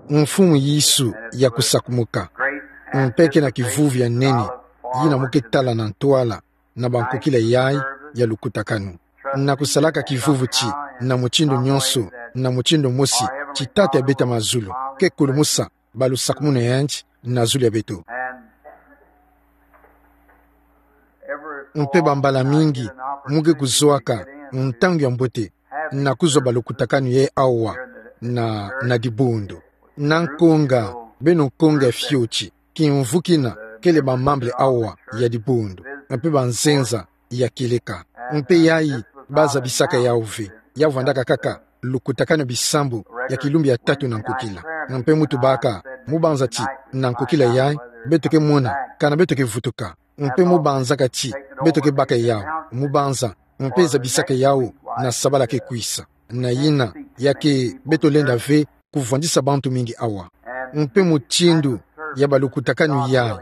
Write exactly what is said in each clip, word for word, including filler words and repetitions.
Mfumu Yesu ya kusakumuka. Mpe ke na kivuvu ya nene, yina mu ke tala na ntwala na bankokila yayi ya lukutakanu. Na kusalaka kivuvu ti, na mutindu nyonso, na mutindu mosi, ti Tata ya beto ya mazulu ke kulumusa balusakumunu yandi na zulu ya beto. Mpe bambala mingi, mu ke kuzwaka ntangu ya mbote na kuzwa balukutakanu yayi awa na, na dibundu. Na nkonga, beno nkonga fioti, kimvu kina kele bamembre awa ya dibundu, mpe banzenza ya kieleka. Mpe yayi, bazabisaka yawu ve. Ya vwandaka kaka lukutakanu bisambu ya kilumbu ya tatu na nkokila. Mpe mu tubaka, mu banza ti, na nkokila yayi, beto ke mona kana beto ke vutuka. Mpe mu banzaka ti, beto ke baka yawu, mu banza, mpe zabisaka yawu na sabala ke kwisa. Na yina, ya ke beto lenda ve kuvwandisa bantu mingi awa. Mpe mutindu ya balukutakanu yayi,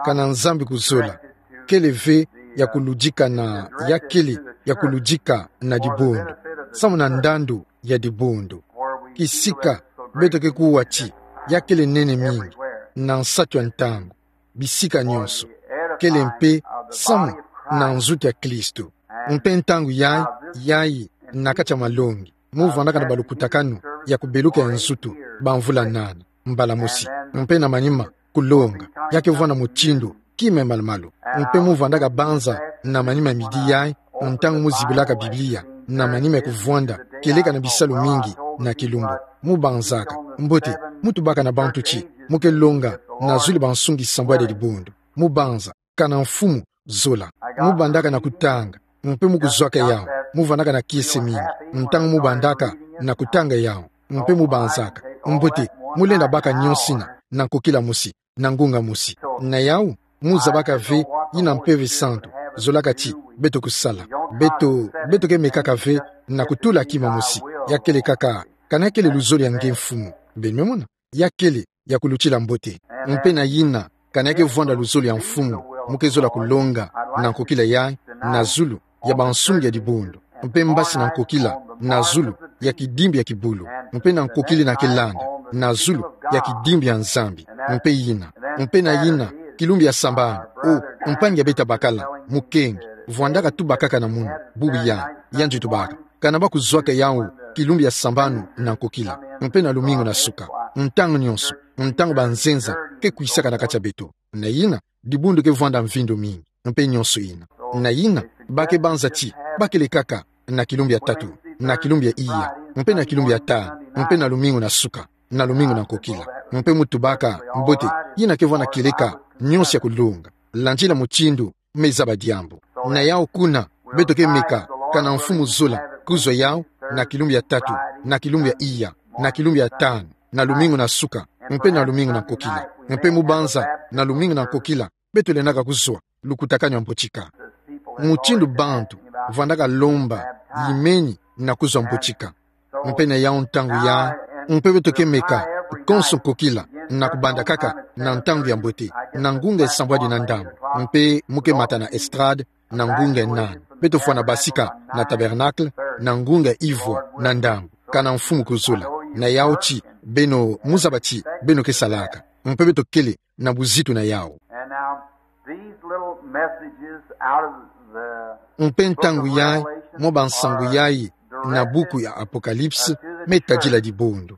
kana Nzambi kuzola, kele ve ya kuludika na, ya kele ya kuludika na dibundu, samu na ndandu ya dibundu. Kisika, beto ke kuwa ti, ya kele nene mingi, na nsatu ya ntangu, bisika nyonso, kele mpe samu na nzutu ya Kristo. Mpe ntangu yayi, yayi na kati ya malongi, mu vwandaka na balukutakanu ya kubeluka ya nzutu, bamvula nana, mbala mosi. Mpe na manima, kulonga, ya ke vwanda mutindu kima ya malumalu. Mpe mu vwandaka banza na manima ya midi yayi, ntangu mu zibulaka Biblia, na manima ya kuvwanda, kieleka na bisalu mingi na kilumbu. Mu banzaka, mbote, mu tubaka na bantu ti, mu ke longa na zulu ya bansungi sambwadi ya dibundu. Mu banza, kana Mfumu, zola. Mu bandaka na kutanga, mpe mu kuzwaka yawu, mu vwandaka na kiese mingi, ntangu mu bandaka na kutanga yawu, mpe mu banzaka, mbote, mu lenda baka nyonso yina, na nkokila mosi, na ngunga mosi. Na yawu, mu zabaka ve, yina Mpeve Santu zolaka ti beto kusala. Beto, beto ke mekaka ve, na kutula kima mosi, ya kele kaka, kana ya kele luzolo ya nge Mfumu. Beno me mona? Ya kele ya kulutila mbote. Mpe na yina, kana ya ke vwanda luzolo ya Mfumu, mu ke zola kulonga na nkokila yayi, na zulu ya bansungi ya dibundu, mpe mbasi na nkokila, na zulu ya kidimbu ya kibulu, mpe na nkokila yina ke landa, na zulu ya kidimbu ya Nzambi, mpe yina, mpe na yina, kilumbu ya sambanu, o mpangi ya beto ya bakala, mukenge, vwandaka tubakaka na munu, bubu yayi, yandi tubaka. Kana ba kuzwaka yawu kilumbu ya sambanu na nkokila, mpe na lumingu na suka, ntangu nyonso, ntangu banzenza ke kwisaka na kati ya beto. Na yina, dibundu ke vwanda mvindu mingi, mpe nyonso yina. Na yina, ba ke banza ti, ba kele kaka na kilumbu ya tatu, na kilumbu ya iya, mpe na kilumbu ya tanu, mpe na lumingu na suka, na lumingu na nkokila. Mpe mu tubaka, mbote, yina ke vwanda kieleka nyonso ya kulonga, landila mutindu me zaba diambu. Na yawu kuna, beto ke meka, kana Mfumu zola kuzwa yawu, na kilumbu ya tatu, na kilumbu ya iya, na kilumbu ya tanu, na lumingu na suka, mpe na lumingu na nkokila. Mpe mu banza, na lumingu na nkokila, beto lendaka kuzwa lukutakanu ya mbotika. Mutindu bantu vwandaka lomba, yimeni na kuzwa mbotika. Mpe na yawu ntangu yayi, mpe beto ke meka, konso nkokila, na kubanda kaka na ntangu ya mbote, na ngunga ya sambwadi na ndambu, mpe mu ke mata na estrade, na ngunga ya nana. Beto fwana basika na Tabernacle, na ngunga ya ivwa na ndambu, kana Mfumu kuzola. Na yawu ti, beno, mu zaba ti beno ke salaka. Mpe beto kele na buzitu na yawu. And now, these little messages out of the Mpe ntangu yayi, mwa bansangu yayi, na buku ya Apocalypse, me tadila dibundu.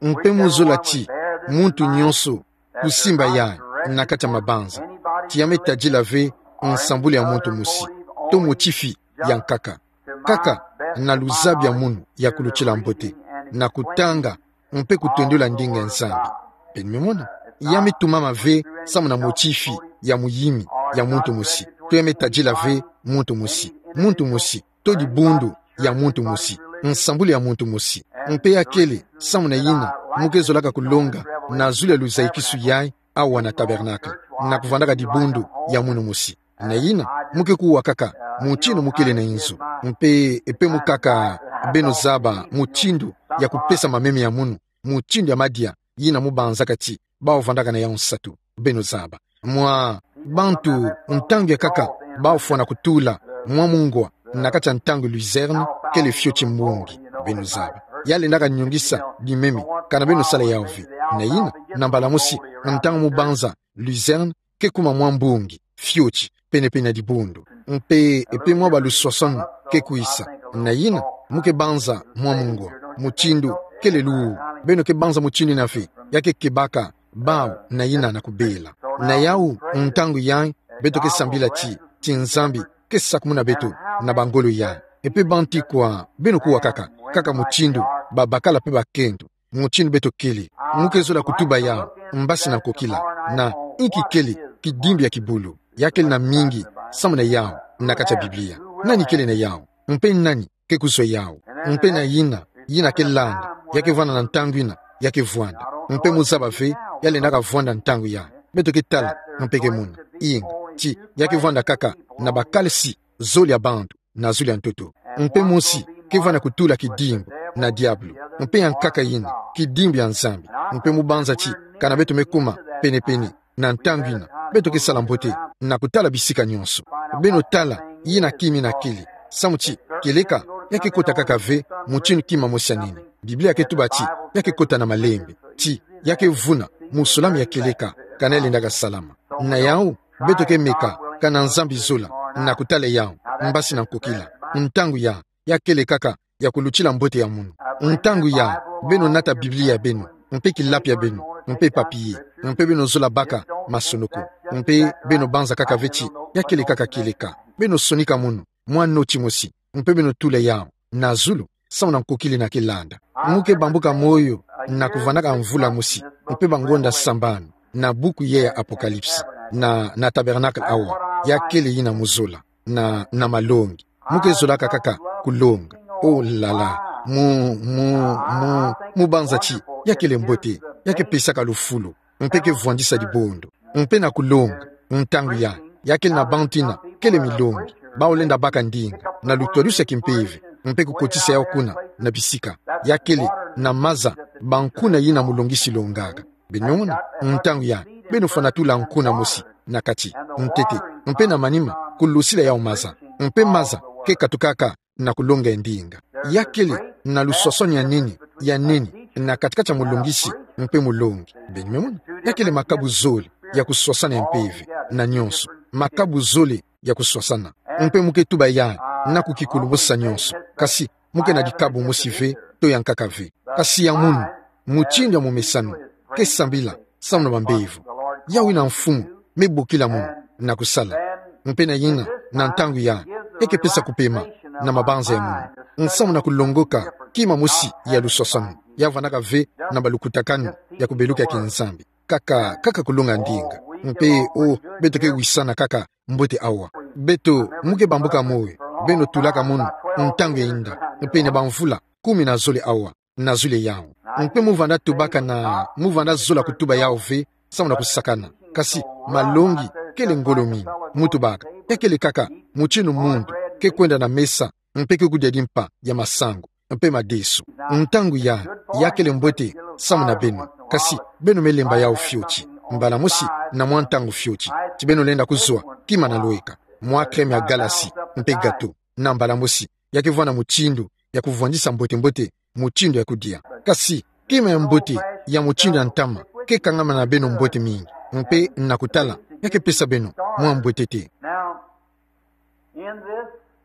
Mpe mu zola ti, muntu nyonso, kusimba yayi, na kati ya mabanza, ti ya me tadila ve nsambulu ya muntu mosi, to motifi ya nkaka. Kaka, na luzabi ya munu ya kulutila mbote, na kutanga, mpe kutondula ndinga ya Nzambi. Beno me mona? Ya me tumama ve samu na motifi ya muyimi ya muntu mosi, to ya me tadila ve muntu mosi, muntu mosi, to dibundu ya muntu mosi, nsambulu ya muntu mosi. Mpe ya kele, samu na yina, mu ke zolaka kulonga na zulu ya luzayikisu yayi, awa na Tabernacle, na kuvwandaka dibundu ya munu mosi. Na yina, mu ke kuwa kaka mutindu mu kele na inzo. Mpe, mpe mu kaka, beno zaba mutindu ya kupesa mameme ya munu, mutindu ya madia, yina mu banzaka ti bawu vwandaka na yawu nsatu. Beno zaba. Mwa bantu, ntangu ya kaka, bawu fwana kutula mwa mungwa na kati ya ntangu luzerne, kele fioti mbongi. Beno zaba. ya lendaka nyongisa dimemi, kana beno sala yawu ve. Na yina, na mbala mosi, ntangu mu banza luzerne ke kuma mwa mbongi fioti penepene na dibundu. Mpe, mpe mwa baluswaswani ke kwisa. Na yina, mu ke banza mwa mungwa, mutindu kele luwu. Beno ke banza mutindu yina ve, ya ke kebaka bawu na yina na kubela. Na yawu, ntangu yayi, beto ke sambila ti, ti Nzambi ke sakumuna beto na bangolo yayi. Mpe bantikwa, beno kuwa kaka, kaka mutindu babakala mpe bakento, mutindu beto kele. Mu ke zola kutuba yawu mbasi na nkokila, na inki kele kidimbi ya kibulu, ya kele na mingi samu na yawu na kati ya Biblia? Nani kele na yawu? Mpe nani ke kuzwa yawu? Mpe na yina, yina ke landa, ya ke vwanda na ntangu yina ya ke vwanda. Mpe mu zaba ve, ya lendaka vwanda ntangu yayi. Beto ke tala, mpe ke mona. Inga, ti, ya ke vwanda kaka na bakalisi zole ya bantu na zulu ya ntoto. Mpe mosi ke vwanda kutula kidimbu na diabulu, mpe ya nkaka yina kidimbu ya Nzambi. Mpe mu banza ti, kana beto me kuma penepene na ntangu yina, beto ke sala mbote na kutala bisika nyonso. Beno tala yina kima yina kele, samu ti kieleka ya ke kota kaka ve mutindu kima mosi ya nene. Biblia ke tuba ti ya ke kota na malembe, ti ya ke vuna musolami ya kieleka, kana ya lendaka salama. Na yawu, beto ke meka, kana Nzambi zola, na kutala yawu mbasi na nkokila. Ntangu yayi, ya kele kaka ya kulutila mbote ya munu. Ntangu yayi, beno nata Biblia ya beno, mpe kilapi ya beno, mpe papier, mpe beno zola baka masonoko, mpe beno banza kaka ve ti ya kele kaka kieleka. Beno sonika munu mwa noti mosi, mpe beno tula yawu na zulu, samu na nkokila yina ke landa. Mu ke bambuka moyo na kuvwandaka mvula mosi, mpe bangonda sambanu, na buku yayi ya Apocalypse, na, na tabernacle awa, ya kele yina mu zola, na, na malongi. Mu ke zolaka kaka kulonga. Oh là là. Mu, mu, mu banza ti ya kele mbote, ya ke pesaka lufulu, mpe ke vwandisa dibundu. Mpe na kulonga, ntangu yayi, ya kele na bantu yina kele milongi, bawu lenda baka ndinga na lutwadusi ya kimpeve, mpe kukotisa yawu kuna na bisika. Ya kele na maza bankuna yina mulongisi longaka. Beno mona, ntangu yayi, beno fwana tula nkuna mosi na kati, ntete, mpe na manima, kulosila yawu maza, mpe maza ke katukaka na kulonga ya ndinga. Ya kele na luswaswani ya nene, ya nene, na kati-kati ya mulongisi mpe mulongi. Beno mona, ya kele makabu zole ya kuswasana ya mpeve, na nyonso makabu zole ya kuswasana. Mpe mu ke tuba yayi na kukikulumusa nyonso, kasi mu ke na dikabu mosi ve, to ya nkaka ve, kasi ya munu, mutindu ya momesano ke sambila samu na bambevo. Yawu yina Mfumu me bokila munu na kusala. Mpe na yina, na ntangu yayi, e ke pesa kupema na mabanza ya munu, nsamu na kulongoka kima mosi ya luswaswani, ya vwandaka ve na balukutakanu ya kubeluka ya kinzambi. Kaka, kaka kulonga ndinga. Mpe, oh, beto ke wisana kaka mbote awa. Beto, mu ke bambuka moyo, beno tulaka munu ntangu ya inda, mpe na bamvula kumi na zole awa, na zole yawu. Mpe mu vwanda tubaka na, mu vwanda zola kutuba yawu ve, samu na kusakana. Kasi, malongi kele ngolo mingi, mu tubaka. Ya kele kaka mutindu muntu ke kwenda na mesa, mpe ke kudia dimpa ya masangu, mpe madesu. Ntangu yayi, ya kele mbote samu na beno. Kasi, beno me lemba yawu fioti, mbala mosi na mwa ntangu fioti, ti beno lenda kuzwa kima na lweka, mwa crème ya galasi, mpe gâteau, na mbala mosi. Ya ke vwanda mutindu ya kuvwandisa mbote-mbote mutindu ya kudia. Kasi, kima ya mbote ya mutindu ya ntama ke kangama na beno mbote mingi, mpe na kutala, ya ke pesa beno mwa mbote te.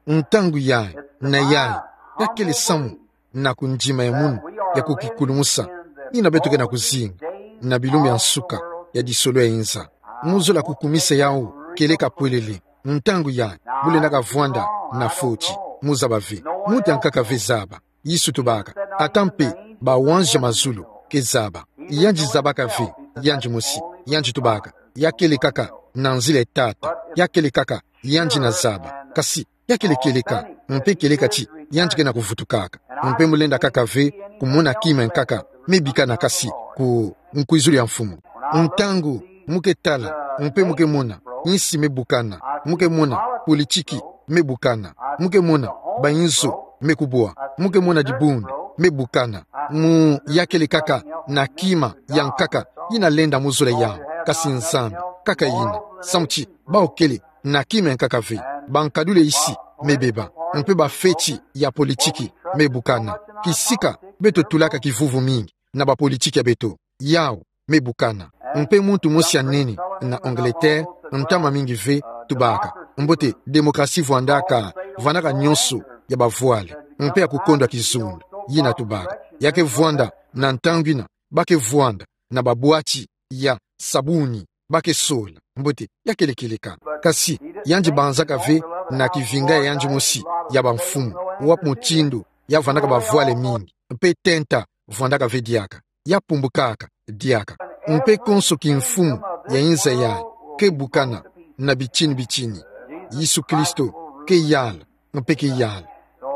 Ntangu yayi, na yayi, ya kele samu na kundima ya munu ya kukikulumusa, yina beto ke na kuzinga na bilumbu ya nsuka ya disolo ya inza. Mu zola kukumisa yawu kieleka pwelele. Ntangu yayi, mu lendaka vwanda na foti, mu zaba ve. Muntu ya nkaka ve zaba. Yesu tubaka, ata mpe bawanzi ya mazulu ke zaba. Yandi zabaka ve, yandi mosi, yandi tubaka, ya kele kaka na nzila ya Tata, ya kele kaka yandi na zaba. Kasi, ya kele kieleka, mpe kieleka ti yandi ke na kuvutukaka. Mpe mu lenda kaka ve kumona kima ya nkaka me bikana kasi ku nkwizulu ya Mfumu. Ntangu mu ke tala, mpe mu ke mona, insi me bukana, mu ke mona, politiki me bukana, mu ke mona, bayinzo me kubwa, mu ke mona dibundu me bukana. Mu ya kele kaka na kima ya nkaka yina lenda mu zola yawu, kasi Nzambi, kaka yina. Samu ti, bawu kele na kima ya nkaka ve, bankadulu ya insi me beba, mpe bafeti ya politiki me bukana. Kisika beto tulaka kivuvu mingi na bapolitiki ya beto. Yau me bukana. Mpe muntu mosi ya nene na Angleterre, ntama mingi ve, tubaka: Mbote, démocratie vwandaka, vwandaka nyonso ya bavwale mpe ya kukondwa kizundu. Yina tubaka. Ya ke vwanda na ntangu yina ba ke vwanda na babwati ya sabuni, ba ke sola. Mbote, ya kele kieleka. Kasi yandi banzaka ve na kivinga ya yandi mosi ya bamfumu, wapi mutindu ya vwandaka bavwale mingi, mpe tenta vwandaka ve diaka, ya pumbukaka diaka. Mpe konso kimfumu ya inza yayi ke bukana na bitini bitini. Yesu Kristo ke yala, mpe ke yala.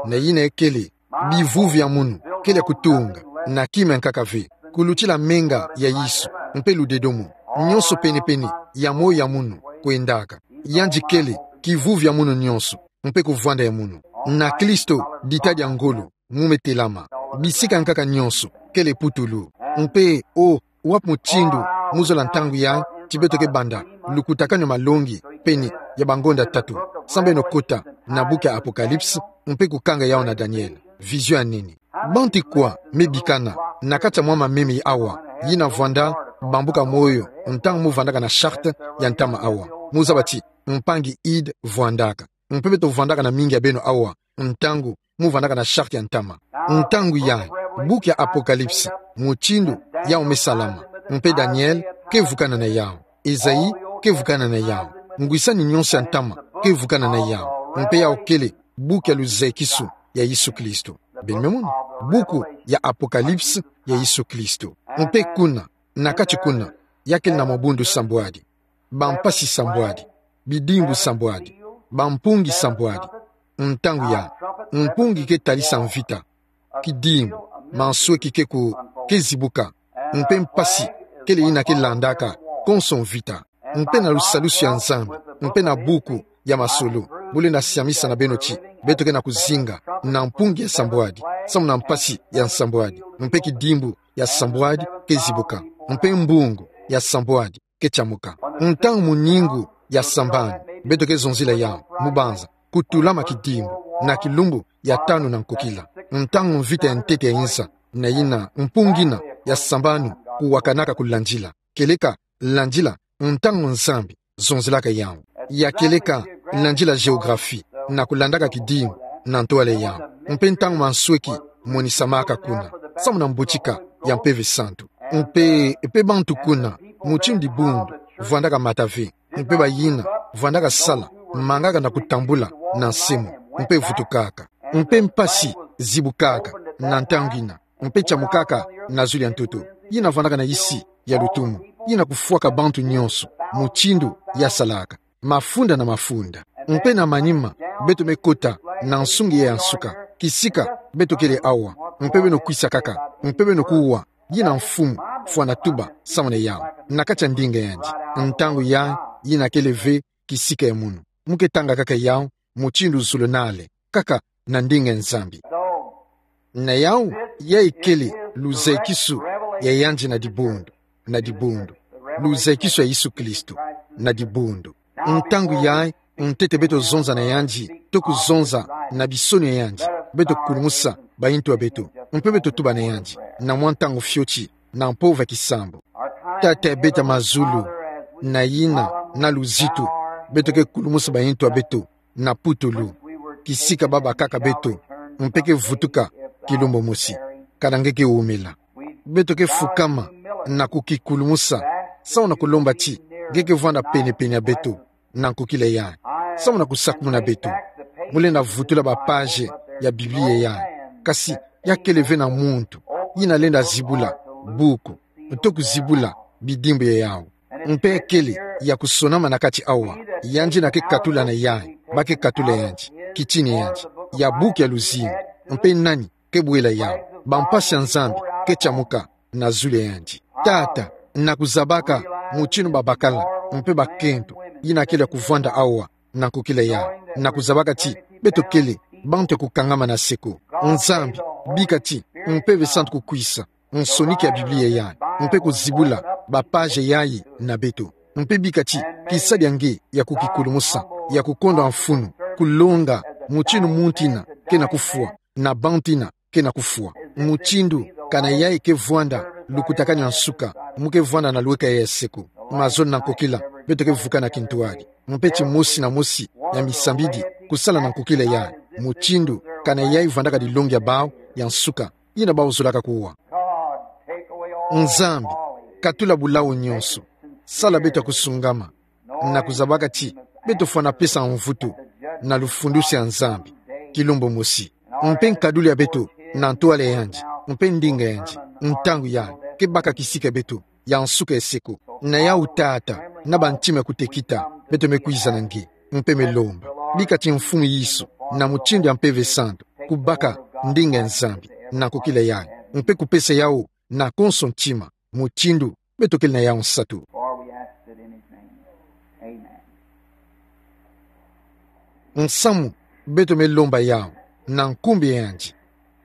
Na yina ekele, bivuvu ya munu kele ya kutunga na kima ya nkaka ve, kulutila menga ya Yesu mpe ludedomo. Nyonso pene-pene ya moyo ya munu kwendaka. Yandi kele kivuvu ya munu nyonso, mpe kuvwanda ya munu. Na Kristo, dita dia ngolo mu me telama. Bisika ya nkaka nyonso kele putulu. Mpe, o, wapi mutindu mu zola ntangu yayi ti beto ke banda lukutakanu ya malongi pene ya bangonda tatu, samu beno kota na buku ya Apocalypse mpe kukanga yau na Daniel? Vision ya nene. Bantu kwa me bikana na kati ya mwa mameme awa, yina vwanda bambuka moyo ntangu mu vwandaka na charte ya ntama awa? Mu zaba ti mpangi Hyde vwandaka. Mpe beto vwandaka na mingi ya beno awa ntangu mu vwandaka na charte ya ntama. Ntangu yayi, buku ya Apocalypse, mutindu yau me salama, mpe Daniel ke vukana na yau, Esaïe ke vukana na yau, ngwisani nyonso ya ntama ke vukana na yau, mpe yau kele buku ya luzekisu ya Yesu Kristo. Beno me mona? Buku ya Apocalypse ya Yesu Kristo. Mpe kuna, na kati kuna, ya kele na mabundu sambwadi, bampasi sambwadi, bidimbu sambwadi, bampungi sambwadi. Ntangu yayi, mpungi ke talisa mvita, kidimbu, mansweki ke ku, ke zibuka, mpe mpasi kele yina ke landaka konso mvita. Mpe na lusalusu ya Nzambi, mpe na buku ya masolo, bu lenda siamisa na beno ti beto ke na kuzinga na mpungi ya sambwadi, samu na mpasi ya nsambwadi, mpe kidimbu ya sambwadi ke zibuka, mpe mbungu ya sambwadi ke tiamuka. Ntangu muningu ya sambanu, beto ke zonzila yau, mu banza kutulama kidimbu na kilumbu ya tanu na nkokila, ntangu mvita ya ntete ya inza, na yina mpungi yina ya sambanu kuwakanaka kulandila, kieleka landila ntangu Nzambi zonzilaka yau. Ya kieleka landila géographie na kulandaka kidimbu na ntwala yau. Mpe ntangu mansweki monisamaka kuna, samu na mbutika ya Mpeve Santu. Mpe, mpe bantu kuna, mutindu dibundu, vwandaka mata ve, mpe bayina vwandaka sala, mangaka na kutambula na nsemo, mpe vutukaka. Mpe mpasi zibukaka na ntangu yina, mpe tiamukaka na zulu ya ntoto, yina vwandaka na isi ya lutumu, yina kufwaka bantu nyonso, mutindu ya salaka, mafunda na mafunda. Mpe na manima, beto me kota na nsungi ya nsuka, kisika beto kele awa, mpe beno kwisa kaka, mpe beno kuwa, yina mfumu, fwana tuba samu na yau, na kati ya ndinga yandi. Ntangu yayi, yina kele ve kisika ya munu. Mu ke tanga kaka yau, mutindu zulunale, kaka na ndinga ya Nzambi. Na yau, yayi kele luzekisu ya yandi na dibundu, na dibundu. Luzekisu ya Yesu Kristo, na dibundu. Ntangu yayi, ntete beto zonza na yandi, to kuzonza na bisono ya yandi, beto kulumusa bayintu ya beto, mpe beto tuba na yandi, na mwa ntangu fioti, na mpova kisambu. Tata ya beto ya mazulu, na yina na luzitu, beto ke kulumusa bayintu ya beto na putulu, kisika babakaka beto, mpe ke vutuka kilumbu mosi, kana nge ke wumela. Beto ke fukama na kukikulumusa, samu na kulomba ti nge ke vwanda pene-pene ya beto na nkokila yayi, samu na kusakumuna beto. Mu lenda vutula ba page ya Biblia yayi, kasi ya kele ve na muntu yina lenda zibula buku, to kuzibula bidimbu ya yau. Mpe kele ya kusonama na kati awa, yandi yina ke katula na yayi, ba ke katula yandi, kitini yandi, ya buku ya luzingu, mpe nani ke bwela yau? Bampasi ya Nzambi ke tiamuka na zulu ya yandi. Tata, na kuzabaka mutindu babakala, mpe bakento, yina kele ya kuvwanda awa na nkokila yayi, na kuzabaka ti beto kele bantu ya kukangama na seko. Nzambi, bika ti Mpeve Santu kukwisa nsoniki ya Biblia yayi, mpe kuzibula ba page yayi na beto. Mpe bika ti kisalu ya nge ya kukikulumusa, ya kukondwa mfunu, kulonga mutindu muntu yina ke na kufwa, na bantu ina ke na kufwa. Mutindu, kana yayi ke vwanda lukutakanu ya nsuka, mu ke vwanda na lweka ya seko. Mazono na nkokila, beto ke vukana kintwari. Mpeti mosi na mosi ya misambidi, kusala na nkokila yayi. Mutindu, kana yayi vwandaka dilongi ya bawu ya nsuka, ina bawu zolaka kuwa. Nzambi, katula bulawu nyonso. Sala beto ya kusungama, na kuzabaka ti beto fwana pesa mvutu na lufundisi ya Nzambi kilumbu mosi. Mpe nkaduli ya beto na ntwala yandi, mpe ndinga yandi, ntangu yayi ke baka kisika beto ya nsuka ya seko. Na yawu Tata, na bantima ya kutekita, beto me kwiza na nge, mpe me lomba. Bika ti Mfumu Yesu, na mutindu ya Mpeve Santu, kubaka ndinga ya Nzambi na nkokila yayi, mpe kupesa yawu na konso ntima, mutindu beto kele na yawu nsatu. For we ask it in his name. Amen. Nsamu, beto me lomba yawu na nkumbu ya yandi.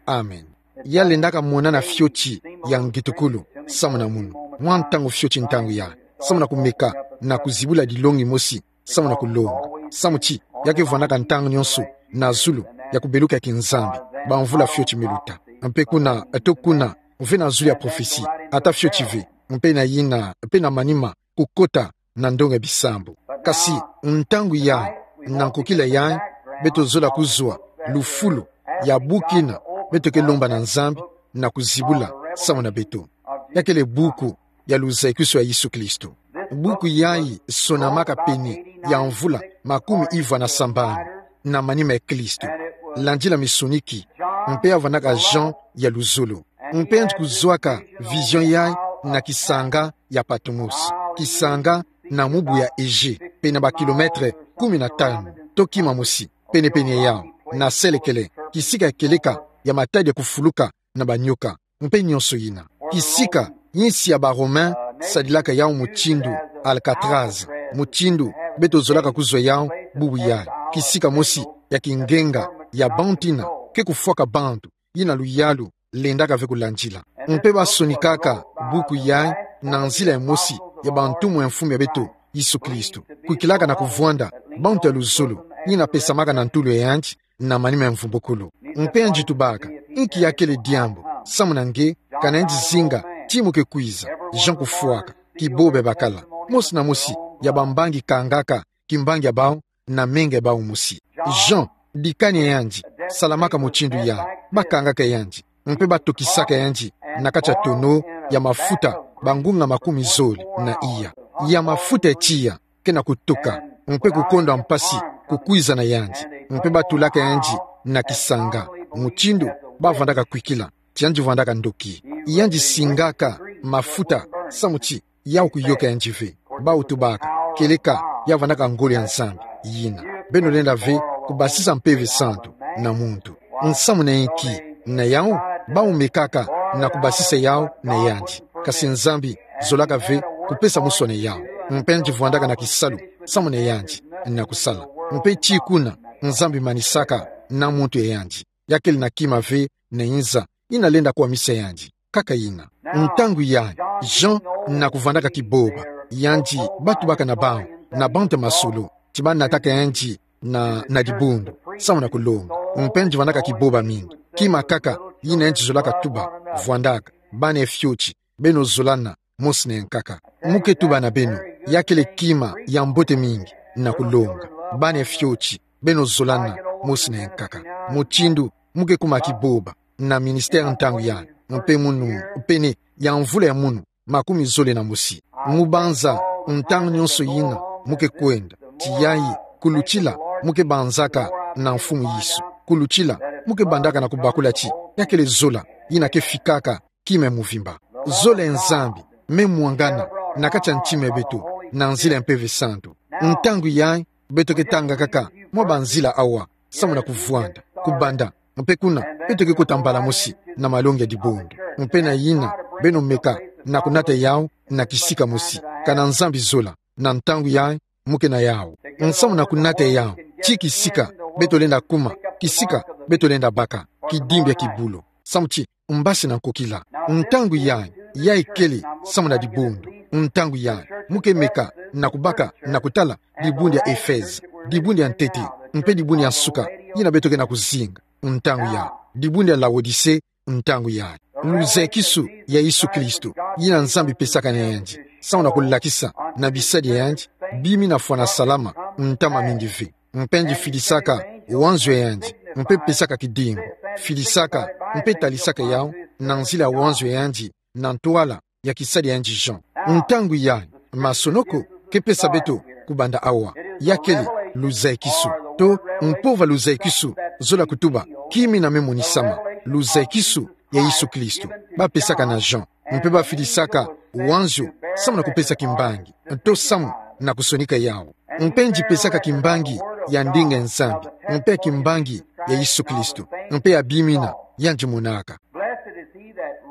Amen. Ya lendaka monana fioti ya ngitukulu, samu na munu. Mwa ntangu fioti ntangu yayi, samu na kumeka na kuzibula dilongi mosi, samu na kulonga. Samu ti, ya ke vwandaka ntangu nyonso na zulu ya kubeluka ya kinzambi, bamvula fioti me luta. Mpe kuna, eto kuna, ve na zulu ya prophetie, ata fioti ve, mpe na yina, mpe na manima, kukota na ndonga ya bisambu. Kasi, ntangu yayi, na nkokila yayi, beto zola kuzwa lufulu ya buku ina beto ke lomba na Nzambi na kuzibula samu na beto. Ya kele buku ya luzayikisu ya Yesu Kristo. Buku yayi sonamaka pene ya mvula makumi ivwa na sambanu na manima ya Kristo. Landila misoniki, mpe ya vwandaka Jean ya luzolo. Mpe yandi kuzwaka vision yayi na kisanga ya Patmos, kisanga na mubu ya Égée, pene ba kilomètre kumi na tanu, to kima mosi, penepene yawu, na selekele, kisika ya kieleka ya matadi ya kufuluka na banyoka, mpe nyonso yina. Kisika, insi ya ba Romain sadilaka yawu mutindu Alcatraz, mutindu beto zolaka kuzwa yawu bubu yayi. Kisika mosi ya kingenga ya bantu ina ke kufwaka bantu, yina luyalu lendaka ve kulandila. Mpe ba sonikaka buku yayi na nzila ya mosi ya bantumwa ya Mfumu ya beto Yesu Kristo, kwikilaka na kuvwanda bantu ya luzolo, yina pesamaka na ntulu ya yandi na manima ya mvumbukulu. Mpe yandi tubaka: Inki ya kele diambu samu na nge, kana yandi zinga ti mu ke kwiza? Jean kufwaka: Kiboba bakala. Mosi na mosi ya bambangi kangaka kimbangi ya bawu na menga ya bawu mosi. Jean, dikani ya yandi salamaka mutindu yayi, ba kangaka yandi, mpe ba tokisaka yandi na kati ya tono ya mafuta, bangunga makumi zole na iya. Ya mafuta ya tiya ke na kutoka, mpe kukonda mpasi kukwiza na yandi, mpe ba tulaka yandi na kisanga, mutindu ba vwandaka kwikila ti yandi vwandaka ndoki. Yandi singaka mafuta, samu ti yawu kuyoka yandi ve. Bawu tubaka: Kieleka ya vwandaka ngolo ya Nzambi, yina. Beno lenda ve kubasisa Mpeve Santu na muntu. Nsamu na inki? Na yawu, bawu mekaka na kubasisa yawu na yandi. Kasi Nzambi zolaka ve kupesa muswa na yawu. Mpe yandi vwandaka na kisalu samu na yandi na kusala. Mpe ti kuna Nzambi manisaka na muntu ya yandi. Ya kele na kima ve na inza yina lenda kwamisa yandi, kaka yina. Ntangu yayi, Jean na kuvwandaka kiboba, yandi ba tubaka na bawu, na bantu ya masolo, ti ba nataka yandi na, na dibundu, samu na kulonga. Mpe yandi vwandaka kiboba mingi. Kima kaka yina yandi zolaka tuba, vwandaka: Bana ya fioti, beno zolana mosi na yankaka. Mu ke tuba na beno, ya kele kima ya mbote mingi na kulonga: Bana ya fioti, beno zolana mosi na yankaka. Mutindu mu ke kuma kiboba na ministère ntangu yayi, mpe munu, pene ya mvula ya munu makumi zole na mosi. Mu banza ntangu nyonso yina mu ke kwenda, ti yayi, kulutila, mu ke banzaka na Mfumu Yesu. Kulutila, mu ke bandaka na kubakula ti ya kele zola yina ke fikaka kima ya muvimba. Zola ya Nzambi me mwangana na kati ya ntima ya beto na nzila ya Mpeve Santu. Ntangu yayi, beto ke tanga kaka mwa banzila awa samu na kuvwanda, kubanda, mpe kuna beto ke kota mbala mosi na malongi ya dibundu. Mpe na yina, beno meka na kunata yawu na kisika mosi. Kana Nzambi zola, na ntangu yayi, mu ke na yawu. Nsamu na kunata yawu, ti kisika beto lenda kuma, kisika beto lenda baka kidimbi ya kibulo, samu ti mbasi na nkokila. Ntangu yayi, yayi kele samu na dibundu. Ntangu yayi, mu ke meka na kubaka na kutala dibundu ya Efeze, dibundu ya ntete, mpe dibundu ya nsuka yina beto ke na kuzinga. Ntangu yayi, Dibundu ya Laodise, ntangu yayi. Luzaikisu ya Yesu Kristo, yina Nzambi pesaka na yandi, samu na kulakisa na bisadi ya yandi, bimi na fwana salama, ntama mingi ve. Mpe yandi fidisaka wanzio ya yandi, mpe pesaka kidimbu, fidisaka, mpe talisaka yawu, na nzila ya wanzio ya yandi, na ntwala ya kisadi ya yandi Jean. Ntangu yayi, masonoko, ke pesa beto, kubanda awa, ya kele, luzaikisu, to, mpova luzaikisu, zola kutuba, kimi na me monisama, luzaikisu, ya Yesu Kristo, ba pesaka na Jean, mpe ba fidisaka, wanzio, samu na kupesa kimbangi, to samu, na kusonika yawu. Mpe yandi pesaka kimbangi, ya ndinga ya Nzambi, mpe kimbangi, ya Yesu Kristo, mpe ya bimi na, yandi monaka.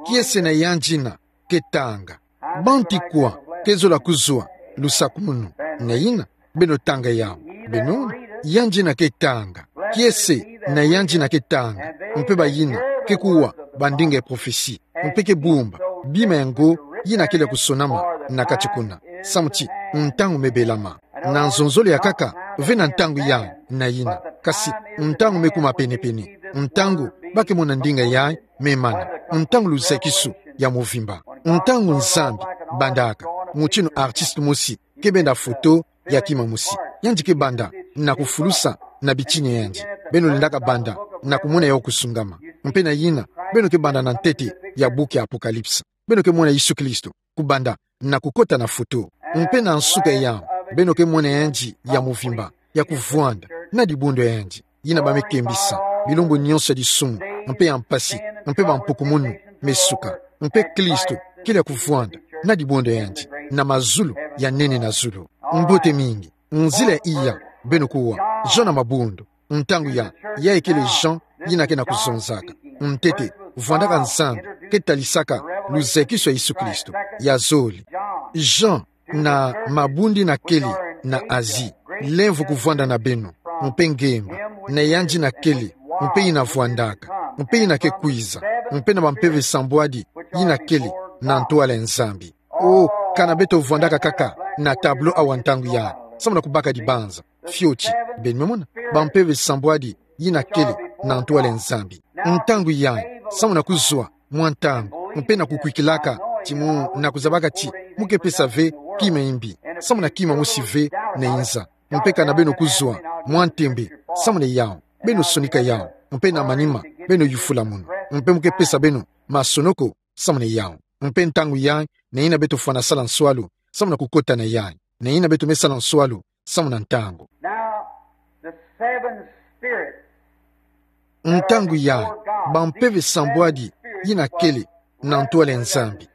Kiese na yandi yina, ke tanga. Bantu kwa, ke zola kuzwa, lusakumunu, na yina, beno tanga yawu, beno, yandi yina ke tanga. Kiese, na yandi yina ke tanga, mpe bayina, ke kuwa, bandinga ya prophetie, mpe ke bumba, bima ya ngo, yina kele kusonama, na kati kuna. Samu ti, ntangu me belama. Na nzonzolo ya nkaka, ve na ntangu yayi, na yina. Kasi, ntangu me kuma penepene. Ntangu, ba ke mona ndinga yayi, me mana. Ntangu luzaikisu, ya mvimba. Ntangu Nzambi, bandaka. Mutinu artiste mosi, ke benda foto, ya kima mosi. Yandi ke banda, na kufulusa, na bitini ya yandi. Beno lendaka banda, na kumona yawu kusungama. Mpe na yina, beno ke banda na ntete, ya buku ya Apocalypse. Beno ke mona Yesu Kristo, kubanda, na kukota na foto. Mpe na nsuka yawu, beno ke mona yandi, ya mvimba, ya kuvwanda, na dibundu ya yandi. Yina ba me kembisa, bilumbu nyonso ya disumu, mpe ya mpasi, mpe bampukumunu, me suka. Mpe Kristo, kele ya kuvwanda, na dibundu ya yandi, na mazulu, ya nene na zulu. Mbote mingi, nzila iya, beno kuwa, Jean na mabundu, ntangu yayi, yayi kele Jean, yina ke na kuzonzaka. Ntete, vwandaka Nzambi, ke talisaka, luzaikisu ya Yesu Kristo, ya zole. Jean, na mabundu yina kele, na Asie, lemvo kuvwanda na beno, mpe ngemba, na yandi yina kele, mpe yina vwandaka, mpe yina ke kwiza, mpe na bampeve sambwadi, yina kele, na ntwala ya Nzambi. O, kana beto vwandaka kaka, na tableau awa ntangu yayi, samu na kubaka dibanza, fioti, beno me mona, bampeve sambwadi, yina kele, na ntwala ya Nzambi. Ntangu yayi, samu na kuzwa, mwa ntangu, mpe na kukwikilaka, ti mu, na kuzabaka ti, mu ke pesa ve, kima ya mbi, samu na kima mosi ve, na inza. Mpe kana beno kuzwa, mwa ntembe, samu na yawu, beno sonika yawu, mpe na manima, beno yufula munu, mpe mu ke pesa beno, masonoko, samu na yawu. Mpe ntangu yayi, na yina beto fwana sala nswalu, samu na kukota na yayi, na yina beto me sala nswalu, samu na ntangu. Now, the seven spirits Ntangu yayi, bampeve sambwadi, yina kele, na ntwala ya Nzambi.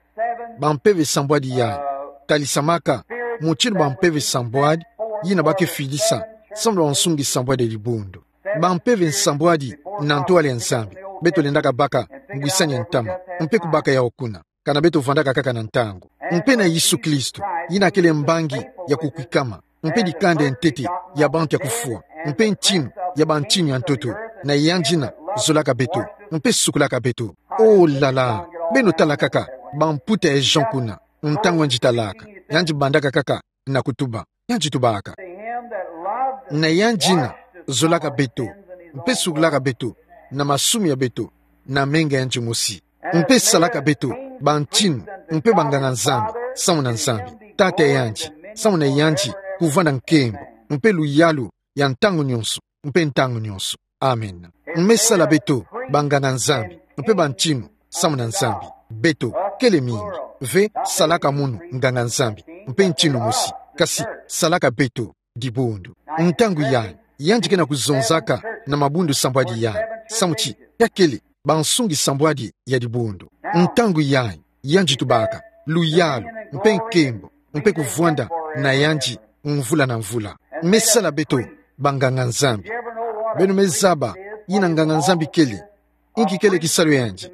Bampeve sambwadi yayi, talisamaka, mutinu bampeve sambwadi, yina ba ke fidisa, samu na bansungi sambwadi ya dibundu. Bampeve nsambwadi, na ntwala ya Nzambi, beto lendaka baka, ngwisani ya ntama, mpe kubaka yawu kuna. Kana beto vwandaka kaka na ntangu. Mpe na Yesu Kristo, yina kele mbangi ya kukwikama, mpe dikanda ya ntete ya bantu ya kufwa, mpe ntinu ya bantinu ya ntoto, na yandi yina zolaka beto, mpe sukulaka beto. Oh là là, beno tala kaka, bamputa ya Jean kuna, ntangu yandi talaka, yandi bandaka kaka, na kutuba. Yandi tubaka. Na yandi yina zolaka beto, mpe sukulaka beto, na masumu ya beto, na menga ya yandi mosi. Mpe salaka beto, bantinu, mpe banganga Nzambi, samu na Nzambi, Tata ya yandi, samu na yandi, kuvwanda nkembo, mpe luyalu, ya ntangu nyonso, mpe ntangu nyonso. Amen. Mpe sala beto, banganga Nzambi, mpe bantinu, samu na Nzambi. Beto, kele mingi. Ve, salaka munu, nganga Nzambi, mpe ntinu mosi. Kasi, salaka beto, dibundu. Ntangu yayi, yandi ke na kuzonzaka, na mabundu sambwadi yayi. Samu ti, ya kele, bansungi sambwadi ya dibundu. Ntangu yayi, yandi tubaka, luyalu, mpe nkembo, mpe kuvwanda, na yandi, mvula na mvula. Mpe sala beto, banganga Nzambi. Beno me zaba, yina nganga Nzambi kele. Inki kele kisalu ya yandi.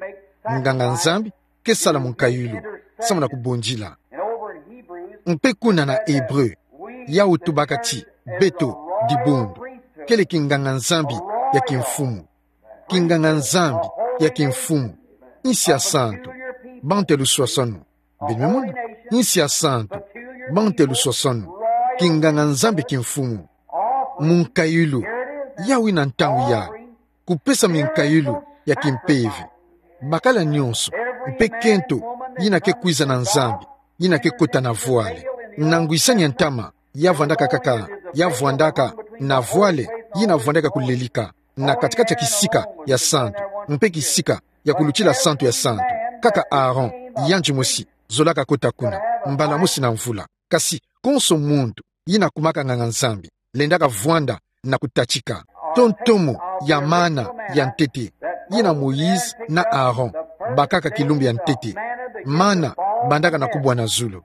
Nganga Nzambi, ke sala munkayulu, samu na kubondila. Mpe kuna na Hébreu, yawu tubaka ti, beto, dibundu, kele kinganga Nzambi, ya kimfumu. Kinganga Nzambi, ya kimfumu. Nsi ya santu, bantu ya luswaswanu. Beno me mona, nsi ya santu, bantu ya luswaswanu. Kinganga Nzambi kimfumu. Munkayulu, yawu yina ntangu yayi. Kupesa minkayulu, ya kimpeve. Bakala nyonso, mpe kento, yina ke kwiza na Nzambi, yina ke kota na vwale. Na ngwisani ya ntama, ya vwandaka kaka, ya vwandaka na vwale, yina vwandaka kulelika na kati-kati ya kisika ya santu, mpe kisika ya kulutila santu ya santu. Kaka Aaron, yandi mosi, zolaka kota kuna, mbala mosi na mvula. Kasi konso muntu yina kumaka nganga-Nzambi, lendaka vwanda na kutatika. To ntomo ya mana ya ntete, yina Moïse na Aaron bakaka kilumbu ya ntete. Mana bandaka na kubwa na zulu.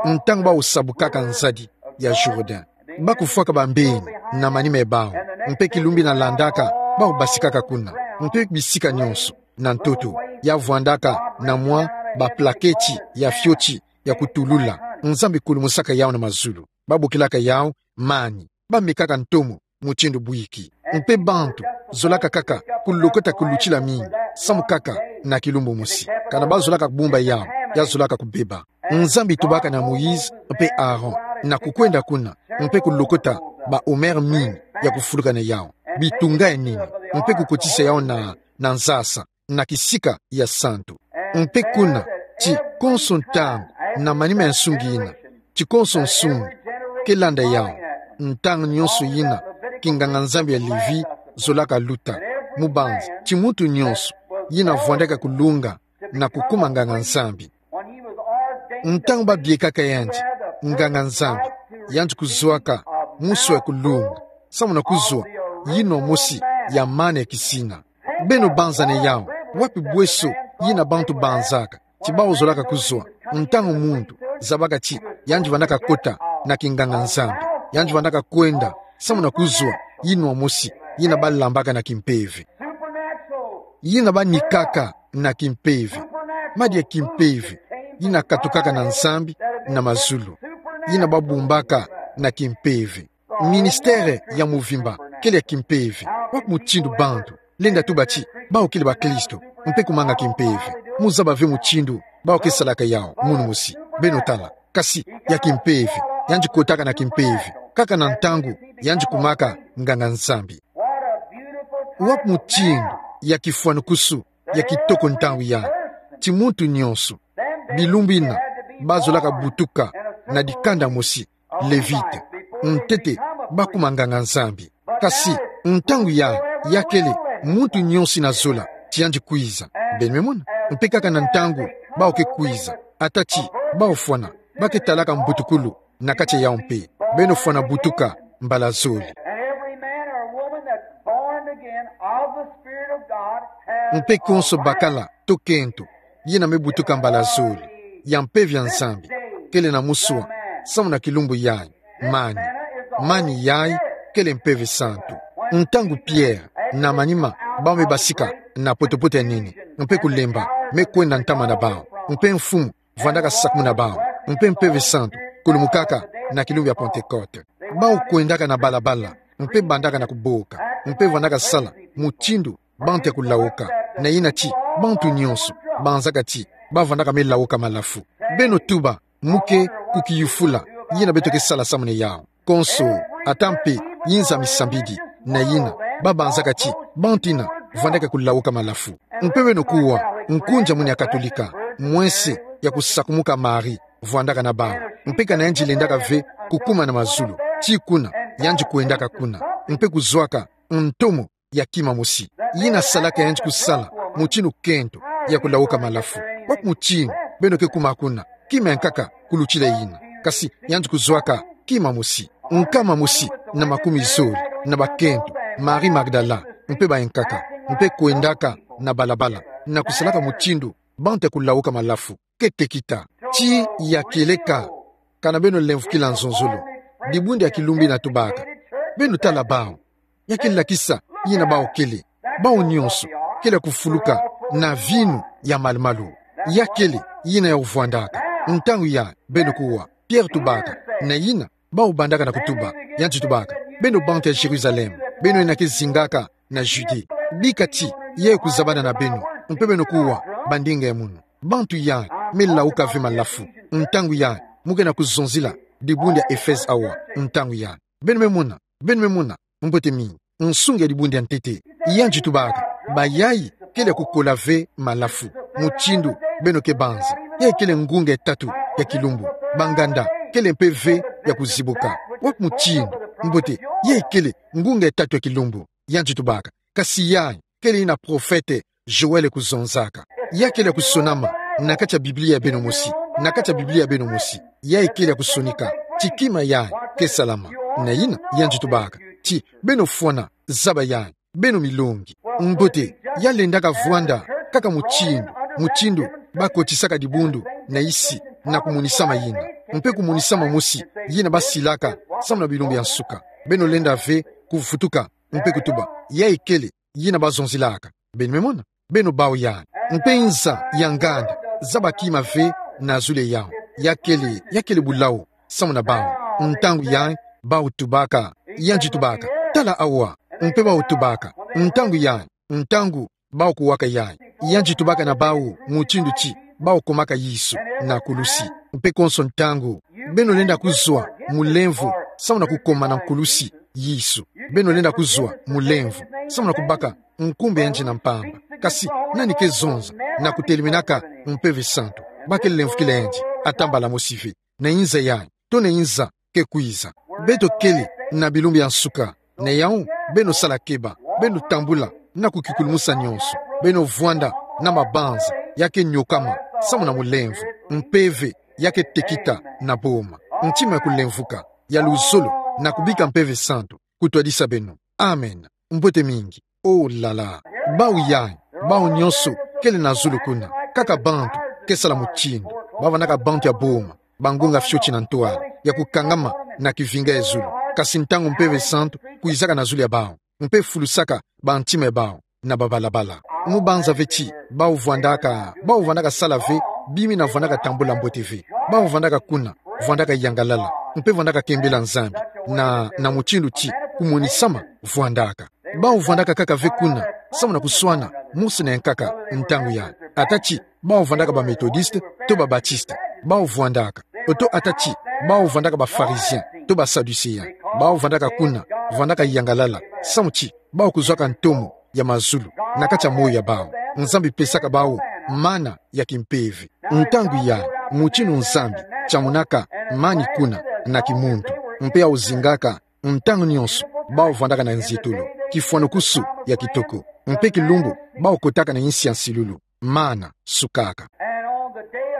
Ntangu baosabukaka nzadi ya Jourdain, bakufwaka bambeni na manima ya bawu, mpe kilumbu yina landaka, baobasikaka kuna, mpe bisika nyonso na ntoto, ya vwandaka na mwa baplaketi ya fioti ya kutulula, Nzambi kulumusaka yawu na mazulu. Babokilaka yawu mani. Bamekaka ntomo mutindu bwiki. Mpe bantu zolaka kaka kulokota kulutila mingi, samu kaka na kilumbu mosi. Kana bazolaka kubumba yawu, ya zolaka kubeba. Nzambi tubaka na Moïse mpe Aaron na kukwenda kuna, mpe kulokota baomer mingi ya kufuluka na yawu, bitunga ya nini, mpe kukotisa yawu na, na nsasa, na kisika ya santu. Mpe kuna, ti konso ntangu, na manima ya nsungi yina, ti konso nsungi ke landa yawu, ntangu nyonso yina kinganga-Nzambi ya Levi zolaka luta, mubanzi ti muntu nyonso yina vwandaka kulunga na kukuma nganga-Nzambi. Ntangu babiekaka yandi nganga-Nzambi, yandi kuzwaka muswa ya kulunga, samu na kuzwa yinwa mosi ya mana ya kisina. Beno banza na yawu, wapi bweso yina bantu banzaka ti baozolaka kuzwa ntangu muntu zabaka ti yandi vwandaka kota na kinganga-Nzambi, yandi vwandaka kwenda samu na kuzwa yinwa mosi yina balambaka na kimpeve, yina banikaka na kimpeve, madia kimpeve yina katukaka na Nzambi na mazulu, yina babumbaka na kimpeve? Ministère ya muvimba kele ya kimpeve. Wapi mutindu bantu lenda tuba ti bawu kele bakristo mpe kumanga kimpeve? Muzaba ve mutindu bawu ke salaka yawu munu mosi. Beno tala. Kasi ya kimpeve, yandi kotaka na kimpeve kaka na ntangu yandi kumaka nganga-Nzambi. Wapi mutindu ya kifwanukusu ya kitoko ntangu yandi, ti muntu nyonso, bilumbu yina, bazolaka butuka na dikanda mosi, Levite. Ntete, bakuma nganga-Nzambi. Kasi ntangu yandi, ya kele muntu nyonso yina zola ti yandi kwiza. Beno me mona? Mpe kaka na ntangu bawu ke kwiza, ata ti bawu fwana, ba ke talaka mbutukulu na kati ya yawu mpe. Beno fwana butuka mbala zole. And every man or woman that's born again of the Spirit of God has Mpe konso a right bakala to kento yina me butuka mbala zole ya mpeve ya Nzambi, kele na muswa samu na kilumbu yayi. Mani, mani yayi kele mpeve santu. Ntangu Pierre na manima bawu me basika na poto-poto ya nene, mpe kulemba me kwenda ntama na bawu, mpe Mfumu vwandaka sakumuna bawu, mpe mpeve santu kulumukaka na kilumbu ya Pentecôte. Bawu kwendaka na balabala, mpe bandaka na kuboka, mpe vwandaka sala mutindu bantu ya kulawuka, na yina ti bantu nyonso banzaka ti bavwandaka me lawuka malafu. Beno tuba, mu ke kukiyufula yina beto ke sala samu na yawu. Konso, ata mpe yinza misambidi na yina babanzaka ti bantu yina vwandaka kulawuka malafu. Mpe beno kuwa, nkunja munu ya Katolika, mwense ya kusakumuka Marie vwandaka na bawu. Mpe kana yandi lendaka ve kukuma na mazulu, ti kuna yandi kwendaka kuna, mpe kuzwaka ntomo ya kima mosi yina salaka yandi kusala mutindu kento ya kulawuka malafu. Wapi mutindu beno ke kuma kuna kima ya nkaka kulutila yina? Kasi yandi kuzwaka kima mosi, nkama mosi na makumi zole na bakento, Marie Magdala, mpe bayankaka, mpe kwendaka na balabala na kusalaka mutindu bantu ya kulawuka malafu. Ke tekita. Ti ya kieleka. Kana beno lemvokila nzonzolo, dibundu ya kilumbu yina tubaka, beno tala bawu. Ya ke lakisa yina bawu kele. Bawu nyonso kele ya kufuluka na vinu ya malu-malu. Ya kele yina ya ovwandaka. Ntangu yayi, beno kuwa, Pierre tubaka, na yina bawu bandaka na kutuba, yandi tubaka: Beno bantu ya Jérusalem, beno yina ke zingaka na Judée, bika ti yayi kuzabana na beno, mpe beno kuwa bandinga ya munu. Bantu yayi me lawuka ve malafu. Ntangu yayi, mu ke na kuzonzila dibundu ya Éphèse awa. Ntangu yayi, beno me mona, beno me mona mbote mingi nsunga ya dibundu ya ntete. Yandi tubaka: Bayayi kele ya kukola ve malafu. Mutindu beno ke banza, ya ikele ngunga e tatu ya kilumbu. Banganda, kele mpe ve ya kuzibuka. Wapi mutindu? Mbote, ya ikele ngunga e tatu ya kilumbu. Yandi tubaka. Kasi yayi kele yina profete Joël kuzonzaka. Ya kele ya kusonama na kati ya Biblia ya beno mosi, na kati ya Biblia ya beno mosi. Ya ikele ya kusonika ti kima yayi ke salama. Na yina, yandi tubaka ti beno fwana zaba yayi, beno milongi. Mbote, ya lendaka vwanda kaka mutindu, mutindu bakotisaka dibundu na isi, na kumonisama yina, mpe kumonisama mosi yina basilaka samu na bilumbu ya nsuka. Beno lenda ve kuvutuka mpe kutuba ya ikele yina bazonzilaka. Beno me mona? Beno bau yayi. Mpe nza ya nganda, zaba kima ve na zulu yawu. Ya kele, ya kele bulawu samu na bau. Ntangu yayi, bau tubaka. Yandi tubaka: Tala awa. Mpe bau tubaka: Ntangu yayi, ntangu bau kuwaka yayi. Yandi tubaka na bau mutindu ti bau komaka Yesu na kulusi. Mpe konso ntangu beno lenda kuzwa mulemvo samu na kukoma na nkulusi Yesu. Beno lenda kuzwa mulemvo samu na kubaka nkumbu yandi na mpamba. Kasi nani ke zonza na kutelemenaka Mpeve Santu? Ba ke lemvokila yandi ata mbala mosi ve. Na nza yayi, to na nza ke kwiza. Beto kele na bilumbu ya nsuka. Na yawu, beno sala keba, beno tambula na kukikulumusa nyonso. Beno vwanda na mabanza ya ke nyokama samu na mulemvo. Mpeve ya ke tekita na boma. Ntima ya kulemvuka, ya luzolo, na kubika Mpeve Santu kutwadisa beno. Amen. Mbote mingi. Oh là là. Bau yayi, bau nyonso kele na zulu kuna. Kaka bantu ke sala mutindu. Bau vandaka bantu ya boma, bangunga fioti na ntwala, ya kukangama na kivinga ya zulu. Kasi ntangu Mpeve Santu kwizaka na zulu ya bau, mpe fulusaka bantima ya bau na babalabala. Mu banza ve ti bau vwandaka, bau vandaka sala ve bima yina vandaka tambula mbote ve. Bau vandaka kuna, vandaka yangalala, mpe vandaka kembela Nzambi na, na mutindu ti kumonisama vwandaka. Bau vandaka kaka ve kuna samu na kuswana mosi na yankaka ntangu yayi. Ata ti bau vandaka ba Methodiste to ba Baptiste, bau vwandaka. Oto ata ti bau vandaka ba Pharisiens to ba Sadducéens, bau vandaka kuna, vandaka yangalala, samu ti bau kuzwaka ntomo ya mazulu na kati ya moyo ya bau. Nzambi pesaka bau mana ya kimpeve. Ntangu yayi, mutindu Nzambi tiamunaka mani kuna na kimuntu, mpe ya ozingaka ntangu nyonso bau vandaka na nzietolo, kifwanukusu ya kitoko, mpe kilumbu bau kotaka na insi ya nsilulu, mana sukaka.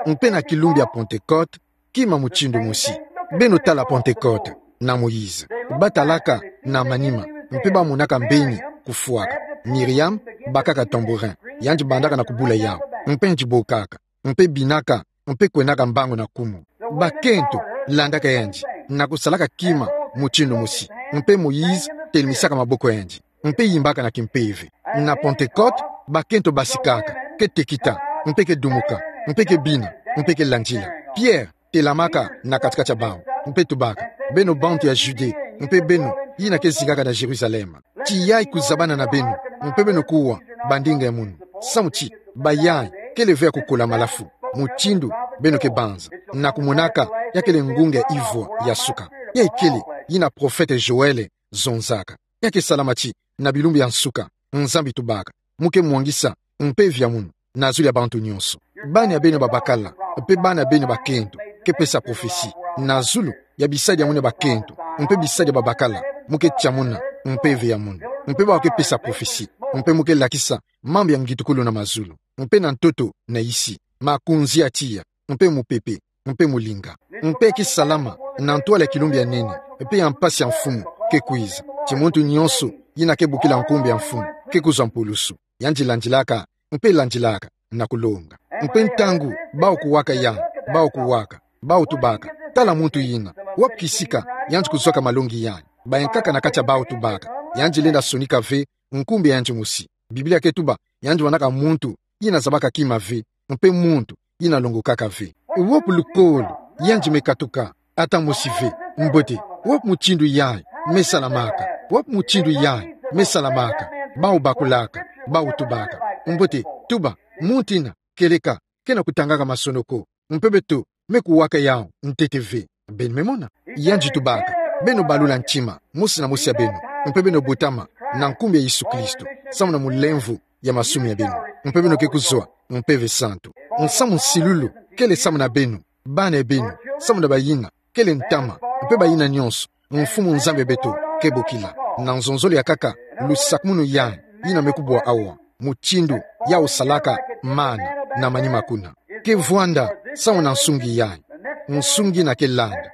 Mpe na kilumbu ya Pentecôte, kima mutindu mosi. Beno tala Pentecôte na Moïse. Ba talaka na manima, mpe ba monaka mbeni kufwaka. Myriam bakaka tambourin, yandi bandaka na kubula yawu, mpe yandi bokaka, mpe binaka, mpe kwenaka mbangu na kumu. Bakento landaka yandi na kusalaka kima mutindu mosi, mpe Moïse telemesaka maboko yandi, mpe yimbaka na kimpeve. Na Pentecôte, bakento basikaka, ke tekita, mpe ke dumuka, mpe ke bina, mpe ke landila. Pierre telamaka na kati-kati ya bau, mpe tubaka: Beno bantu ya Judée, mpe beno yina ke zingaka na Jérusalem, ti yayi kuzabana na beno, mpe beno kuwa bandinga ya munu. Samu ti bayayi kele ve ya kukola malafu, mutindu beno ke banza, na kumonaka ya kele ngunga ivwa ya suka. Ya ikele yina profete Joël zonzaka. Ya ke salama ti na bilumbu ya nsuka, Nzambi tubaka, mu ke mwangisa mpeve ya munu na zulu ya bantu nyonso. Bana ya beno babakala, mpe bana ya beno bakento, ke pesa prophetie. Na zulu ya bisadi ya munu ya bakento mpe bisadi ya babakala, mu ke tiamuna mpeve ya munu, mpe bau ke pesa prophetie, mpe mu ke lakisa mambu ya ngitukulu na mazulu, mpe na ntoto na isi, makunzi ya tiya, mpe mupepe, mpe mulinga. Mpe ke salama na ntwala ya kilumbu ya nene, mpe ya mpasi ya Mfumu ke kwiza, ti muntu nyonso yina ke bokila nkumbu ya Mfumu ke kuzwa mpulusu. Yandi landilaka, mpe landilaka na kulonga. Mpe ntangu bau kuwaka yawu, bau kuwaka, bau tubaka: Tala muntu yina, wapi kisika yandi kuzwaka malongi yayi? Bayankaka na kati ya bau tubaka: Yandi lenda sonika ve nkumbu ya yandi mosi. Biblia ke tuba yandi wanaka muntu yina zabaka kima ve, mpe muntu yina longokaka ve. Wapi lukolo yandi me katuka? Ata mosi ve. Mbote, wapi mutindu yayi me salamaka? Wapi mutindu yayi me salamaka? Bau bakulaka, bau tubaka: Mbote, tuba, muntu yina kieleka ke na kutangaka masonoko, mpe beto me kuwaka yawu ntete ve. Beno me mona? Yandi tubaka: Beno balula ntima, mosi na mosi ya beno, mpe beno botama na nkumbu ya Yesu Kristo, samu na mulemvo ya masumu ya beno. Mpe beno ke kuzwa Mpeve Santu. Nsamu nsilulu kele samu na beno, bana beno, samu na bayina, kele ntama, mpe bayina nyonso, Mfumu Nzambi ya beto ke bokila. Na nzonzolo ya nkaka lusakumunu yayi, yina me kubwa awa, mutindu ya osalaka mana na manima kuna. Ke vwanda samu na nsungi yayi, nsungi yina ke landa,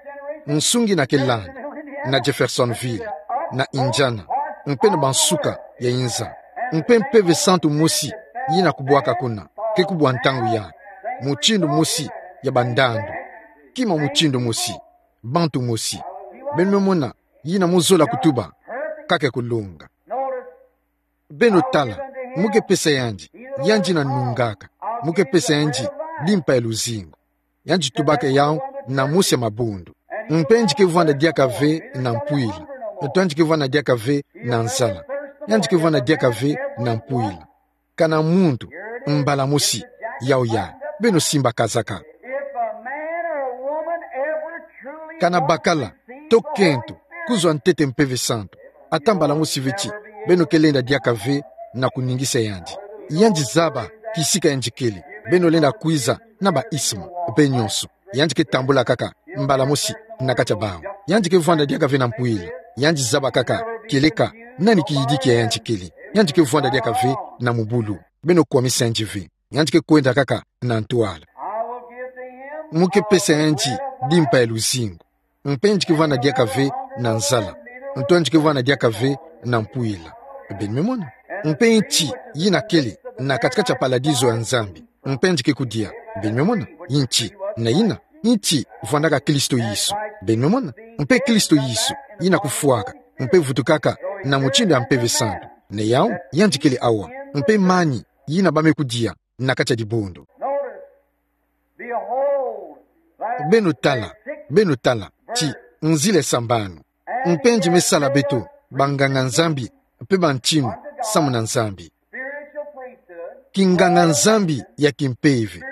nsungi yina ke landa, na Jeffersonville, na Indiana, mpe na bansuka ya inza. Mpe Mpeve Santu mosi yina kubwaka kuna, ke kubwa ntangu yayi, mutindu mosi ya bandandu, kima mutindu mosi, bantu mosi. Beno me mona, yina mu zola kutuba, ka ke kulonga. Beno tala, mu ke pesa yandi, yandi yina nungaka, mu ke pesa yandi dimpa ya luzingu. Yandi tubaka yawu na mosi ya mabundu. Mpe yandi ke vwanda diaka ve na mpwila. Nto yandi ke vwanda diaka ve na nzala. Yandi ke vwanda diaka ve na mpwila. Kana muntu, mbala mosi, yawu ya, beno simba kazaka. If a man or a woman ever truly Kana bakala, to kento, kuzwa ntete Mpeve Santu, ata mbala mosi ve ti, beno ke lenda diaka ve na kuningisa yandi. Yandi zaba kisika yandi kele, beno lenda kwiza na ba isma, mpe nyonso. Yandi ke tambula kaka mbala mosi na kati ya bawu. Yandi ke vwanda diaka ve na mpwila. Yandi zaba kaka kieleka nani kiyidiki ya yandi kele. Yandi ke vwanda diaka ve na mubulu. Beno kwamisa yandi ve. Yandi ke kwenda kaka na ntwala. Mu ke pesa yandi dimpa ya luzingu. Mpe yandi ke vwanda diaka ve na nzala. Nto yandi ke vwanda diaka ve na mpwila. Beno me mona. Mpe nti yina kele na kati-kati ya paladizo ya Nzambi. Mpe yandi ke kudia. Beno me mona. Nti. Na yina. Nti vwandaka Kristo Yesu. Beno me mona. Mpe Kristo Yesu yina kufwaka, mpe vutukaka na mutindu ya Mpeve Santu. Na yawu, yandi kele awa. Mpe mani yina ba me kudia na kati ya dibundu. Notice, behold, thy Beno tala, beno tala, ti, nzila ya sambanu. Mpe yandi me sala beto banganga-Nzambi, mpe bantinu samu na Nzambi. Spiritual priesthood. Kinganga-Nzambi ya kimpeve,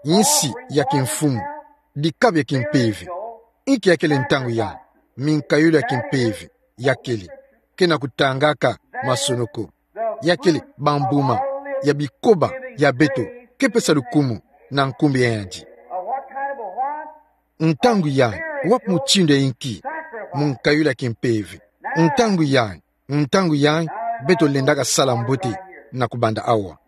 insi ya kimfumu, dikabu ya kimpeve. Inki ya kele ntangu ya, minkayulu ya kimpeve ya kele, kena kutangaka masonoko. Ya kele bambuma ya bikoba ya beto, ke pesa lukumu na nkumbu ya yandi. Ntangu ya, wapi mutindu ya inki, munkayulu ya kimpeve. Ntangu ya, ntangu ya, beto lendaka sala mbote na kubanda awa.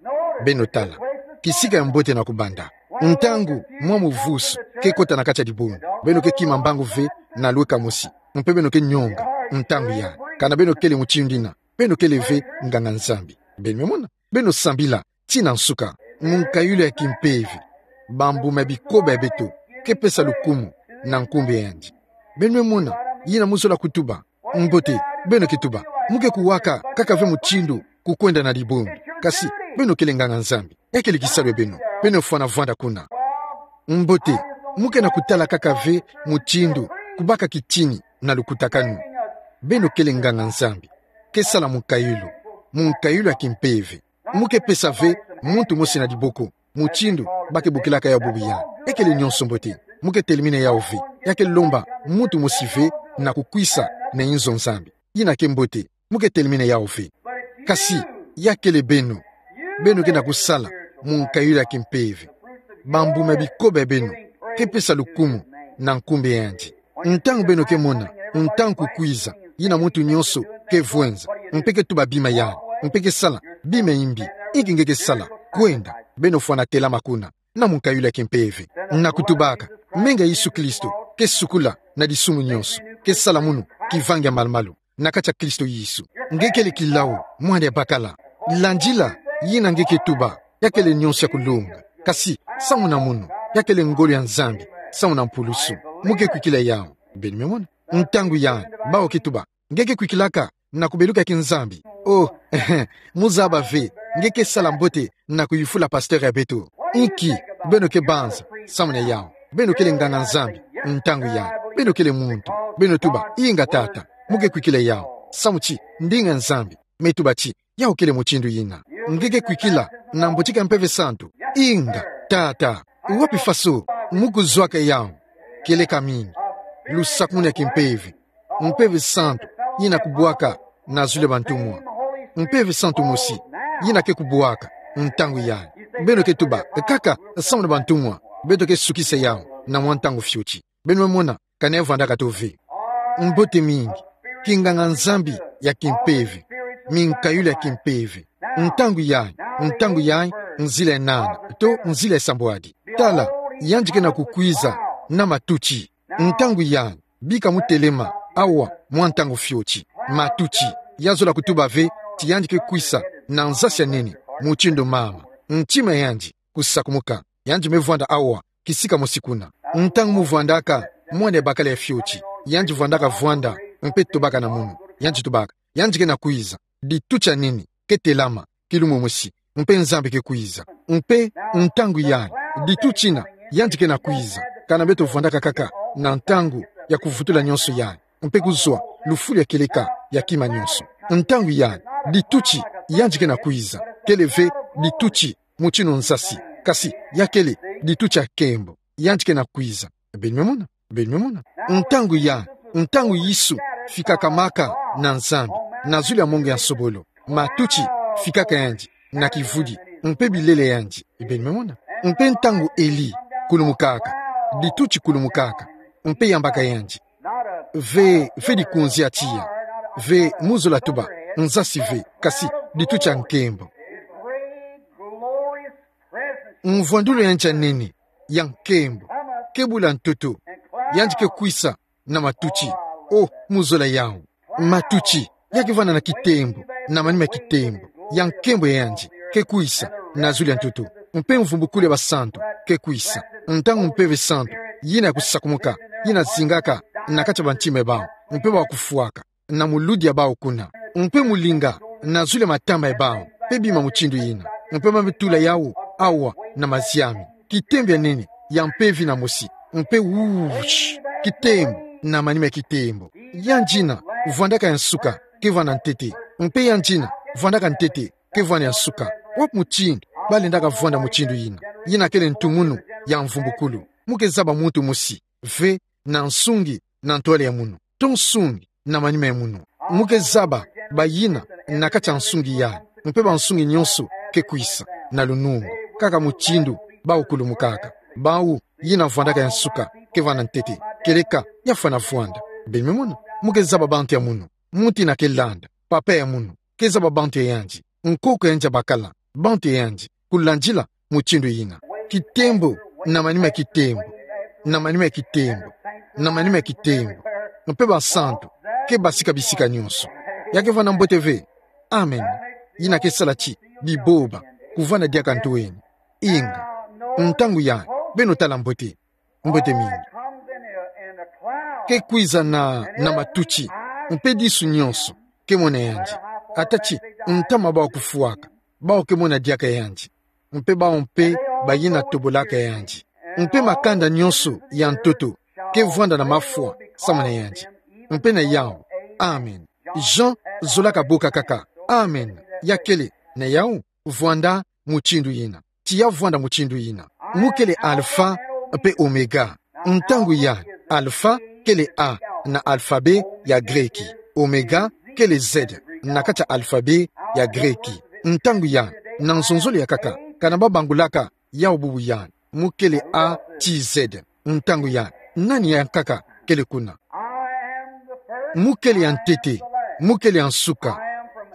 Beno tala. Kisika ya mbote na kubanda. Ntangu mwa muvusu ke kota na kati ya dibundu, beno ke kima mbangu ve na lweka mosi. Mpe beno ke nyonga. Ntangu ya, kana beno kele mutindu yina, beno kele ve nganga-Nzambi. Beno me mona. Beno sambila tii na nsuka. Munkayulu ya kimpeve, bambuma ya bikoba ya beto, ke pesa lukumu na nkumbu ya yandi. Beno me mona yina mu zola kutuba. Mbote, beno ke tuba. Mu ke kuwaka kaka ve mutindu kukwenda na dibundu. Kasi, beno kele nganga-Nzambi. Ya kele kisalu ya beno. Beno fwana vwanda kuna. Mbote, mu ke na kutala kaka ve mutindu kubaka kitini na lukutakanu. Beno kele nganga-Nzambi. Ke sala munkayulu. Munkayulu ya kimpeve. Mu ke pesa ve muntu mosi na diboko mutindu ba ke bokilaka yawu bubu ya. Ya kele nyonso mbote. Mu ke telemene yawu ve. Ya ke lomba muntu mosi ve na kukwisa na inzo Nzambi. Yina ke mbote. Mu ke telemene yawu ve. Kasi, ya kele beno. Beno ke na kusala munkayulu ya kimpeve. Bambuma ya bikoba ya beno ke pesa lukumu na nkumbu ya yandi. Ntangu beno ke mona ntangu kukwiza, yina muntu nyonso ke vwenza, mpe ke tuba bima yandi, mpe ke sala bima ya mbi, inki nge ke sala? Kwenda, beno fwana telama kuna na munkayulu ya kimpeve, na kutubaka: Menga Yesu Kristo ke sukula na disumu nyonso, ke sala munu kivangi ya malu-malu na kati ya Kristo Yesu. Nge kele kilau, mwana ya bakala. Landila yina nge ke tuba. Ya kele nyonso ya kulonga. Kasi, samu na munu, ya kele ngolo ya Nzambi samu na mpulusu. Mu ke kwikila yawu. Beno me mona. Ntangu ya, bawu ke tuba: Nge ke kwikilaka na kubeluka ya kinzambi? Oh, ehe, mu zaba ve nge ke sala mbote na kuyufula pasteur ya beto. Inki beno ke banza samu na yawu? Beno kele nganga-Nzambi ntangu ya, beno kele muntu. Beno tuba: Inga, tata. Mu ke kwikila yawu. Samu ti ndinga Nzambi me tuba ti yawu kele mutindu yina. Nge ke kwikila na mbotiki ya Mpeve Santu? Inga, tata. Wapi faso mu kuzwaka yawu? Kieleka mini: lusakumunu ya kimpeve, Mpeve Santu yina kubwaka na zulu ya bantumwa. Mpeve Santu mosi yina ke kubwaka ntangu yai. Beno ke tuba kaka samu na bantumwa, beto ke sukisa yau na mwa ntangu fioti. Beno mona, ka navwandaka tō ve. Mbote mingi, kinganga-Nzambi ya kimpeve, minkayulu ya kimpeve. Ntangu yai, ntangu yai, nzila ya nana, to nzila ya sambwadi. Tala, yandi ke na kukwiza na matuti. Ntangu yai, bika mutelema, awa, mwa ntangu fioti. Matuti, ya zola kutuba ve ti yandi ke kwisa na nzasi ya nene, mutindu mama. Ntima yandi kusakumuka. Yandi me vwanda awa, kisika mosi kuna. Ntangu muvwandaka mwana ya bakala ya fioti, yandi vwandaka vwanda, mpe tobaka na munu. Yandi tobaka, yandi ke na kwiza. Dituti ya nene ke telama, kilumbu mosi, mpe Nzambi ke kwiza. Mpe ntangu yai, dituti yina, yandi ke na kwiza. Kana beto vwandaka kaka na ntangu ya kuvutula nyonso yai, mpe kuzwa lufulu ya kieleka ya kima nyonso. Ntangu yai, dituti yandi ke na kwiza, kele ve dituti mutindu nzasi, kasi ya kele dituti ya nkembo. Yandi ke na kwiza. Beno me mona, beno me mona. Ntangu yai, ntangu Yesu fikaka maka na Nzambi, na zulu ya mongo ya nsobolo, matuti fikaka yandi na kivudi, mpe bilele yandi. Beno me mona. Mpe ntangu Eli kulumukaka, dituti kulumukaka, mpe yambaka yandi. Ve, ve dikunzi ya tiya. Ve mu zola tuba, nzasi ve, kasi dituti ya nkembo. Mvwandulu yandi ya nene, ya nkembo, ke bula ntoto, yandi ke kwisa na matuti. O, mu zola yau. Matuti, ya ke vwanda na kitembo, na manima ya kitembo, ya nkembo ya yandi, ke kwisa na zulu ya ntoto. Mpe mvumbukulu ya basantu ke kwisa. Ntangu Mpeve Santu yina ya kusakumuka, yina zingaka na kati ya bantima ya bau, mpe bau kufwaka na muludi ya bau kuna, mpe mulinga na zulu ya matama ya bau, mpe bima mutindu yina, mpe ba me tula yau awa na maziami. Kitembo ya nene, ya mpeve yina mosi, mpe wush, kitembo na manima ya kitembo. Yandi yina vwandaka ya nsuka ke vwanda ntete, mpe yandi yina vwandaka ntete ke vwanda ya nsuka. Wapi mutindu balendaka vwanda mutindu yina? Yina kele ntumunu ya mvumbukulu. Mu ke zaba muntu mosi ve na nsungi na ntwala ya munu, to nsungi na manima ya munu. Mu ke zaba bayina na kati ya nsungi yai, mpe bansungi nyonso ke kwisa na lunungu, kaka mutindu bau kulumukaka. Bau yina vwandaka ya nsuka ke vwanda ntete, kieleka ya fwana vwanda. Beno me mona, mu ke zaba bantu ya munu, muntu yina ke landa, papa ya munu, ke zaba bantu ya yandi, nkoko ya yandi ya bakala, bantu ya yandi, kulandila mutindu yina. Kitembo na manima ya kitembo, na manima ya kitembo, na manima ya kitembo, mpe basantu ke basika bisika nyonso. Ya ke vwanda mbote ve? Amen. Yina ke sala ti biboba kuvwanda diaka nto eni. Inga, ntangu yai, beno tala mbote, mbote mingi. Ke kwiza na, na matuti, mpe disu nyonso ke mona yandi. Ata ti ntama bau kufwaka, bau ke mona diaka yandi, mpe bau mpe bayina tobolaka yandi, mpe makanda nyonso ya ntoto ke vwanda na mafwa samu na yandi. Mpe na yau, amen. Jean zolaka boka kaka, amen. Ya kele na yau, vwanda mutindu yina. Tiya vwanda mutindu yina. Mu kele Alpha mpe Omega. Ntangu yai, Alpha kele A na alphabet ya Greki. Omega kele Z na kati ya alphabet ya Greki. Ntangu yai, na nzonzolo ya nkaka, kana babangulaka yau bubu yai, mu kele A ti Z. Ntangu yai, nani ya nkaka kele kuna? Mu kele ya ntete, mu kele ya nsuka.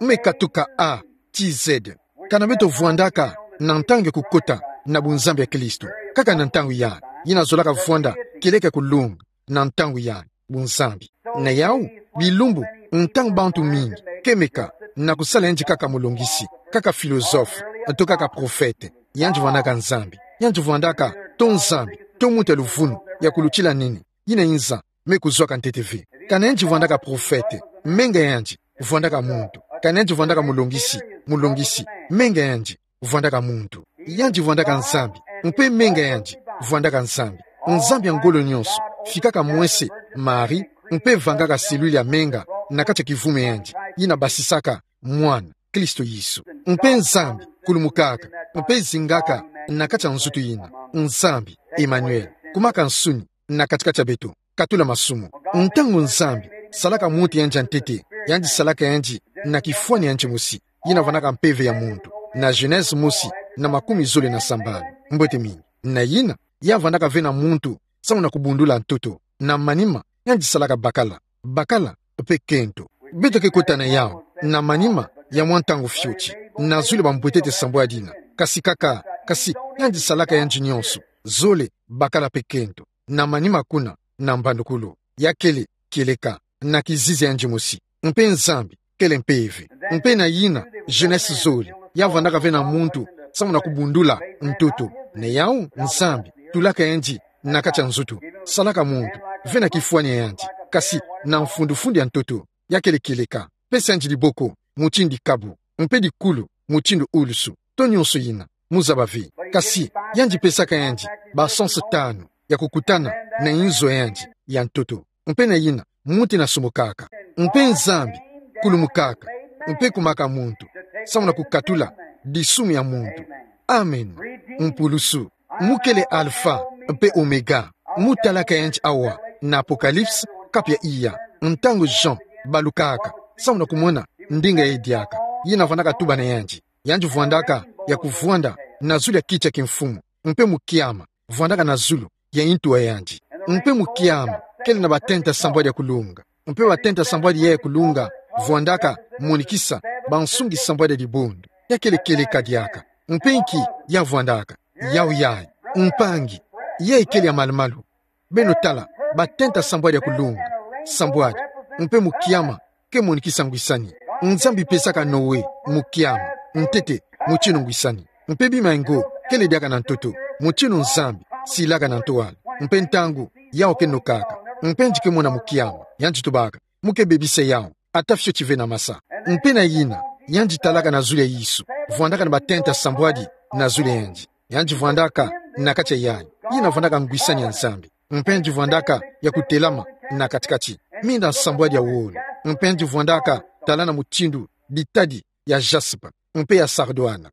Mu me katuka A ti Z. Kana beto vwandaka na ntangu ya kukota na bunzambi ya Kristo. Kaka na ntangu yai, yina zolaka vwanda kieleka kulunga na ntangu yai, bunzambi. Na yau, bilumbu, ntangu bantu mingi ke meka na kusala yandi kaka mulongisi, kaka philosophe, to kaka prophète. Yandi vwandaka Nzambi. Yandi vwandaka to Nzambi, to muntu ya luvunu, ya kulutila nene, yina inza me kuzwaka ntete ve. Kana yandi vwandaka prophète, menga yandi vwandaka muntu. Kana yandi vwandaka mulongisi, mulongisi, menga yandi vwandaka muntu. Yandi vwandaka Nzambi, mpe menga yandi vwandaka Nzambi. Nzambi ya ngolo nyonso fikaka mwese Marie, mpe vangaka cellule ya menga na kati ya kivumu ya yandi, yina basisaka mwana, Kristo Yesu. Mpe Nzambi kulumukaka, mpe zingaka na kati ya nzutu yina. Nzambi, Emmanuel, kumaka nsuni na kati-kati ya beto, katula masumu. Ntangu Nzambi salaka muntu yandi ya ntete, yandi salaka yandi na kifwani yandi mosi, yina vandaka mpeve ya muntu. Na Genèse mosi, na makumi zole na sambanu. Mbote mingi. Na yina, ya vandaka ve na muntu, samu na kubundula ntoto. Na manima, yandi salaka bakala. Bakala, mpe kento. Beto ke kota na yawu, na manima, ya mwa ntangu fioti. Na zulu bambwetete sambwadi yina. Kasi kaka, kasi, yandi salaka yandi nyonso. Zole, bakala mpe kento. Na manima kuna, na mbandukulu. Ya kele, kieleka, na kizizi ya yandi mosi. Mpe Nzambi, kele mpeve. Mpe na yina, Genèse zole, ya vandaka ve na muntu, samu na kubundula ntoto. Na yawu, Nzambi, tulaka yandi na kati ya nzutu. Salaka muntu, ve na kifwani ya yandi. Kasi, na mfundufundu ya ntoto, ya kele kieleka. Pesa yandi diboko, mutindu dikabu. Mpe dikulu, mutindu ulusu. To nyonso yina, mu zaba ve. Kasi, yandi pesaka yandi, ba sens tanu, ya kukutana, na inzo ya yandi, ya ntoto. Mpe na yina, muntu yina asumukaka. Mpe Nzambi, kulumukaka. Mpe kumaka muntu. Samu na kukatula, disumu ya muntu. Amen. Mpulusu. Mu kele Alpha, mpe Omega. Mu talaka yandi awa, na Apocalypse, kapu ya iya. Ntangu Jean, balukaka. Samu na kumona, ndinga yayi diaka. Yina vandaka tuba na yandi. Yandi vwandaka, ya kuvwanda, na zulu ya kiti ya kimfumu. Mpe mukiama, vwandaka na zulu, ya ntu ya yandi. Mpe mukiama, kele na batenta sambwadi ya kulunga. Mpe batenta sambwadi ya kulunga, vwandaka, monikisa, bansungi sambwadi ya dibundu. Ya kele kieleka diaka. Mpe nki, ya vwandaka. Yawu yayi. Mpangi. Yayi kele ya malumalu. Beno tala, batenta sambwadi ya kulunga. Sambwadi. Mpe mukiama, ke monikisa ngwisani. Nzambi pesaka Noé, mukiama. Ntete, mutindu ngwisani. Mpe bima ya ngo, kele diaka na ntoto. Mutindu Nzambi, silaka na ntwala. Mpe ntangu, yawu ke nokaka. Mpe yandi ke mona mukiama. Yandi tubaka. Mu ke bebisa yawu. Ata fioti ve na masa. Mpe na yina, yandi talaka na zulu ya Yesu. Vwandaka na batenta sambwadi, na zulu ya yandi. Yandi vwandaka, na kati ya yayi. Yina vwandaka ngwisani ya Nzambi. Mpe yandi vwandaka, ya kutelama, na katikati. Minda sambwadi ya wolo. Mpe yandi vwandaka, tala na mutindu, bitadi, ya jaspe. Mpe ya sardoine.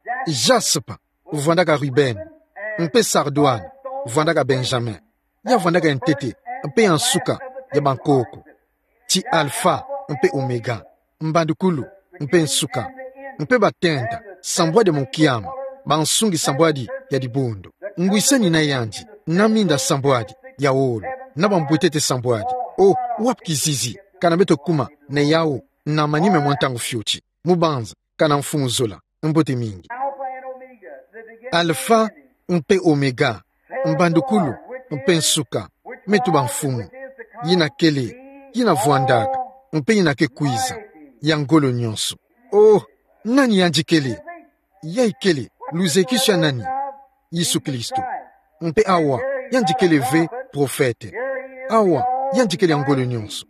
Jaspe, vwandaka rubene. Mpe sardoine, vwandaka benjamin. Ya vwandaka ya ntete, mpe ya nsuka, ya bankoko. Ti Alpha, mpe Omega. Mbandukulu, mpe nsuka. Mpe batenta, sambwadi ya mukiama, bansungi sambwadi, ya dibundu. Ngwisani na yandi, na minda sambwadi, ya wolo, na bambwetete sambwadi. O, wapi kizizi, kana beto kuma, na yawu, na manima mwa ntangu fioti. Mu banza, kana mfumu zola. Mbote mingi. Alpha mpe Omega, mbandukulu mpe nsuka, me tuba mfumu. Yina kele, yina vwandaka, mpe yina ke kwiza, ya ngolo nyonso. Oh, nani yandi kele? Yayi kele, luzekiso ya nani? Yesu Kristo. Mpe awa, yandi kele ve prophète. Awa, yandi kele ya ngolo nyonso.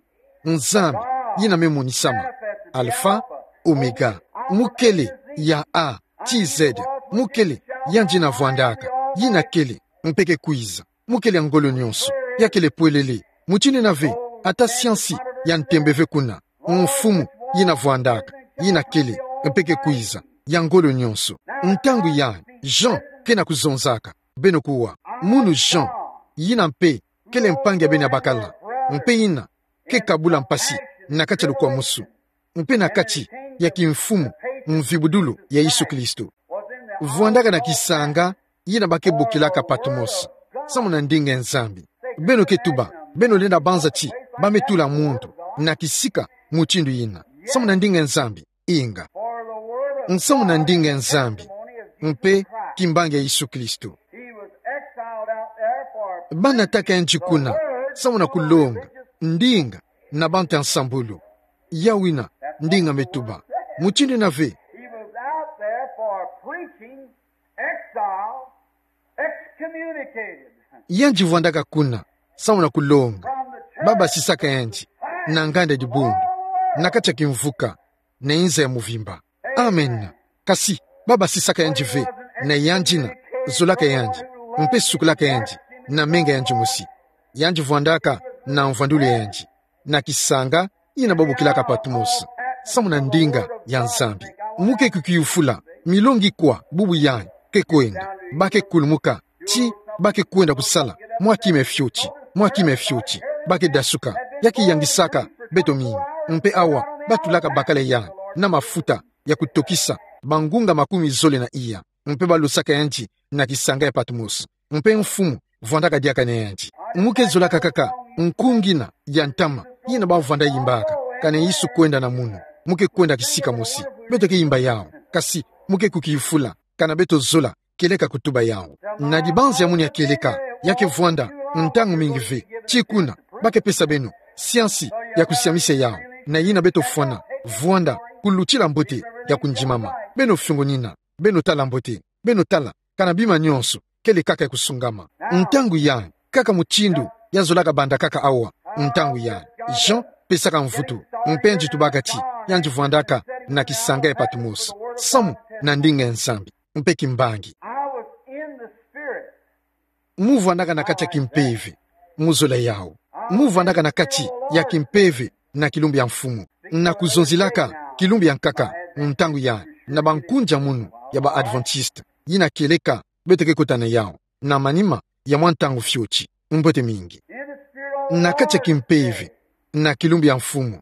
Nzambi, yina me monisama. Alpha, Omega. Mu kele, ya A, ti Z. Mu kele, yandi yina vwandaka. Yina kele, mpe ke kwiza. Mu kele ya ngolo nyonso. Ya kele pwelele. Mutindu yina ve, ata siansi ya ntembe ve kuna. Mfumu, yina vwandaka. Yina kele, mpe ke kwiza. Ya ngolo nyonso. Ntangu yayi, Jean, ke na kuzonzaka. Beno kuwa. Munu Jean, yina mpe, kele mpangi ya beno ya bakala. Mpe yina, ke kabula mpasi, na kati ya lukwamusu. Mpe na kati, ya kimfumu, mvibudulu, ya Yesu Kristo. Vwandaka na kisanga, yina ba ke bokilaka Patmos. Samu na ndinga ya Nzambi. Beno ke tuba, beno lenda banza ti, ba me tula muntu, na kisika, mutindu yina. Samu na ndinga ya Nzambi. Inga. Nsamu na ndinga ya Nzambi, mpe kimbangi ya Yesu Kristo. Ba nataka yandi kuna, samu na kulonga, ndinga, na bantu ya nsambulu. Yawu yina, ndinga me tuba. Mutindu yina ve. Yandi vwandaka kuna, samu na kulonga. Ba basisaka yandi, na nganda dibundu, na kati ya kimvuka, na inza ya muvimba. Amen. Kasi, ba basisaka yandi ve, na yandi yina zolaka yandi, mpe sukulaka yandi, na menga yandi mosi. Yandi vwandaka, na mvwandulu ya yandi. Na kisanga, yina ba bokilaka Patmos. Samu na ndinga ya Nzambi. Mu ke kukiyufula, milongi kwa, bubu yayi, ke kwenda. Ba ke kulumuka, ti, ba ke kwenda kusala, mwa kima fioti, mwa kima fioti, ba ke dasuka, ya ke yangisaka, beto mingi, mpe awa, ba tulaka bakala yayi, na mafuta, ya kutokisa bangunga makumi zole na iya, mpe balosaka yandi na kisanga ya Patmos. Mpe Mfumu vwandaka diaka na yandi. Mu ke zolaka kaka nkunga ina ya ntama ina bavwanda yimbaka, kana Yesu kwenda na munu. Mu ke kwenda kisika mosi. Beto ke yimba yawu. Kasi mu ke kukiyufula, kana beto zola kieleka kutuba yawu. Na dibanza ya munu ya kieleka, ya ke vwanda ntangu mingi ve. Ti kuna, ba ke pesa beno siansi ya kusiamisa yawu, na yina beto fwana vwanda kulutila mbote ya kundimama. Beno fiongonina, beno tala mbote, beno tala, kana bima nionso kele kaka ya kusungama. Ntangu yayi, kaka mutindu ya zolaka bandakaka awa, ntangu yayi, Jean pesaka mvutu, mpe yandi tubaka ti yandi vwandaka na kisanga ya Patmos, samu na ndinga ya Nzambi, mpe kimbangi. I was in the Spirit. Mu vwandaka na kati ya kimpeve, mu zola yawu. Mu vwandaka na kati ya kimpeve na kilumbu ya Mfumu, na kuzonzelaka kilumbu ya nkaka, ntangu yayi, na bankunja munu ya ba Adventiste, yina kieleka beto ke kota na yawu na manima ya mwa ntangu fioti. Mbote mingi. Na kati ya kimpeve, na kilumbu ya Mfumu,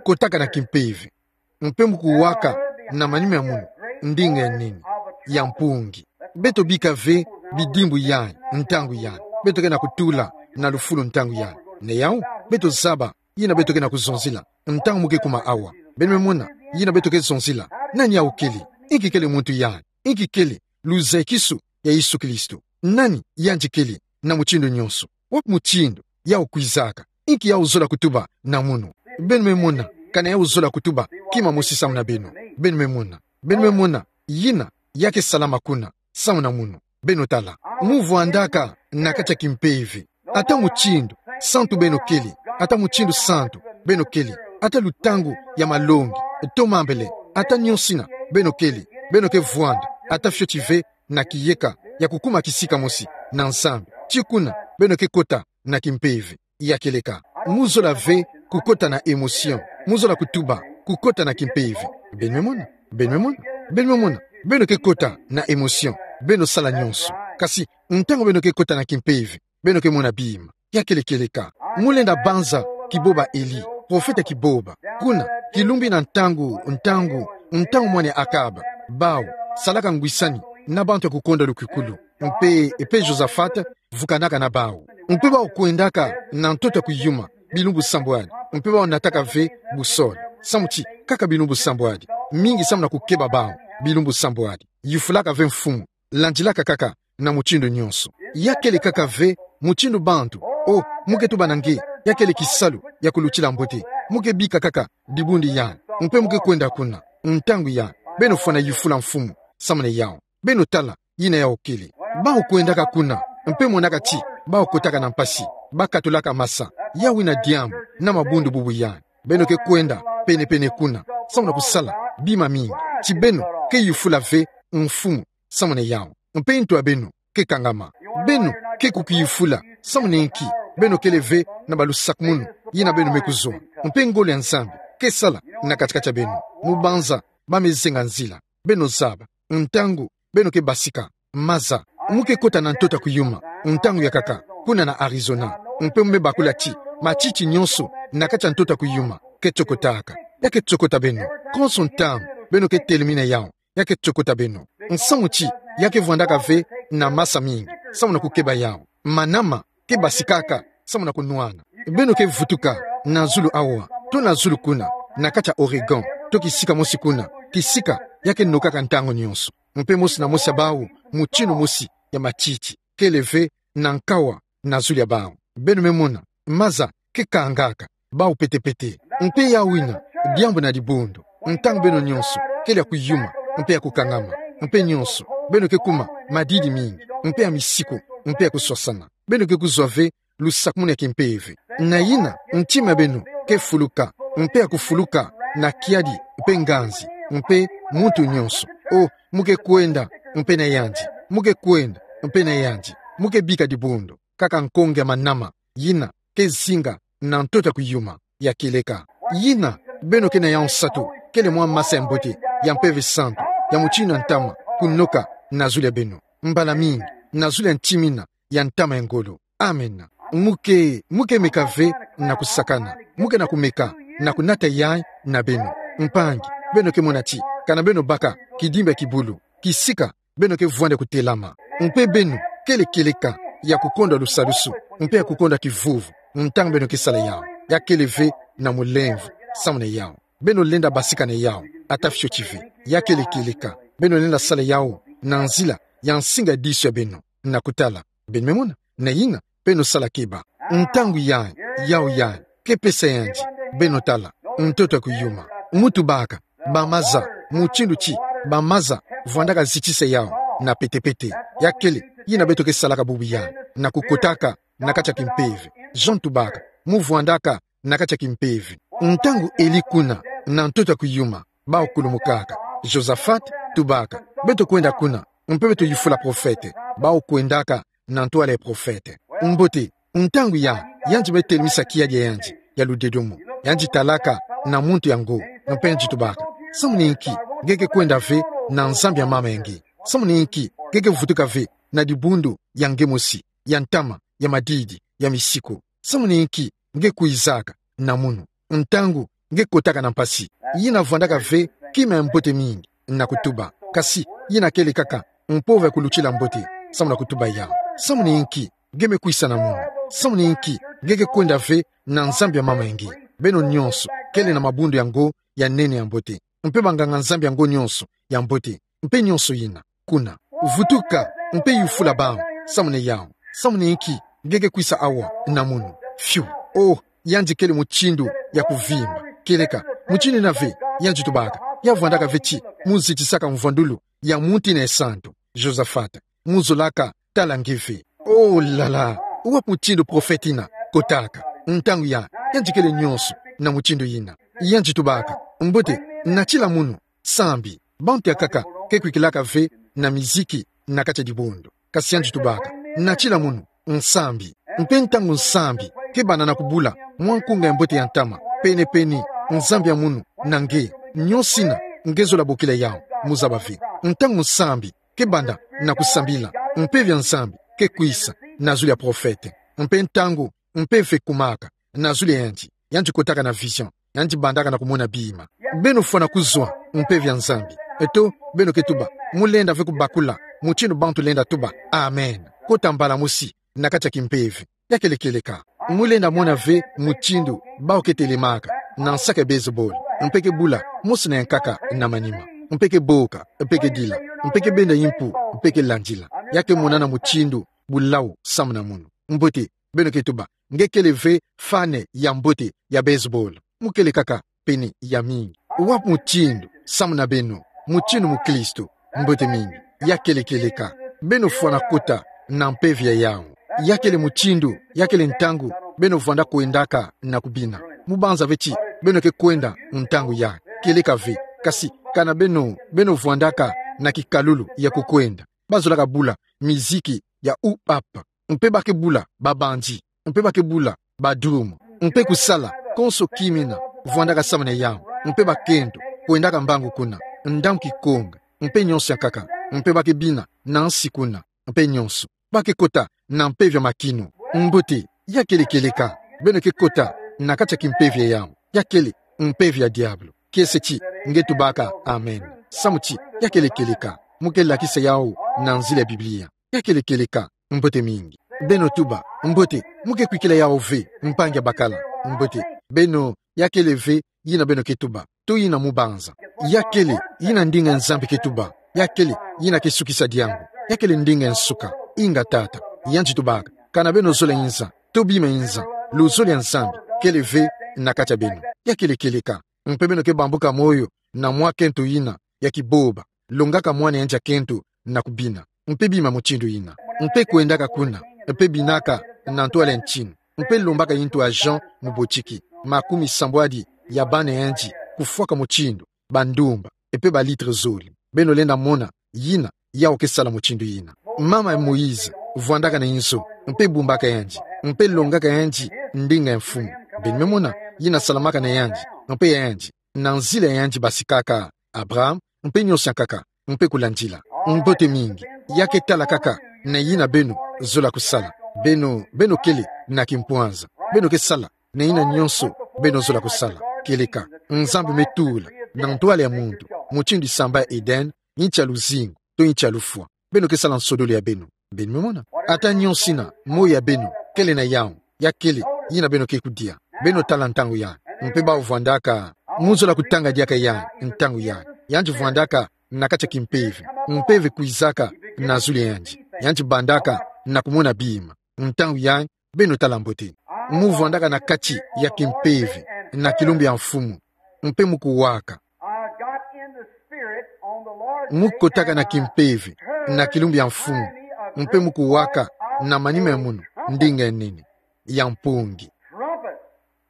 kotaka na kimpeve, mpe mu kuwaka na manima ya munu ndinga ya nene, ya mpungi. Beto bika ve bidimbu yayi, ntangu yayi. Beto ke na kutula na lufulu ntangu yayi. Na yawu, beto zaba yina beto ke na kuzonzila ntangu mu ke kuma awa. Beno me mona yina beto ke zonzila. Nani yawu kele? Inki kele muntu yayi? Inki kele luzakisu ya Yesu Kristo? Nani yandi kele na mutindu nionso? Wapi mutindu yawu kwizaka? Inki yawu zola kutuba na munu? Beno me mona kana yawu zola kutuba kima mosi samu na beno. Beno me mona. Beno me mona yina ya ke salama kuna samu na munu. Beno tala. Mu vwandaka na kati ya kimpeve. Ata mutindu santu beno kele, ata mutindu santu beno kele, ata lutangu ya malongi, to mambele, ata nionso ina beno kele, beno ke vwanda ata fioti ve na kiyeka ya kukuma kisika mosi na Nzambi. Ti kuna beno ke kota na kimpeve ya kieleka. Mu zola ve kukota na émotion. Mu zola kutuba kukota na kimpeve. Beno me mona. Beno me mona. Beno me mona. Beno ke kota na émotion. Beno sala nionso. Kasi ntangu beno ke kota na kimpeve, beno ke mona bima. Ya kele kieleka. Mu lenda banza kiboba Eli, profeta kiboba. Kuna, kilumbu ina ntangu, ntangu, ntangu mwana ya Akaba, bawu salaka ngwisani na bantu ya kukonda lukukulu. Mpe, mpe Josafate vukanaka na bawu. Mpe bawu kwendaka na ntoto ya kuyuma bilumbu sambwadi. Mpe bawu nataka ve boussole, samu ti kaka bilumbu sambwadi. Mingi samu na kukeba bawu bilumbu sambwadi. Yufulaka ve mfumu, landilaka kaka na mutindu nionso. Ya kele kaka ve mutindu bantu. O, mu ke tuba na nge, ya kele kisalu ya kulutila mbote. Mu ke bika kaka dibundu yayi, mpe mu ke kwenda kuna. Ntangu yayi, beno fwana yufula mfumu samu na yawu. Beno tala yina yawu kele. Bawu kwendaka kuna, mpe monaka ti bawu kotaka na mpasi, bakatulaka masa. Yawu ina diambu na mabundu bubu yayi. Beno ke kwenda penepene kuna samu na kusala bima mingi. Ti beno ke yufula ve mfumu samu na yawu. Mpe ntu ya beno ke kangama. Beno ke kukiyufula samu na inki? Beno kele ve na balusakumunu yina beno me kuzwa. Mpe ngolo ya Nzambi ke sala na kati-kati ya beno. Mu banza ba me zenga nzila. Beno zaba ntangu beno ke basika. Maza, mu ke kota na ntoto ya kuyuma ntangu ya nkaka, kuna na Arizona. Mpe mu me bakula ti matiti nionso na kati ya ntoto ya kuyuma ke tokotaka. Ya ke tokota beno. Konso ntangu beno ke telemina yawu, ya ke tokota beno. Nsamu ti ya ke vwandaka ve na masa mingi samu na kukeba yawu. Manama ke basikaka samu na kunwana. Beno ke vutuka na zulu awa, to na zulu kuna, na kati ya Oregon, to kisika mosi kuna, kisika ya ke nokaka ntangu nionso. Mpe mosi na mosi ya bawu, mutindu mosi ya matiti kele ve na nkawa na zulu ya bawu. Beno me mona, maza ke kangaka bawu pete-pete. Mpe yawu ina diambu na dibundu. Ntangu beno nionso kele ya kuyuma mpe ya kukangama, mpe nionso beno ke kuma madidi mingi, mpe ya misiku, mpe ya kuswasana. Beno ke kuzwa ve lusakumunu ya kimpeve. Na yina ntima ya beno ke fuluka, mpe ya kufuluka na kiadi mpe nganzi, mpe muntu nionso. O, mu ke kwenda mpe na yandi, mu ke kwenda mpe na yandi, mu ke bika dibundu. Kaka nkonge ya manama yina ke zinga na ntoto ya kuyuma ya kieleka. Yina beno ke na yawu nsatu kele mwa masa ya mbote ya Mpeve Santu, ya mutindu ya ntama kunoka na zulu ya beno, mbala mingi na zulu ya ntima ina ya ntama ya ngolo. Amen. Mu ke, mu ke meka ve na kusakana. Mu ke na kumeka na kunata yayi na beno. Mpangi, beno ke mona ti Kana beno baka kidimba ya kibulu, kisika beno ke vwanda kutelama. Mpe beno kele kieleka ya kukonda lusadusu, mpe ya kukonda kivuvu, ntangu beno ke sala yawu. Ya kele ve na mulemvo, samu na yawu. Beno lenda basika na yawu, ata fioti ve. Ya kele kieleka, beno lenda sala yawu na nzila ya nsinga disu ya beno, na kutala. Beno me mona, na yina, beno sala keba. Ntangu yandi, yawu yandi, ke pesa yandi, beno tala, ntoto ya kuyuma. Mu tubaka, ba maza, mutindu ti ba maza vwandaka zitisa yawu na petepete. Ya kele yina beto ke salaka bubu yandi, na kukotaka na kati ya kimpeve. Jean tubaka, mu vwandaka na kati ya kimpeve. Ntangu Eli kuna na ntoto ya kuyuma, bawu kulumukaka. Josaphat tubaka, beto kwenda kuna, mpe beto yufula profete, bawu kwendaka na ntwala ya profete. Mbote, ntangu ya, yandi me telemisa kiadi ya yandi ya ludedomo. Yandi talaka na muntu yango, mpe yandi tubaka: Samu na inki nge ke kwenda ve na Nzambi ya mama ya nge? Samu na inki nge ke vutuka ve na dibundu ya nge mosi, ya ntama, ya madidi, ya misiku? Samu na inki nge kwizaka na munu, ntangu nge kotaka na mpasi? Yina vwandaka ve kima ya mbote mingi na kutuba, kasi yina kele kaka mpova ya kulutila mbote, samu na kutuba yawu. Samu na inki nge me kwisa na munu? Samu na inki nge ke kwenda ve na Nzambi ya mama ya nge? Beno nyonso kele na mabundu yango ya nene ya mbote, mpe banganga-Nzambi yango nyonso ya mbote, mpe nyonso yina kuna. Vutuka, mpe yufula bawu, samu na yawu. Samu na inki nge ke kwisa awa na munu? Fiu. Oh, yandi kele mutindu ya kuvimba. Kieleka, mutindu yina ve, yandi tubaka, ya vwandaka ve ti mu zitisaka mvwandulu ya muntu yina ya santu. Josaphat, mu zolaka tala nge ve. Oh là là, wapi mutindu profete yina kotaka? Ntangu ya, yandi kele nyonso na mutindu yina. Yandi tubaka: Mbote, natila munu, sambi. Bantu ya nkaka ke kwikilaka ve na miziki na kati ya dibundu. Kasi yandi tubaka: Natila munu, nsambi. Mpe ntangu nsambi ke banda na kubula mwa nkunga ya mbote ya ntama, pene-pene, Nzambi ya munu na nge, nyonso yina nge zola bokila yawu, mu zaba ve. Ntangu nsambi ke banda na kusambila, mpeve ya Nzambi ke kwisa na zulu ya profete. Mpe ntangu mpeve ekumaka na zulu ya yandi, yandi kotaka na vision, yandi bandaka na kumona bima. Beno fwana kuzwa mpeve ya Nzambi. Eto beno ke tuba, mu lenda ve kubakula mutindu bantu lenda tuba amen, kota mbala mosi na kati ya kimpeve. Ya kele kieleka, mu lenda mona ve mutindu bawu ke telemaka na nsaka ya baseball, mpe ke bula mosi na ya nkaka na manima, mpe ke boka, mpe ke dila, mpe ke benda yimpu, mpe ke landila. Ya ke monana mutindu bulawu samu na munu. Mbote, beno ke tuba, nge kele ve fan ya mbote ya baseball. Mu kele kaka pene ya mingi. Wapi mutindu samu na beno, mutindu mukristu? Mbote mingi. Ya kele kieleka, beno fwana kota na mpeve ya yawu. Ya kele mutindu, ya kele ntangu beno vwanda kwendaka na kubina. Mu banza ve ti beno ke kwenda ntangu ya, kieleka ve. Kasi kana beno, beno vwandaka na kikalulu ya kukwenda, ba zolaka bula miziki ya hip-hop, mpe ba ke bula ba bandi, mpe ba ke bula ba drum, mpe kusala konso kima yina vwandaka samu na yawu, mpe bakento kwendaka mbangu kuna, ndambu kikonga, mpe nyonso ya nkaka, mpe ba ke bina na nsi kuna, mpe nyonso. Ba ke kota na mpeve ya makinu. Mbote, ya kele kieleka, beno ke kota na kati ya kimpeve ya yawu. Ya kele mpeve ya diabulu. Kiese ti nge tubaka amen, samu ti ya kele kieleka, mu ke lakisa yawu na nzila ya Biblia. Ya kele kieleka, mbote mingi. Beno tuba, mbote, mu ke kwikila yawu ve, mpangi ya bakala? Mbote, beno, ya kele ve yina beno ke tuba, to yina mu banza. Ya kele yina ndinga ya Nzambi ke tuba. Ya kele yina ke sukisa diangu. Ya kele ndinga ya nsuka. Inga tata. Yandi tubaka, kana beno zola inza, to bima inza, luzolo ya Nzambi kele ve na kati ya beno. Ya kele kieleka, mpe beno ke bambuka moyo na mwa kento yina ya kiboba, longaka mwana yandi ya kento na kubina, mpe bima mutindu yina, mpe kwendaka kuna, mpe binaka na ntwala ya ntinu, mpe lombaka intu ya Jean mubotiki, makumi sambwadi ya bana yandi kufwaka mutindu bandumba, mpe ba litre zole. Beno lenda mona yina yawu ke sala mutindu yina. Mama ya Moïse vwandaka na inzo, mpe bumbaka yandi, mpe longaka yandi ndinga ya mfumu. Beno me mona yina salamaka na yandi, mpe ya yandi, na nzila ya yandi basikaka Abraham, mpe nyonso ya nkaka, mpe kulandila. Mbote mingi. Ya ke tala kaka na yina beno zola kusala. Beno, beno kele na kimpwanza. Beno ke sala na yina nyonso beno zola kusala. Kieleka, Nzambi me tula na ntwala ya muntu mutindu samba ya Eden, yinti ya luzingu, to yinti ya lufwa. Beno ke sala nsodolo ya beno. Beno me mona. Ata nyonso ina, moyo ya beno kele na yawu, ya kele, yina beno ke kudia. Beno tala ntangu yandi. Mpe bawu vwandaka, mu zola kutanga diaka yandi, ntangu yandi. Yandi vwandaka na kati ya kimpeve. Mpeve kwizaka na zulu ya yandi. Yandi bandaka na kumona bima. Ntangu yandi, beno tala mbote. Mu vwandaka na kati ya kimpeve, na kilumbu ya mfumu. Mpe mu kuwaka. I got in the spirit on the Lord's day. Mu kotaka na kimpeve, na kilumbu ya mfumu. Mpe mu kuwaka na manima ya munu, ndinga ya nene, ya mpungi. Trumpet.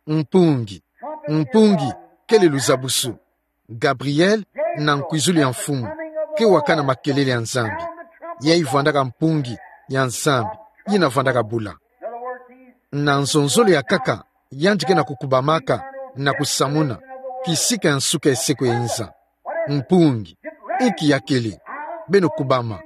Mpungi. Mpungi kele luzabusu. Gabriel, na nkwizulu ya mfumu, ke wakana makelele ya Nzambi. Yayi vwandaka mpungi ya Nzambi, yina vwandaka bula. Na nzonzolo ya nkaka, yandi ke na kukubamaka, na kusamuna kisika ya nsuka ya seko ya inza. Mpungi, inki ya kele? Beno kubama.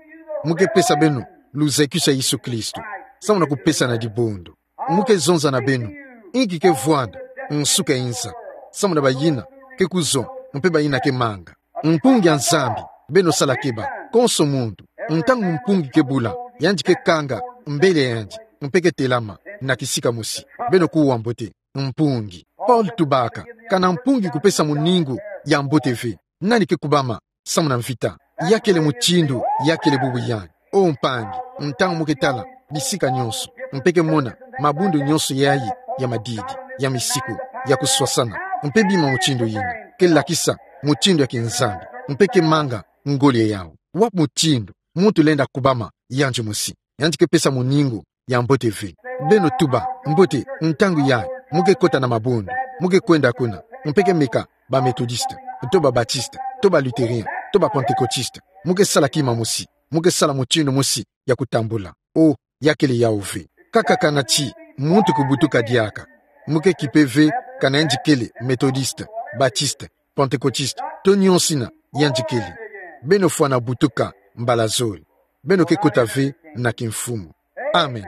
Mu ke pesa beno luzekisa Yesu Kristo, samu na kupesa na dibundu. Mu ke zonza na beno inki ke vwanda nsuka ya inza, samu na bayina ke kuzwa, mpe bayina ke manga. Mpungi ya Nzambi, beno sala keba, konso muntu, ntangu mpungi ke bula, yandi ke kanga mbele ya yandi, mpe ke telama na kisika mosi. Beno kuwa mbote, mpungi. Paul tubaka, kana mpungi kupesa muningu ya mbote ve. Nani ke kubama samu na mvita? Ya kele mutindu, ya kele bubu yandi. O mpangi, ntangu mu ke tala bisika nyonso, mpe ke mona mabundu nyonso yayi ya madidi, ya misiku, ya kuswasana, mpe bima mutindu yina, ke lakisa mutindu ya kinzambi, mpe ke manga ngoli ya yawu. Wapi mutindu muntu lenda kubama yandi mosi? Yandi ke pesa muningu ya mbote ve. Beno tuba mbote, ntangu yayi mu ke kota na mabundu, mu ke kwenda kuna, mpe ke meka ba Methodiste, to ba Baptiste, to ba Luthérien, to ba Pentecôtiste. Mu ke sala kima mosi, mu ke sala mutindu mosi ya kutambula. O, ya kele yawu ve. Kaka kana ti muntu kubutuka diaka, mu ke kipe ve kana yandi kele Methodiste, Baptiste, Pentecôtiste, to nyonso ina yandi kele. Beno fwana butuka mbala zole. Beno ke kota ve na kimfumu. Amen.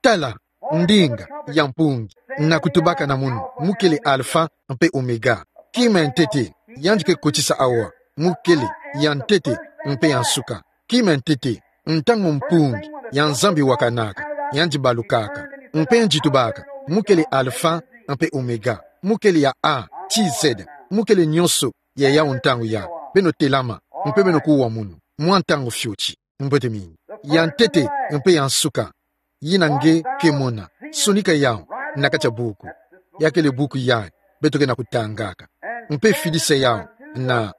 Tala, ndinga ya mpungi, na kutubaka na munu, mu kele Alpha mpe Omega. Kima ya ntete yandi ke kotisa awa, mu kele ya ntete mpe ya nsuka. Kima ya ntete, ntangu mpungi ya Nzambi wakanaka, yandi balukaka. Mpe yandi tubaka, mu kele Alpha mpe Omega, mu kele ya A ti Z, mu kele nyonso ya yawu ntangu yayi. Beno telama, mpe beno kuwa munu mwa ntangu fioti. Mbote mingi. Ya ntete mpe ya nsuka, yina nge ke mona, sonika yawu na kati ya buku. Ya kele buku yayi beto ke na kutangaka. Mpe fidisa yawu na,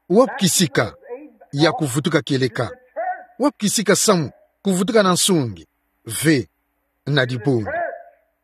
wapi kisika ya kuvutuka kieleka? Wapi kisika samu kuvutuka na nsungi? Ve, na dibundu.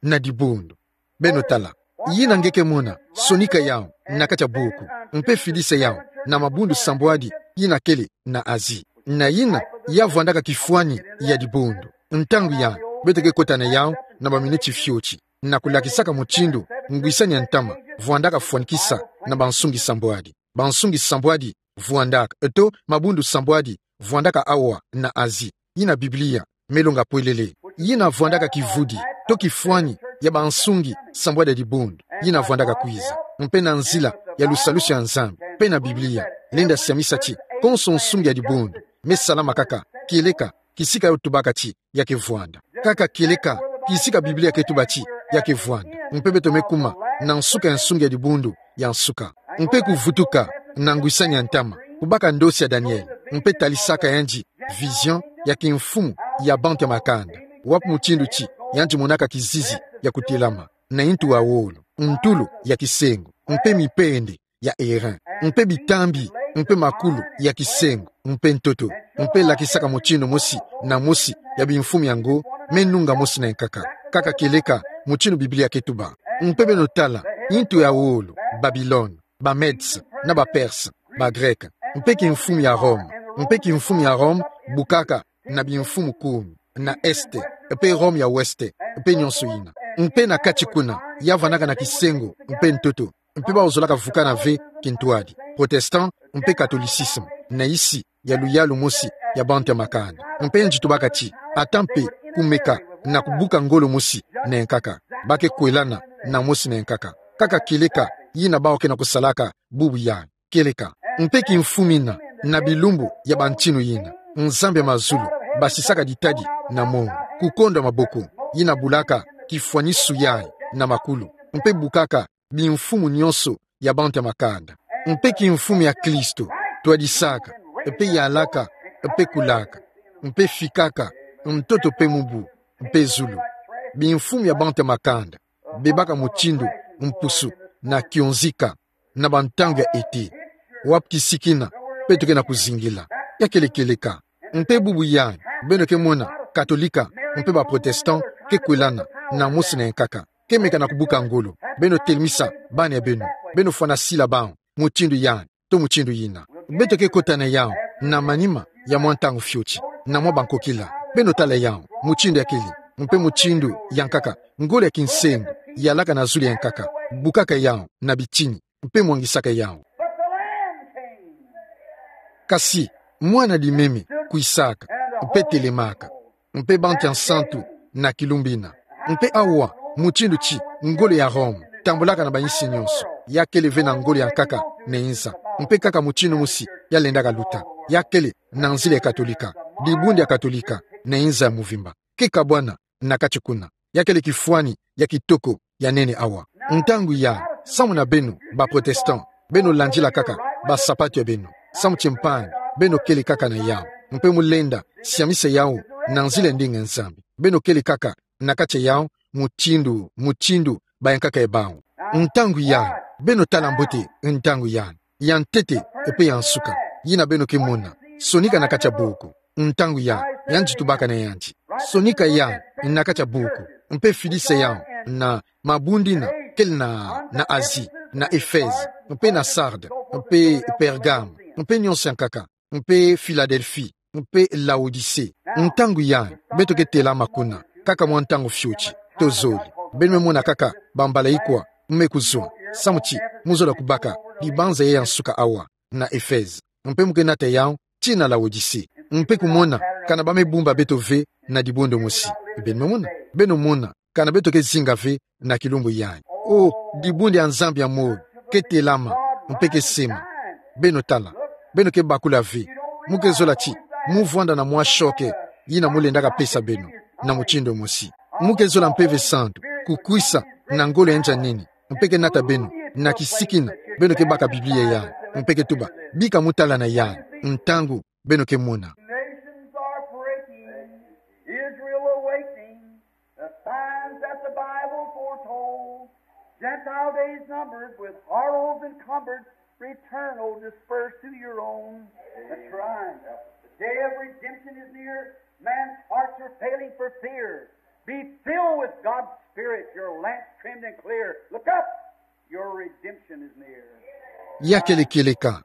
Na dibundu. Beno tala. Yina nge ke mona, sonika yawu na kati ya buku, mpe fidisa yawu na mabundu sambwadi yina kele na Asie. Na yina ya vwandaka kifwani ya dibundu. Ntangu yayi beto ke kota na yawu na baminiti fioti, na kulakisaka mutindu ngwisani ya ntama vwandaka fwanikisa na bansungi sambwadi. Bansungi sambwadi vwandaka, to mabundu sambwadi vwandaka awa na Asie, yina Biblia me longa pwelele. Yina vwandaka kivudi to kifwani ya bansungi sambwadi ya dibundu yina vwandaka kwiza. Mpe na nzila ya lusalusu ya Nzambi, mpe na Biblia, lenda siamisa ti konso nsungi ya dibundu me salama kaka kieleka kisika yo tubaka ti ya ke vwanda. Kaka kieleka kisika Biblia ke tuba ti ya ke vwanda. Mpe beto me kuma na nsuka ya nsungi ya dibundu ya nsuka. Mpe kuvutuka na ngwisani ya ntama, kubaka ndosi ya Daniel, mpe talisaka yandi vision ya kimfumu ya bantu ya makanda. Wapi mutindu ti yandi monaka kizizi ya kutelama na intu ya wolo, ntulu ya kisengo, mpe mipende ya airain, mpe bitambi, mpe makulu ya kisengo, mpe ntoto, mpe lakisaka mutindu mosi na mosi ya bimfumu yango me nunga mosi na nkaka, kaka kieleka mutindu Biblia ke tuba. Mpe beno tala, intu ya wolo, Babilone, ba Medes na ba Perses, ba Grecs, mpe kimfumu ya Rome, mpe kimfumu ya Rome bukaka na bimfumu kumi, na Est, mpe Rome ya Ouest, mpe nyonso yina. Mpe na kati kuna, ya vandaka na kisengo mpe ntoto, mpe bawu zolaka vukana ve kintwadi, protestant mpe catholicisme, na isi ya luyalu mosi ya bantu ya makanda. Mpe yandi tubaka ti, ata mpe kumeka na kubuka ngolo mosi na nkaka, ba ke kwelana na mosi na nkaka. kaka kieleka yina bawu ke na kusalaka bubu yai. Kieleka. Mpe kimfumina na bilumbu ya bantinu yina, Nzambi ya mazulu basisaka ditadi na mongo, kukonda maboko, yina bulaka kifwanisu yai na makulu, mpe bukaka bimfumu nyonso ya bantu ya makanda. Mpe kimfumu ya Kristo, twadisaka, mpe yalaka, mpe kulaka, mpe fikaka ntoto mpe mubu, mpe zulu. Bimfumu ya bantu ya makanda bebaka mutindu mpusu na kionzika na bantangu ya ete. Wapi kisikina beto ke na kuzingila? Ya kele kieleka. Mpe bubu yai, beno ke mona Katolika mpe ba Protestant ke kwelana na mosi na yankaka, ke meka na kubuka ngolo. Beno telemisa bana ya beno, beno fwana sila bawu mutindu yai to mutindu yina. Beto ke kota na yawu na manima ya mwa ntangu fioti, na mwa bankokila. Beno tala yawu mutindu ya kele, mpe mutindu yankaka, ngolo ya kinsengo yalaka na zulu ya yankaka, bukaka yawu na bitini, mpe mwangisaka yawu. But the Lamb came. Kasi mwana limeme kwisaka, mpe telemaka, mpe bantu ya nsantu na kilumbu yina. Mpe awa, mutindu ti ngolo ya Rome tambulaka na bayinsi nyonso, ya kele ve na ngolo ya nkaka na inza. Mpe kaka mutindu mosi ya lendaka luta, ya kele na nzila ya Katolika, dibundu ya Katolika na inza ya muvimba. Ke kabwana na kati kuna. Ya kele kifwani ya kitoko ya nene awa. Ntangu yai, samu na beno ba Protestant, beno landila kaka basapatu ya beno, samu ti mpangi, beno kele kaka na yawu, mpe mu lenda siamisa yawu na nzila ya ndinga Nzambi. Beno kele kaka na kati ya yawu, mutindu, mutindu ba yankaka ya bawu. Ntangu yai, beno tala mbote ntangu yai, ya ntete mpe ya nsuka, yina beno ke mona sonika na kati ya buku. Ntangu yai, yandi tubaka na yandi: Sonika yai na kati ya buku, mpe fidisa yawu na mabundu yina kele na, na Asie, na Ephèse, mpe na Sardes, mpe Pergame, mpe nyonso yankaka, mpe Philadelphie, mpe Laodicée. Ntangu yai, beto ke telama kuna kaka mwa ntangu fioti, tozole. Beno me mona kaka bambala ikwa me kuzwa, samu ti mu zola kubaka dibanza ya nsuka awa na Ephèse. Mpe mu ke nata yawu tii na Laodicée, mpe kumona kana ba me bumba beto ve na dibundu mosi. Beno me mona, beno mona kana beto ke zinga ve na kilumbu yai. O, dibundu ya Nzambi ya moyo ke telama, mpe ke sema: Beno tala. Beno ke bakula ve. Mu ke zola ti mu vwanda na mwa choc yina mu lendaka pesa beno na mutindu mosi. Mu ke zola Mpeve Santu kukwisa na ngolo ya nza nini, mpe ke nata beno na kisikina. Beno ke baka Biblia yai, mpe ke tuba: Bika mu tala na yai, ntangu beno ke mona. Nations are breaking, Israel awakening, the signs that the Bible foretold. Gentile days numbered, with horrors encumbered, return, O dispersed, to your own. That's right. The day of redemption is near. Man's hearts are failing for fear. Be filled with God's Spirit, your lamps trimmed and clear. Look up, your redemption is near. Ya kele kieleka.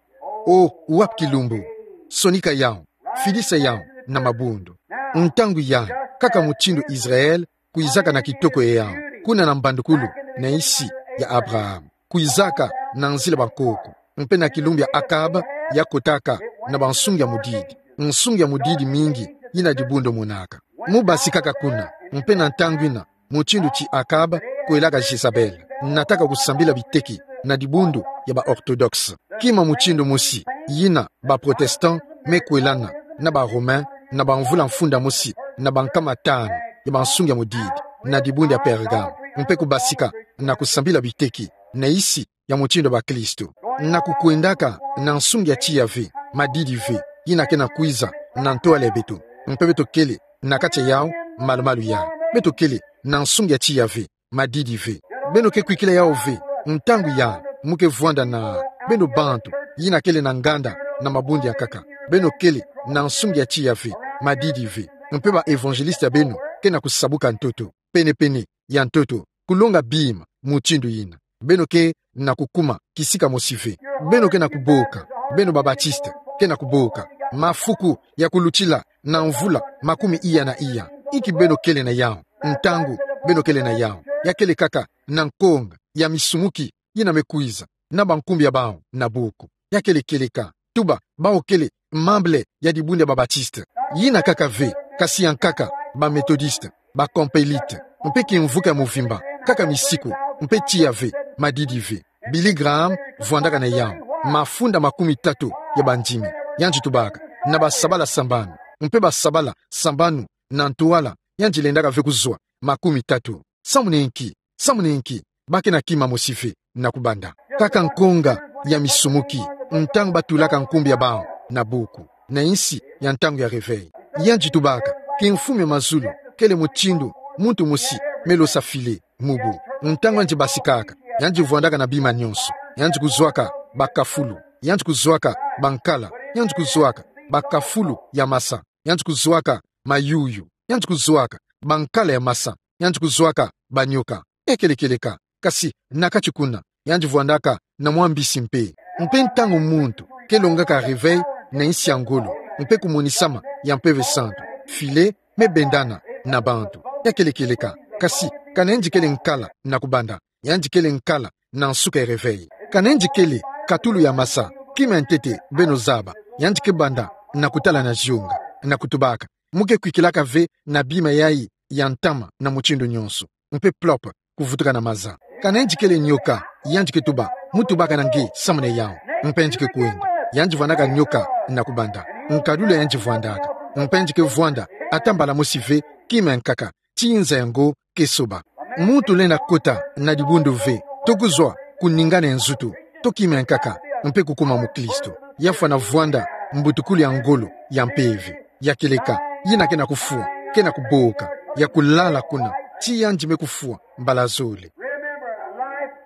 O, wapi kilumbu? Sonika yawu, fidisa yawu na mabundu. Ntangu yai, kaka mutindu Israël kwizaka na kitoko ya yawu, kuna na mbandukulu, na yisi ya Abraham, kwizaka na nzila bankoko, mpe na kilumbu ya Akab, ya kotaka na bansungi ya mudidi, nsungi ya mudidi mingi yina dibundu monaka. Mu basikaka kuna, mpe na ntangu yina, mutindu ti Akab kwelaka Jezabel, nataka kusambila biteki na dibundu ya ba orthodoxe. Kima mutindu mosi yina ba protestant me kwelana na ba Romain na bamvula mfunda mosi na bankama tanu ya bansungi ya mudidi, na dibundu ya Pergame, mpe kubasika na kusambila biteki na yisi ya mutindu ya bakristu, na kukwendaka na nsungi ya tiya ve, madidi ve, yina ke na kwiza na ntwala ya beto, mpe beto kele na kati ya yawu malumalu yai. Beto kele na nsungi ya tiya ve, madidi ve. Beno ke kwikila yawu ve, ntangu yai mu ke vwanda na beno bantu yina kele na nganda na mabundu ya nkaka. Beno kele na nsungi ya tiya ve, madidi ve. Mpe ba évangéliste ya beno ke na kusabuka ntoto, pene-pene ya ntoto, kulonga bima mutindu yina. Beno ke na kukuma kisika mosi ve. Beno ke na kuboka, beno ba baptiste, ke na kuboka mafuku ya kulutila na mvula makumi iya na iya. Inki beno kele na yawu, ntangu beno kele na yawu? Ya kele kaka na nkonga ya misumuki yina me kwiza na bankumbu ya bawu na buku. Ya kele kieleka. Tuba, bawu kele membre ya dibundu ya ba baptiste. Yina kaka ve, kasi ya nkaka, ba méthodiste, ba campbellite, mpe kimvuka ya muvimba, kaka misiku mpe tiya ve, madidi ve. Billy Graham vwandaka na yawu, mafunda makumi tatu ya bandimi. Yandi tubaka, na basabala sambanu, mpe basabala sambanu na ntwala, yandi lendaka ve kuzwa makumi tatu. Samun'e nki, samun'e nki, ba ke na kima mosi ve na kubanda. Kaka nkonga ya misumuki, ntangu batulaka nkumbu ya bawu na buku, na insi ya ntangu ya réveil. Yandi tubaka, kimfumu ya mazulu, kele mutindu muntu mosi me losa filet, mubu. Ntangu yandi basikaka, yandi vwandaka na bima nyonso, yandi kuzwaka bakafulu, yandi kuzwaka bankala, yandi kuzwaka bakafulu ya masa, yandi kuzwaka mayuyu, yandi kuzwaka bankala ya masa, yandi kuzwaka banyoka. Ya kele kieleka, kasi na kati kuna, yandi vwandaka na mwa mbisi mpe. Mpe ntangu muntu ke longaka réveil na insi ya ngolo, mpe kumonisama ya Mpeve Santu, filet me bendana na bantu. Ya kele kieleka, kasi kana yandi kele nkala na kubanda, yandi kele nkala na nsuka ya réveil. Kana yandi kele katulu ya masa, kima ya ntete beno zaba, yandi ke banda na kutala na zionga, na kutubaka, mu ke kwikilaka ve na bima yayi ya ntama na mutindu nyonso, mpe plop kuvutuka na maza. Kana yandi kele nyoka, yandi ke tuba, mu tubaka na nge samun'e yawu, mpe yandi ke kwenda. Yandi vwandaka nyoka na kubanda, nkadulu ya yandi vwandaka, mpe yandi ke vwanda ata mbala mosi ve kima ya nkaka, tii nza yango ke soba. Muntu lenda kota na dibundu ve, to kuzwa ku ningana ya nzutu, to kima ya nkaka, mpe kukuma mukristu. Ya fwana vwanda mbutukulu ya ngolo ya mpeve. Ya kieleka, yina ke na kufwa, ke na kuboka, ya kulala kuna, tii yandi me kufwa mbala zole.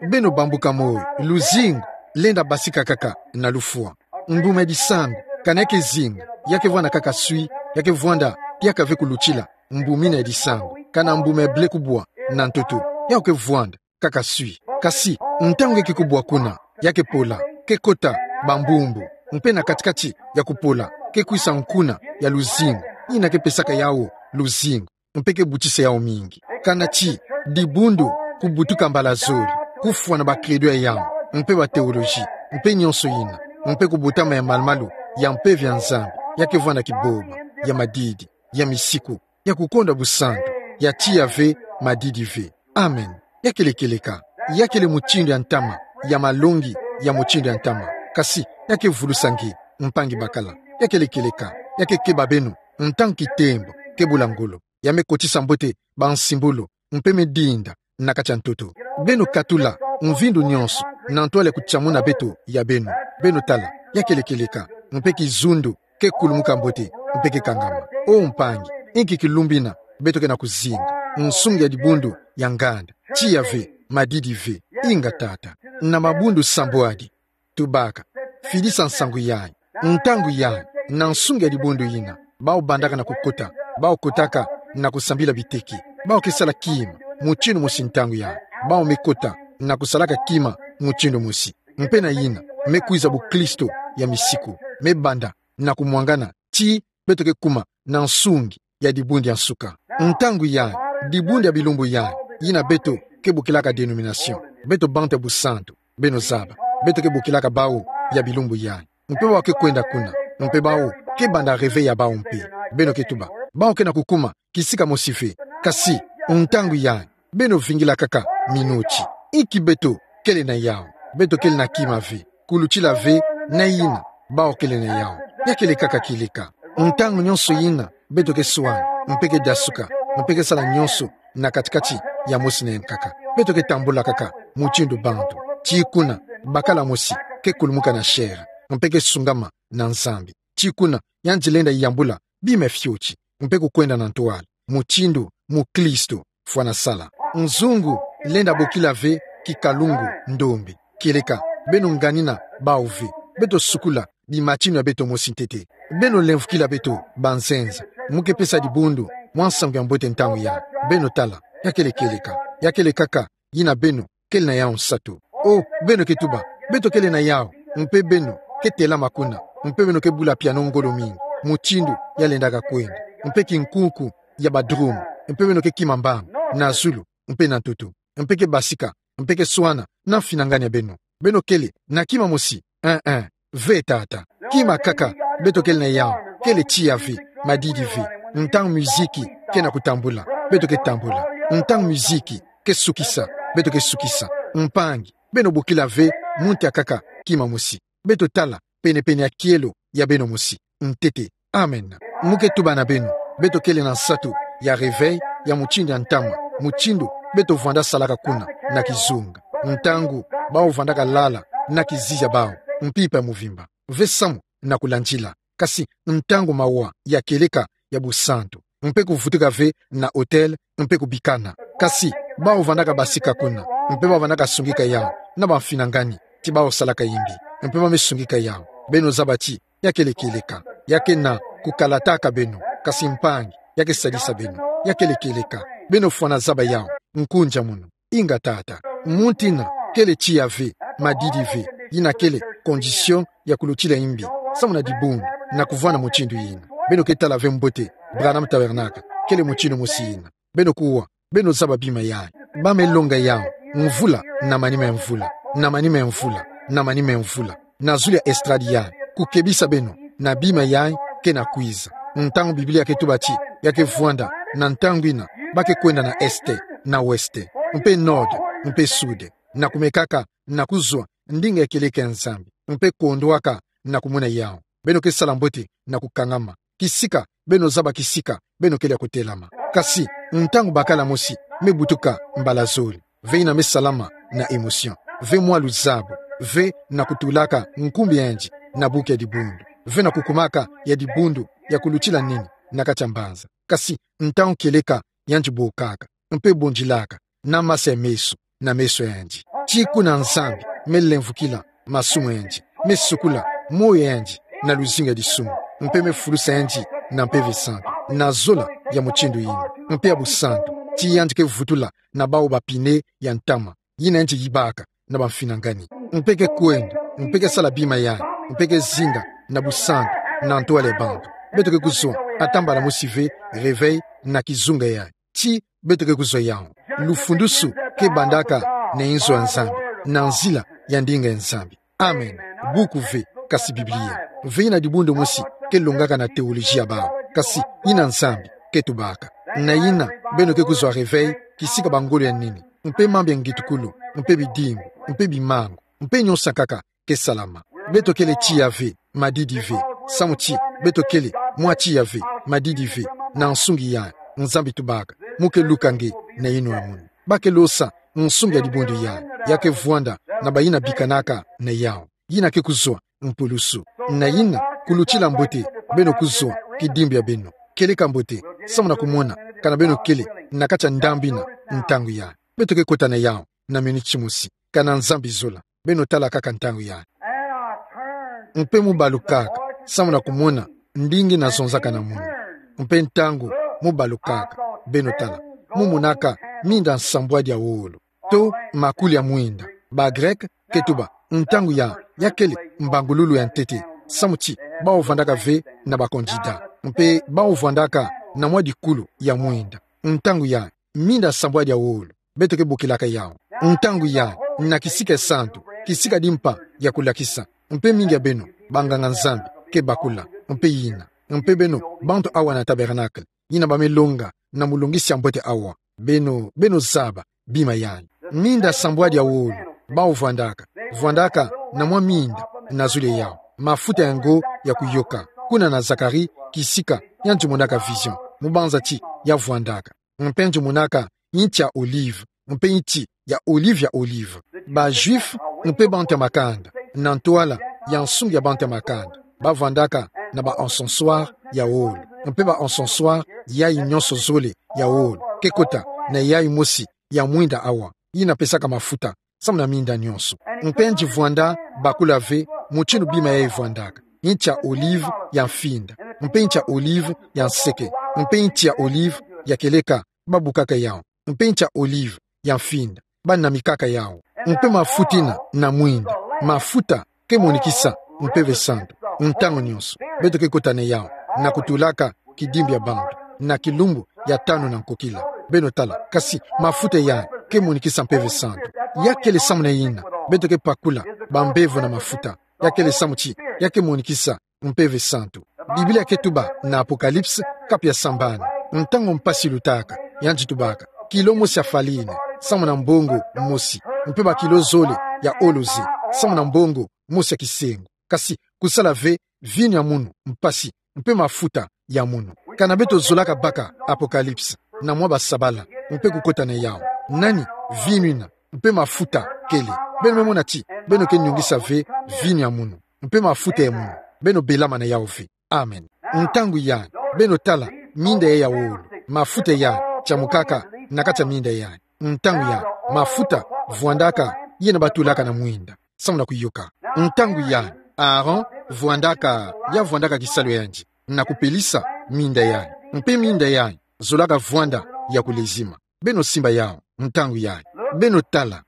Beno bambuka moyo, luzingu lenda basika kaka na lufwa. Mbuma ya disangu, kana ya ke zinga, ya ke vwanda kaka swi, ya ke vwanda, ya ka ve kulutila mbuma ina ya disangu. Kana mbuma ya blé kubwa na ntoto, yawu ke vwanda kaka swi. Kasi ntangu nge ke kubwa kuna, ya ke pola, ke kota bambumbu, mpe na kati-kati ya kupola ke kwisa nkuna ya luzingu, yina ke pesaka yawu luzingu, mpe ke butisa yawu mingi. Kana ti dibundu kubutuka mbala zole, kufwa na ba credo ya yawu, mpe ba théologie, mpe nyonso yina, mpe kubotama ya malu-malu ya mpeve ya Nzambi, ya ke vwanda kiboba, ya madidi, ya misiku, ya kukonda busantu, ya tiya ve, madidi ve. Amen. Ya kele kieleka, ya kele mutindu ya ntama, ya malongi ya mutindu ya ntama. Kasi ya ke vulusa nge, mpangi bakala. Ya kele kieleka, ya ke keba beno, ntangu kitembo ke bula ngolo, ya me kotisa mbote bansimbulu, mpe me dinda na kati ya ntoto. Beno katula mvindu nyonso na ntwala ya kutiamuna beto ya beno. Beno tala, ya kele kieleka, mpe kizundu ke kulumuka mbote, mpe ke kangama. O mpangi, inki kilumbu ina beto ke na kuzinga? Nsungi ya dibundu ya nganda. Tiya ve, madidi ve. Inga tata. Na mabundu sambwadi, tubaka, fidisa nsangu yayi, ntangu yayi, na nsungi ya dibundu yina, bawu bandaka na kukota, bawu kotaka na kusambila biteki, bawu ke sala kima mutindu mosi ntangu yayi, bawu me kota na kusalaka kima mutindu mosi. Mpe na yina me kwiza bukristu ya misiku, me banda na kumwangana, ti beto ke kuma na nsungi ya dibundu ya nsuka. Ntangu yayi, dibundu ya bilumbu yayi, yina beto ke bokilaka dénomination, beto bantu ya busantu, beno zaba, beto ke bokilaka bawu ya bilumbu yayi. Mpe bawu ke kwenda kuna, mpe bawu ke banda réveil ya bawu mpe. Beno ke tuba, bawu ke na kukuma kisika mosi ve. Kasi ntangu yayi, beno vingila kaka minuti. Inki beto kele na yawu? Beto kele na kima ve, kulutila ve na yina bawu kele na yawu. Ya kele kaka kieleka. Ntangu nyonso yina beto ke swana, mpe ke dasuka, mpe ke sala nyonso na kati-kati ya mosi na ya nkaka, beto ke tambula kaka mutindu bantu. Ti kuna bakala mosi ke kulumuka na chair, mpe ke sungama na Nzambi. Ti kuna yandi lenda yambula bima fioti, mpe kukwenda na ntwala, mutindu mukristu fwana sala. Nzungu lenda bokila ve kikalungu ndombe. Kieleka, beno nganina bawu ve. Beto sukula bimatinu ya beto mosi ntete. Beno lemvukila beto banzenza, mu ke pesa dibundu mwa nsangu ya mbote ntangu yayi. Beno tala, ya kele kieleka, ya kele kaka yina beno kele na yawu nsatu. O, beno ke tuba, beto kele na yawu, mpe beno ke telama kuna, mpe beno ke bula piano ngolo mingi, mutindu ya lendaka kwenda, mpe kinkunku ya ba drum, mpe beno ke kima mbamba na zulu, mpe na ntoto, mpe ke basika, mpe ke swana na mfinangani ya beno. Beno kele na kima mosi? Eh, eh. Ve tata. Kima kaka beto kele na yawu kele tiya ve, madidi ve. Ntangu miziki ke na kutambula, beto ke tambula. Ntangu miziki ke sukisa, beto ke sukisa. Mpangi, beno bokila ve, mu ntia kaka, kima mosi. Beto tala, penepene ya kielo, ya beno mosi. Ntete. Amen. Mu ke tuba na beno, beto kele na nsatu, ya réveil, ya mutindu ya ntama, mutindu, beto vwanda salaka kuna, na kizunga. Ntangu, bawu vwandaka lala, na kizizi ya bawu, mpimpa ya muvimba. Ve samu, na kulandila. Kasi, ntangu mawa, ya kieleka, ya busantu. Mpe kuvutuka ve, na hotel, mpe kubikana. Kasi, bawu vwandaka basika kuna, mpe bawu vwandaka sungika yawu, na bamfinangani, ti bawu salaka yimbi, mpe ba me sungika yawu. Beno zaba ti, ya kele kieleka. Ya kena, kukalataka beno, kasi mpangi, ya ke sadisa beno, ya kele kieleka. Beno fwana zaba yawu, nkunja munu. Inga tata. Muntu ina, kele tiya ve, madidi ve, ina kele, condition, ya kulutila yimbi, samu na dibundu, na kuvwanda mutindu ina. Beno ke tala ve mbote, Branham Tabernacle, kele mutindu mosi ina. Beno kuwa, beno zaba bima yayi. Ba me longa yawu, mvula, na manima ya mvula, na manima ya mvula, na manima ya mvula. Na zulu ya estrade yayi, kukebisa beno, na bima yayi, kena kwiza. Ntangu Biblia ke tuba ti, ya ke vwanda, na ntangu ina, ba ke kwenda na est, na ouest, mpe nord, mpe sud. Na kumekaka, na kuzwa, ndinga ya kieleka ya Nzambi, mpe kondwaka, na kumona yawu. Beno ke sala mbote, na kukangama. Kisika, beno zaba kisika, beno kele ya kutelama. Kasi, ntangu bakala mosi, me butuka, mbala zole. Ve ina me salama, na émotion. Ve mwa luzabu. Ve na kutulaka, nkumbu ya yandi, na buku ya dibundu. Ve na kukumaka, ya dibundu, ya kulutila nini, na kati ya mbanza. Kasi, ntangu kieleka, yandi bokaka, mpe bondilaka, na masa ya meso, na meso ya yandi. Ti kuna Nzambi, me lemvukila, masumu ya yandi, me sukula, moyo ya yandi, na luzingu ya disumu, mpe me fulusa yandi, na Mpeve Santu, na zola, ya mutindu ina, mpe ya busantu, ti yandi ke vutula, na bawu bapine, ya ntama, ina yandi yibaka, na bamfinangani. Mpe ke kwenda, mpe ke sala bima yayi, mpe ke zinga, na busantu, na ntwala ya bantu. Beto ke kuzwa, ata mbala mosi ve, réveil, na kizunga yayi. Ti, beto ke kuzwa yawu. Lufundusu, ke bandaka, na inzo ya Nzambi, na nzila, ya ndinga ya Nzambi. Amen. Buku ve, kasi Biblia. Ve ina dibundu mosi, ke longaka na théologie ya bawu. Kasi, ina Nzambi, ke tubaka. Na ina, beno ke kuzwa réveil, kisika bangolo ya nini. Mpe mambu ya ngitukulu, mpe bidimbu, mpe bimangu, mpe nyonso kaka, ke salama. Beto kele tiya ve, madidi ve, samu ti, beto kele, mwa tiya ve, madidi ve, na nsungi yayi, Nzambi tubaka, mu ke luka nge, na yinwa munu. Ba ke losa, nsungi ya dibundu yayi, ya ke vwanda, na bayina bikanaka, na yawu. Yina ke kuzwa, mpulusu. Na yina, kulutila mbote, beno kuzwa, kidimbu ya beno. Kieleka mbote, samu na kumona, kana beno kele, na kati ya ndambu ina, ntangu yayi. Beto ke kota na yawu, na miniti mosi, kana Nzambi zola. Beno tala kaka ntangu yayi. Mpe mu balukaka, samu na kumona, ndinga ina zonzaka na munu. Mpe ntangu, mu balukaka, beno tala. Mu monaka, minda nsambwadi ya wolo. To, makuli ya mwinda. Ba Grec, ke tuba, ntangu yayi, ya kele, mbangululu ya ntete. Samu ti, bawu vwandaka ve, na ba candidat. Mpe, bawu vwandaka, na mwa dikulu, ya mwinda. Ntangu yayi, minda nsambwadi ya wolo. Beto ke bokilaka yawu. Ntangu yayi, na kisika ya santu, kisika di mpa ya kulakisa. Mpe mingi ya beno, banganga-Nzambi, ke bakula. Mpe yina. Mpe beno, bantu awa na tabernacle. Yina ba me longa, na mulongisi ya mbote awa. Beno, beno zaba, bima yayi. Minda nsambwadi ya wolo, bawu vwandaka. Vwandaka, na mwa minda, na zulu ya yawu. Mafuta ya ngo, ya kuyoka. Kuna na Zacharie, kisika, yandi monaka vision. Mu banza ti, ya vwandaka. Mpe yandi monaka, nti ya olive, mpe nti ya olive ya olive. Ba Juifs, mpe bantu ya makanda, na ntwala, ya nsungi ya bantu ya makanda. Ba vwandaka, na ba encensoirs ya wolo, mpe ba encensoirs yayi nyonso zole ya wolo, ke kota, na yayi mosi, ya mwinda awa, yina pesaka mafuta, samu na minda nyonso. Mpe yandi vwanda, bakula ve, mutindu bima yayi vwandaka. Nti ya olive, ya mfinda. Mpe nti ya olive, ya nseke. Mpe nti ya olive, ya kieleka, ba bukaka yawu. Mpe nti ya olive, ya mfinda. Ba namikaka yawu. Mpe mafuta ina, na mwinda. Mafuta, ke monikisa, Mpeve Santu. Ntangu nyonso. Beto ke kota na yawu. Na kutulaka, kidimbu ya bantu. Na kilumbu, ya tanu na nkokila. Beno tala. Kasi, mafuta yayi, ke monikisa Mpeve Santu. Ya kele samu na yina. Beto ke pakula, bambevo na mafuta. Ya kele samu ti, ya ke monikisa, Mpeve Santu. Biblia ke tuba, na Apocalypse, kapu ya sambanu. Ntangu mpasi lutaka, yandi tubaka. Kilo mosi ya farine, samu na mbongo mosi, mpe bakilo zole ya olo ze, samu na mbongo mosi ya kisengo. Kasi kusala ve vinu ya munu mpasi, mpe mafuta ya munu. Kana beto zolaka baka Apocalypse na mwa basabala, mpe kukota na yawu. Nani vinu ina, mpe mafuta kele? Beno me mona ti beno ke nyungisa ve vinu ya munu mpe mafuta ya munu, beno belama na yawu ve. Amen. Ntangu yai, beno tala, minda yai ya wolo, mafuta yai tiamukaka na kati ya minda yai. Ntangu yai, mafuta vwandaka yena batulaka na mwinda, samu na kuyoka. Ntangu yai, Aaron vwandaka, ya vwandaka kisalu yandi na kupelisa minda yai. Mpe minda yai zolaka vwanda ya kulezima. Beno simba yawu, ntangu yai. Beno tala,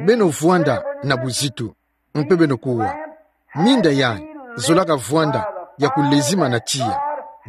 beno vwanda na buzitu, mpe beno kuwa. Minda yai zolaka vwanda ya kulezima na tiya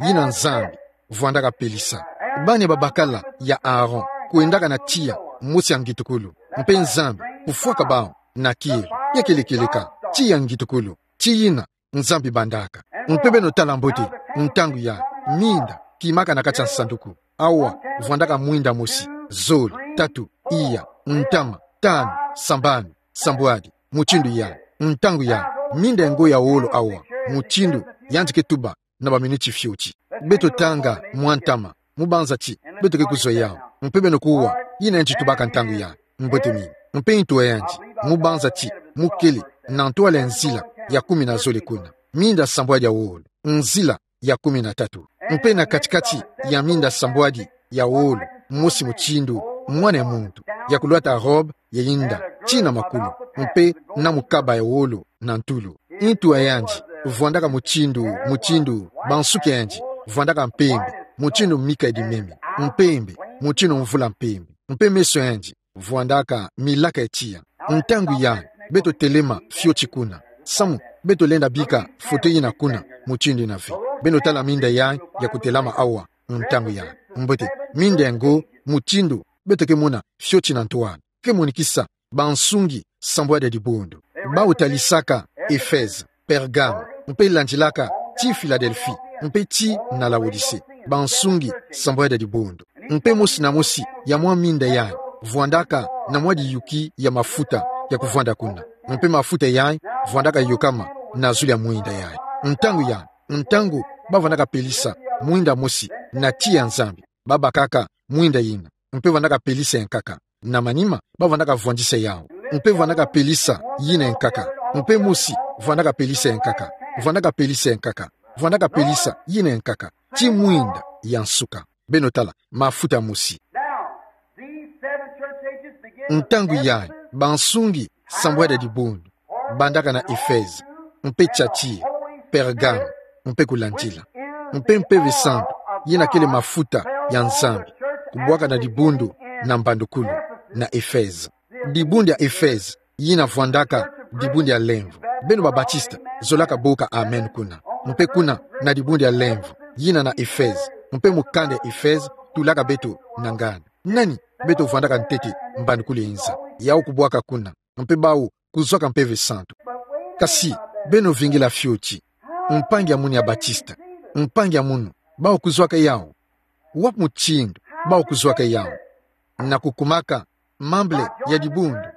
yina Nzambi vwandaka pelisa. Bani babakala ya Aaron kwendaka na tiya mosi ya ngitukulu, mpe Nzambi kufwaka bawu na kielo. Ya kele kieleka tiya ngitukulu, ti yina Nzambi bandaka. Mpe beno tala mbote, ntangu yai, minda kimaka na kati ya nsanduku. Awa vwandaka mwinda mosi, zole, tatu, iya, ntama, tanu, sambanu, sambwadi, mutindu yai. Ntangu yai, minda ya ngo ya wolo awa, mutindu yandi ke tuba na baminiti fioti. Beto tanga mwa ntama, mu banza ti beto ke kuzwa yawu. Mpe beno kuwa yina yandi tubaka ntangu yai. Mbote mingi. Mpe ntu a yandi, mu banza ti mu kele na ntwala ya nzila ya kumi na zole kuna, minda sambwadi ya wolo, nzila ya kumi na tatu. Mpe na kati-kati ya minda sambwadi ya wolo, mosi mutindu mwana ya muntu, ya kulwata robe ya inda tii na makulu, mpe na mukaba ya wolo na ntulu. Ntu a yandi vwandaka mutindu, mutindu, bansuki ya yandi vwandaka mpembe, mutindu mika ya dimeme, mpembe, mutindu mvula mpembe. Mpe meso ya yandi vwandaka milaka ya tiya. Ntangu yai, beto telema fioti kuna, samu beto lenda bika foto yina kuna, mutindu yina ve. Beno tala minda yai ya kutelama awa, ntangu yai. Mbote, minda ya ngo, mutindu beto ke mona fioti na ntwala, ke monikisa bansungi sambwadi ya dibundu. Bawu talisaka Efeze, Pergame, mpe landilaka tii Filadelfi, mpe tii na Laodise, bansungi sambwadi ya dibundu. Mpe mosi na mosi ya mwa minda yai vwandaka na mwa diyuki ya mafuta ya kuvwanda kuna. Mpe mafuta yai vwandaka yokama na zulu ya mwinda yai. Ntangu yai, ntangu bavwandaka pelisa mwinda mosi na tiya ya Nzambi, babakaka mwinda yina, mpe vwandaka pelisa ya nkaka. Na manima, bavwandaka vwandisa yawu. Mpe vwandaka pelisa yina ya nkaka. Mpe mosi vwandaka pelisa ya nkaka. Vwandaka pelisa ya nkaka. Vwandaka pelisa yina ya nkaka, tii mwinda ya nsuka. Beno tala, mafuta mosi. Now, these seven church ages begin with Ntangu yai, Ephesus, bansungi sambwadi ya dibundu bandaka na Efeze, mpe Tiatire, Pergame, mpe kulandila. Mpe Mpeve Santu, yina kele mafuta ya Nzambi, kubwaka na dibundu na mbandukulu, na Efeze. Dibundu ya Efeze yina vwandaka dibundu ya lemvo. Beno ba Batiste zolaka boka amen kuna. Mpe kuna na dibundu ya lemvo yina na Efeze, mpe mukanda ya Efeze tulaka beto na nganda. Nani beto vwandaka ntete mbandukulu ya inza? Yawu kubwaka kuna, mpe bawu kuzwaka Mpeve Santu. Kasi beno vingila fioti. Mpangi ya munu ya Batiste, mpangi ya munu, bawu kuzwaka yawu? Wapi mutindu bawu kuzwaka yawu? Na kukumaka membre ya dibundu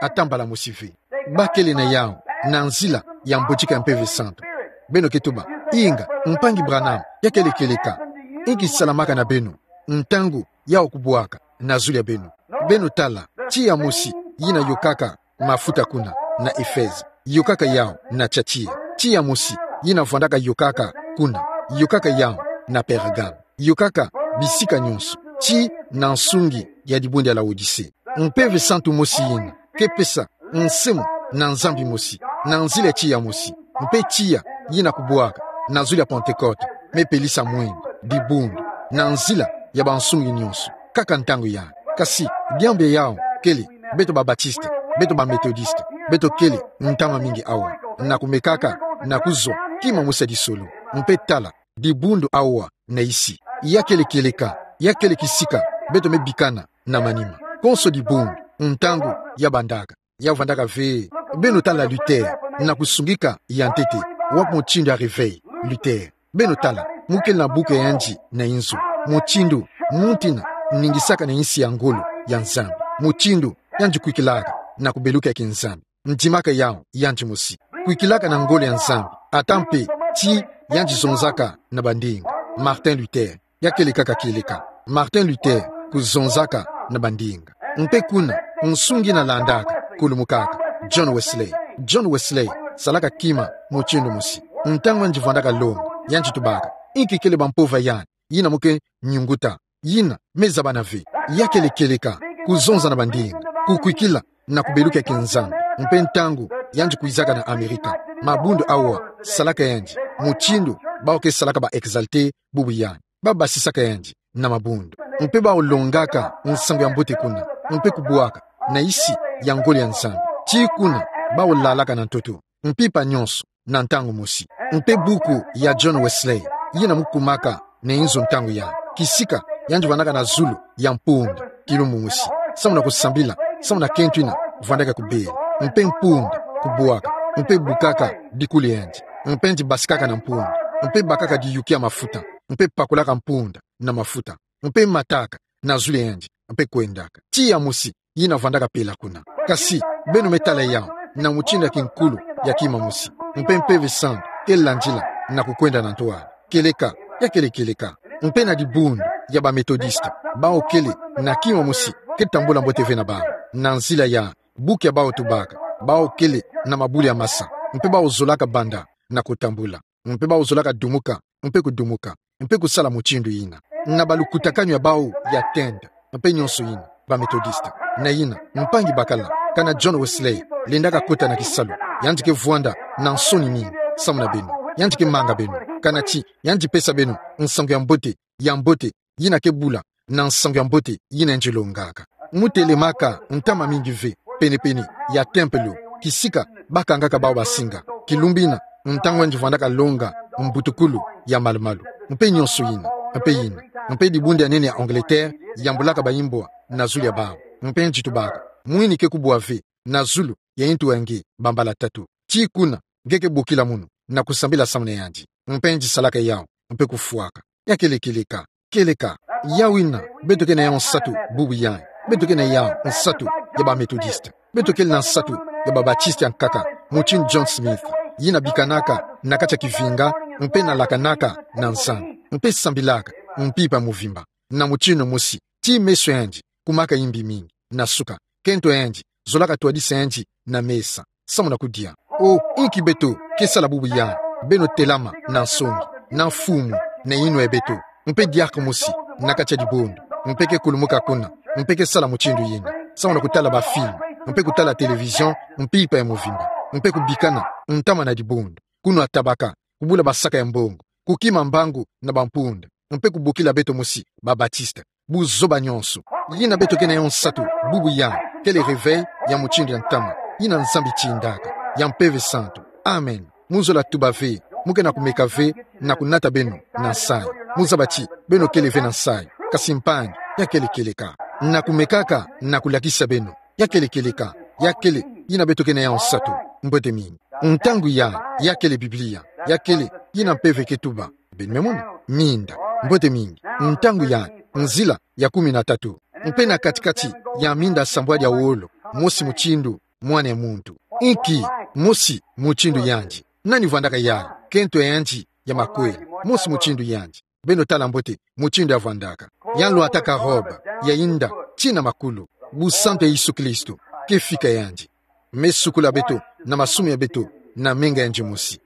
ata mbala mosi ve. Bakele na yawu na nzila ya mbotika ya Mpeve Santu. Beno ke tuba: Inga, mpangi Branham, ya kele kieleka? Inki salamaka na beno ntangu yawu kubwaka na zulu ya beno? Beno tala, tiya mosi yina yokaka mafuta kuna na Efeze, yokaka yawu na Tiatire. Tiya mosi yina vwandaka yokaka kuna, yokaka yawu na Pergame, yokaka bisika nyonso, tii na nsungi ya dibundu ya Laodise. Mpeve Santu mosi yina ke pesa nsemo na Nzambi mosi na nzila ya tiya mosi. Mpe tiya yina kubwaka na zulu ya Pentekote me pelisa mwinda, dibundu, na nzila ya bansungi nyonso, kaka ntangu yai. Kasi diambu ya yawu kele, beto ba Batiste, beto ba Metodiste, beto kele ntama mingi awa, na kumekaka na kuzwa kima mosi ya disolo. Mpe tala, dibundu awa na isi, ya kele kieleka, ya kele kisika beto me bikana na manima? Konso dibundu, ntangu ya bandaka, ya vwandaka ve. Beno tala Luther, na kusungika ya ntete. Wapi mutindu ya réveil Luther? Beno tala, mu kele na buku ya yandi na inzo, mutindu muntu yina ningisaka na insi ya ngolo ya Nzambi. mutindu yandi kwikilaka na kubeluka kinzambi. Ndimaka yawu yandi mosi. Kwikilaka na ngolo ya Nzambi, ata mpe ti yandi zonzaka na bandinga. Martin Luther, ya kieleka ka kieleka. Martin Luther kuzonzaka na bandinga. Mpe kuna, nsungi na landaka, kulumukaka. John Wesley. John Wesley salaka kima mutindu mosi. Ntangu yandi vandaka longa, yandi tubaka: Inki kele bampova yandi yina mu ke nyunguta, yina me zabana ve? Ya kiele kieleka, kuzonza na bandinga, kukwikila na kubeluka kinzambi. Mpe ntangu yandi kwizaka na Amerika, mabundu awa salaka yandi mutindu bawu ke salaka ba exaltés bubu yandi. Babasisaka yandi na mabundu. Mpe bawu longaka nsangu ya mbote kuna, mpe kubwaka na isi ya ngolo ya Nzambi. Ti kuna bawu lalaka na ntoto, mpimpa nyonso, na ntangu mosi. Mpe buku ya John Wesley, yina mu kumaka na inzo ntangu yandi. Kisika yandi vandaka na zulu ya mpunda, kilumbu mosi, samu na kusambila samu na kento yina vandaka kubela. Mpe mpunda kubwaka, mpe bukaka dikulu yandi, mpe yandi basikaka na mpunda, mpe bakaka diyuki ya mafuta, mpe pakulaka mpunda na mafuta, mpe mataka na zulu ya yandi, mpe kwendaka. Tiya mosi yina vandaka pela kuna. Kasi beno me tala yawu na mutindu ya kinkulu ya kima mosi. Mpe Mpeve Santu ke landila na kukwenda na ntwala. Kieleka, ya kiele kieleka. Mpe na dibundu ya ba Methodistes, bawu kele na kima mosi ke tambula mbote ve na bawu. Na nzila ya buku ya bawu tubaka, bawu kele na mabulu ya masa, mpe bawu zolaka banda na kutambula, mpe bawu zolaka dumuka, mpe kudumuka, mpe kusala mutindu yina. Na balukutakanu ya bawu ya tenda, mpe nyonso yina, ba Methodistes. Na yina, mpangi bakala, kana John Wesley lendaka kota na kisalu, yandi ke vwanda na nsoni mingi samu na beno. Yandi ke manga beno, kana ti yandi pesa beno nsangu ya mbote, ya mbote, yina ke bula na nsangu ya mbote yina yandi longaka. Mu telemaka ntama mingi ve penepene ya tempelo, kisika bakangaka bawu basinga. Kilumbu yina, ntangu yandi vandaka longa mbutukulu ya malumalu, mpe nyonso yina, mpe yina, mpe dibundu ya nene ya Angleterre yambulaka bayimbwa na zulu ya bawu. Mpe yandi tubaka: Mwini ke kubwa ve na zulu ya intu ya nge bambala tatu. Ti kuna nge ke bokila munu na kusambila samu na yandi. Mpe yandi salaka yawu, mpe kufwaka. Ya kiele kieleka. Kieleka. Yawu yina beto ke na yawu nsatu bubu yandi. Beto ke na yawu nsatu ya ba Methodistes. Beto kele na nsatu ya ba Baptistes ya nkaka, mutindu John Smith, yina bikanaka na kati ya kivinga, mpe nalakanaka na Nzambi, mpe sambilaka mpimpa mvimba, na mutindu mosi, ti meso ya yandi kumaka imbi mingi. Na suka, kento ya yandi zolaka twadisa yandi na mesa samu na kudia. O, inki beto ke sala bubu yandi? Beno telama na nsongi, na mfumu, na inwa ya beto, mpe diaka mosi na kati ya dibundu, mpe ke kulumuka kuna, mpe ke sala mutindu yina, samu na kutala ba film, mpe kutala télévision mpimpa ya mvimba, mpe kubikana ntama na dibundu, kunwa tabaka, kubula basaka ya mbongo, kukima mbangu na bampunda, mpe kubokila beto mosi ba Baptistes. Buzoba nyonso. Yina beto ke na yawu nsatu bubu yandi kele réveil ya mutindu ya ntama yina Nzambi tindaka, ya Mpeve Santu. Amen. Mu zola tuba ve, mu ke na kumeka ve na kunata beno na nsayi. Mu zaba ti beno kele ve na nsayi. Kasi mpangi, ya kiele kieleka. Na kumekaka na kulakisa beno. Ya kiele kieleka. Ya kele yina beto ke na yawu nsatu. Mbote mingi. Ntangu yandi, ya kele Biblia, ya kele yina mpeve ke tuba. Beno me mona? Minda. Mbote mingi. Ntangu yandi, nzila ya kumi na tatu. Mpe na kati-kati ya minda sambwadi ya wolo, mosi mutindu mwana ya muntu. Inki, mosi mutindu yandi. Nani vandaka yandi? Kento ya yandi ya makwela. Mosi mutindu yandi. Beno tala mbote mutindu ya vandaka. Yandi lwataka robe ya inda tii na makulu. Busantu ya Yesu Kristo ke fika yandi. Me sukula beto na masumu ya beto na menga yandi mosi.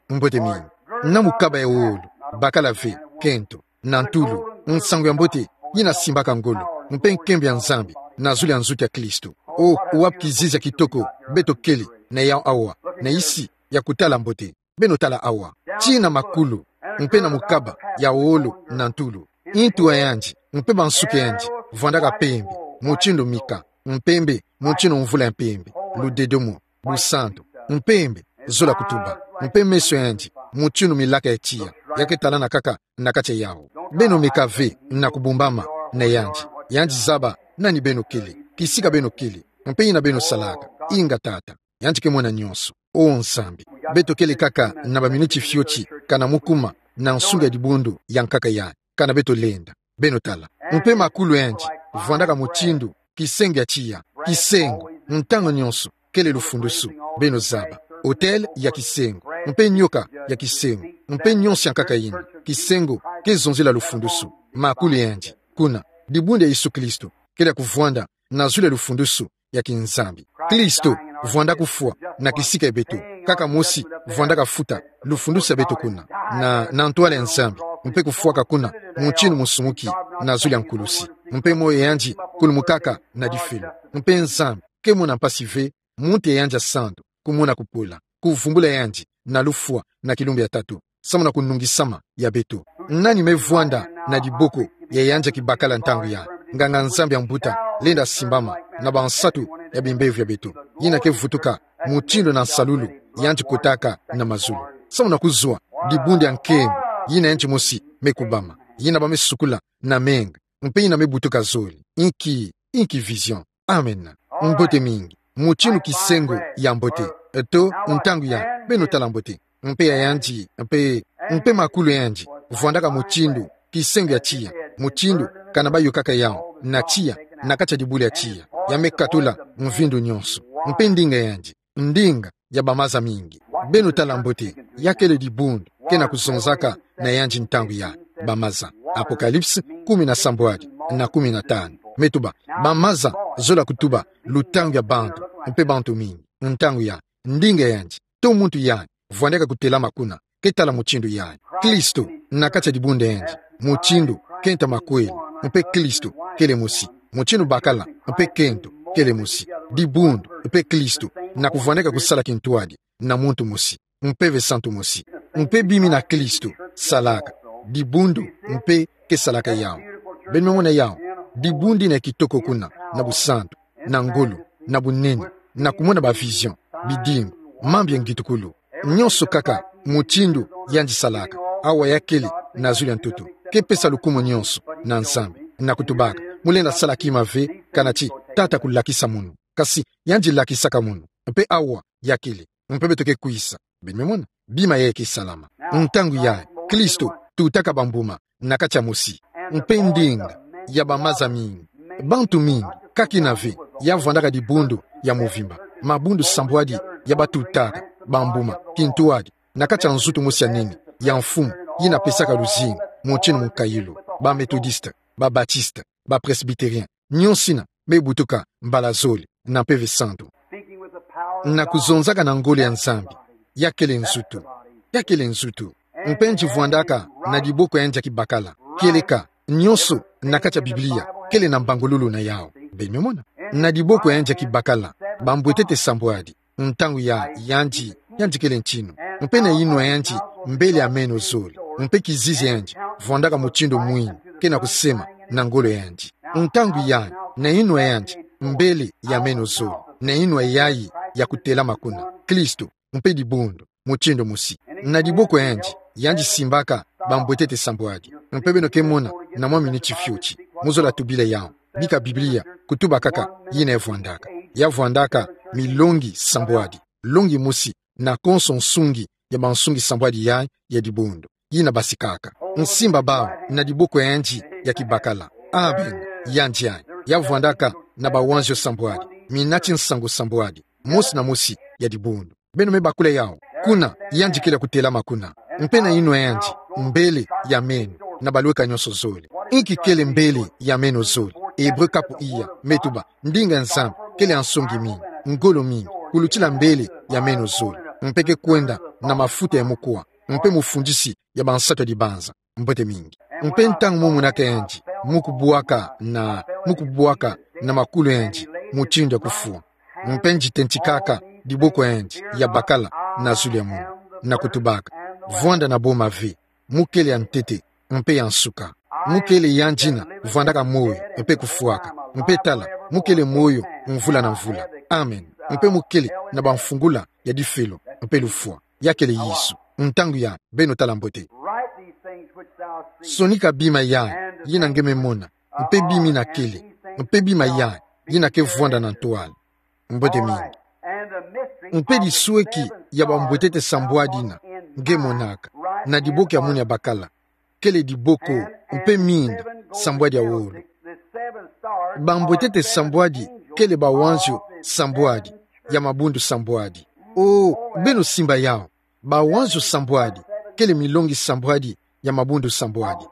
Mbote mingi. Na mukaba ya wolo, bakala ve, kento, na ntulu, nsangu ya mbote yina simbaka ngolo, mpe nkembo ya Nzambi na zulu ya nzutu ya Kristo. O, wapi kizizi ya kitoko beto kele na yawu awa, na isi ya kutala mbote. Beno tala awa. Tii na makulu, mpe na mukaba ya wolo na ntulu. Intu ya yandi, mpe bansuki ya yandi vandaka mpembe, mutindu mika, mpembe, mutindu mvula ya mpembe, ludedomo, busantu, mpembe, zola kutuba, mpe meso ya yandi, mutindu milaka ya tiya, ya ke talana kaka na kati ya yawu. Beno meka ve na kubumbama na yandi. Yandi zaba nani beno kele, kisika beno kele, mpe yina beno salaka. Inga Tata. Yandi ke mona nyonso. O Nzambi, beto kele kaka na baminiti fioti, kana mu kuma na nsunga ya dibundu ya nkaka yandi, kana beto lenda. Beno tala. Mpe makulu ya yandi vandaka mutindu kisengo ya tiya, kisengo, ntangu nyonso, kele lufundusu, beno zaba. Autel ya kisengo, mpe nioka ya kisengo, mpe nyonso ya nkaka yina, kisengo, ke zonzila lufundusu, makulu yandi, kuna, dibundu ya Yesu Kristo, kele ya kuvwanda, na zulu ya lufundusu, ya kinzambi. Kristo, vwanda kufwa, na kisika ya beto, kaka mosi, vwandaka futa, lufundusu ya beto kuna, na, na ntwala ya Nzambi, mpe kufwaka kuna, mutindu musumuki, na zulu ya nkulusi, mpe moyo yandi, kulumukaka, na difelo, mpe Nzambi, ke mona mpasi ve, muntu ya yandi ya santu, kumona kupola, kuvumbula yandi, na lufwa, na kilumbu ya tatu, samu na kunungisama ya beto. Nani me vwanda na diboko ya yandi ya kibakala ntangu yayi? Nganga-Nzambi ya mbuta, lenda simbama, na bansatu ya bimbevo ya beto. Yina ke vutuka, mutindu na nsalulu, yandi kotaka na mazulu. Samu na kuzwa, dibundu ya nkembo, yina yandi mosi me kubama. Yina ba me sukula, na menga, mpe yina me butuka zole. Inki, inki vision. Amen. Mbote mingi. Mutindu kisengo ya mbote. Eto, ntangu yayi, beno tala mbote. Mpe ya yandi, mpe, mpe makulu yandi. Vwandaka mutindu, kisengo ya tiya. Mutindu, kana bayokaka yawu, na tiya, na kati ya dibula ya tiya. Ya me katula, mvindu nyonso. Mpe ndinga yandi. Ndinga, ya bamaza mingi. Beno tala mbote, ya kele dibundu, kena kuzonzaka, na yandi ntangu yayi, bamaza. Apocalypse, kumi na sambwadi, na kumi na tanu. Me tuba, bamaza, zola kutuba, lutangu ya bantu, mpe bantu mingi, ntangu yayi, ndinga yandi, to muntu yayi, vwandaka kutelama kuna, ke tala mutindu yayi. Kristo, na kati ya dibundu yandi, mutindu, kento makweli, mpe Kristo, kele mosi, mutindu bakala, mpe kento, kele mosi, dibundu, mpe Kristo, na kuvwandaka kusala kintwadi, na muntu mosi, Mpeve Santu mosi. Mpe bima ina Kristo salaka, dibundu mpe ke salaka yawu. Beno me mona yawu, dibundu ina ya kitoko kuna, na busantu, na ngolo, na bunene, na kumona ba vision, bidimbu, mambu ya ngitukulu. Nyonso kaka, mutindu yandi salaka, awa ya kele na zulu ya ntoto, ke pesa lukumu nyonso na Nzambi, na kutubaka, mulenda sala kima ve, kana ti tata kulakisa munu. Kasi yandi lakisaka munu, mpe awa ya kele. Mpe beto ke kwisa. Beno me mona, bima yayi ke salama. Ntangu yayi, Kristo tutaka bambuma na kati ya mosi. Mpe ndinga ya bamaza mingi. Bantu mingi, kaka ina ve, ya vwandaka dibundu ya mvimba. Mabundu sambwadi ya batutaka bambuma, kintwadi, na kati ya nzutu mosi ya nene, ya mfumu, yina pesaka luzingu, mutindu mukayulu, ba Methodiste, ba Baptiste, ba Presbytérien, nyonso ina me butuka mbala zole na Mpeve Santu. Na kuzonzaka na ngolo ya Nzambi, ya kele nzutu, ya kele nzutu. Mpe yandi vwandaka na diboko ya yandi ya kibakala, kieleka, nyonso na kati ya Biblia kele na mbangululu na yawu. Beno me mona, na diboko ya yandi ya kibakala, bambwetete sambwadi, ntangu ya yandi, yandi kele ntinu. Mpe na yinwa ya yandi, mbele ya meno zole. Mpe kizizi ya yandi, vwandaka mutindu mwini, kena kusema, na ngolo ya yandi. Ntangu yayi, na yinwa ya yandi, mbele ya meno zole. Na yinwa yayi ya kutelama kuna, Kristo, mpe dibundu, mutindu mosi. Na diboko ya yandi, yandi simbaka bambwetete sambwadi. Mpe beno ke mona, na mwa miniti fioti, muzola tubila yawu. Bika Biblia, kutuba kaka, yina ya vwandaka. Ya vwandaka milongi sambwadi. Longi mosi, na konso nsungi ya bansungi sambwadi yayi ya dibundu, yina basikaka. Nsimba bawu na diboko ya yandi ya kibakala. Amen. Yandi yayi, ya vwandaka na bawanzio sambwadi, minati nsangu sambwadi, mosi na mosi ya dibundu. Beno me bakula yawu, kuna yandi kele ya kutelama kuna. Mpe na yinwa ya yandi, mbele ya meno, na balweka nyonso zole. Inki kele mbele ya meno zole? Hébreu kapu iya, me tuba, ndinga ya Nzambi kele ya nsongi mingi, ngolo mingi, kulutila mbele ya meno zole. Mpe ke kwenda na mafuta ya mukwa, mpe mufundisi ya bansatu ya dibanza. Mbote mingi. Mpe ntangu mu monaka yandi, mu kubwaka na, mu kubwaka na makulu ya yandi, mutindu ya kufwa. Mpe yandi tentikaka diboko ya yandi ya bakala na zulu ya munu, na kutubaka, vwanda na boma ve, mu kele ya ntete, mpe ya nsuka. Mu kele yandi yina vwandaka moyo, mpe kufwaka. Mpe tala, mu kele moyo mvula na mvula. Amen. Mpe mu kele na bamfungula ya difelo, mpe lufwa. Ya kele Yesu. Ntangu yayi, beno tala mbote. Sonika bima yayi, yina nge me mona, mpe bima ina kele, mpe bima yayi, yina ke vwanda na ntwala. Mbote mingi. Mpe disweki ya bambwetete sambwadi yina nge monaka, na diboko ya munu ya bakala, kele diboko mpe minda sambwadi ya wolo. Bambwetete sambwadi kele bawanzio sambwadi ya mabundu sambwadi. O, beno simba yao. Bawanzio sambwadi kele milongi sambwadi ya mabundu sambwadi.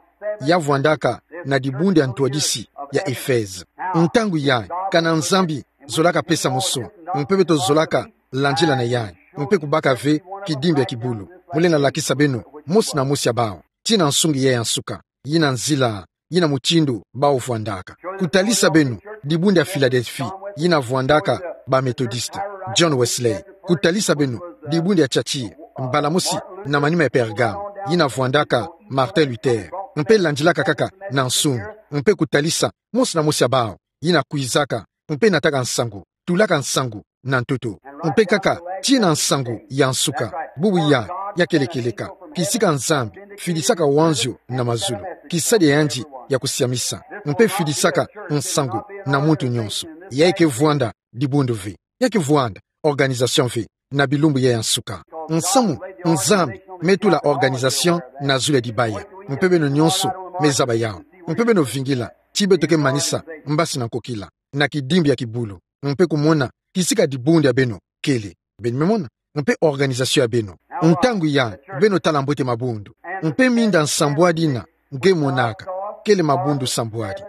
Ya vwandaka na dibundu ya ntwadisi ya Efeze. Ntangu yayi, kana Nzambi zolaka pesa musu, mpe beto zolaka landila na yayi, mpe kubaka ve kidimbi ya kibulu. Mu lenda lakisa beno mosi na mosi ya bawu tina nsungi yayi ya nsuka, yina nzila, yina mutindu bawu vwandaka. Kutalisa beno dibundu ya Philadelphie, yina vwandaka ba Methodiste, John Wesley. Kutalisa beno dibundu ya Thyatire, mbala mosi na manima ya Pergame, yina vwandaka Martin Luther. Mpe landilaka kaka na nsungi, mpe kutalisa mosi na mosi ya bawu yina kwizaka, mpe nataka nsangu, tulaka nsangu na ntoto. Mpe kaka tina nsangu ya nsuka. Bubu yayi, ya kele kieleka. Kisika Nzambi fidisaka wanzio na mazulu, kisadi ya yandi ya kusiamisa, mpe fidisaka nsangu na muntu nyonso. Yayi ke vwanda dibundu ve. Ya ke vwanda organisation ve na bilumbu yayi ya nsuka. Nsamu, Nzambi me tula organisation na zulu ya dibaya. Mpe beno nyonso me zaba yao. Mpe beno vingila ti beto ke manisa mbasi na nkokila na kidimbi ya kibulu, mpe kumona kisika dibundu ya beno kele. Beno me mona? Mpe organisation ya beno. Ntangu yayi, beno tala mbote mabundu. Mpe minda nsambwadi yina nge monaka, kele mabundu sambwadi.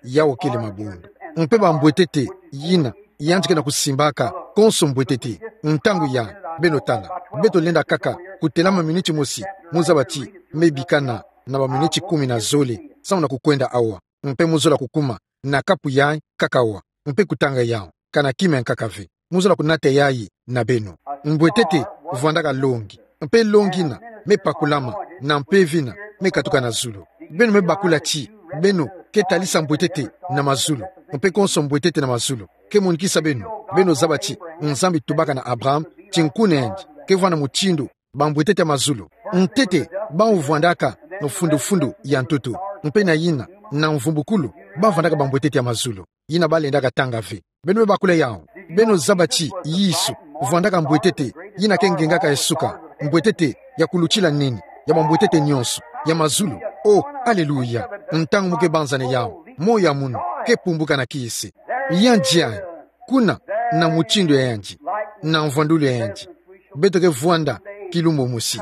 Yao kele mabundu. Mpe bambwetete yina yandi ke na kusimbaka konso mbwetete. Ntangu yayi, beno tala. Beto lenda kaka kutelama miniti mosi, mu zaba ti me bikana na baminiti kumi na zole, samu na kukwenda awa. Mpe mu zola kukuma na kapu yayi kaka awa, mpe kutanga yao, kana kima ya nkaka ve. Mu zola kunata yayi na beno. Mbwetete vwandaka longi, mpe longi yina me pakulama na mpeve yina me katuka na zulu. Beno me bakula ti beno ke talisa mbwetete na mazulu, mpe konso mbwetete na mazulu ke monikisa beno. Beno zaba ti Nzambi tubaka na Abraham ti nku na yandi ke vwanda mutindu bambwetete ya mazulu. Ntete bawu vwandaka mfundu-fundu ya ntoto, mpe na yina, na mvumbukulu, ba vwandaka bambwetete ya mazulu. Yina ba lendaka tanga ve. Beno me bakula yao. Beno zaba ti Yesu vwandaka mbwetete yina ke ngengaka ya suka, mbwetete ya kulutila nini ya bambwetete nyonso ya mazulu. O, aleluya. Ntangu mu ke banzana yao, moyo ya munu ke pumbuka na kiese. Yandi yayi, kuna, na mutindu ya yandi, na mvwandulu ya yandi, beto ke vwanda kilumbu mosi.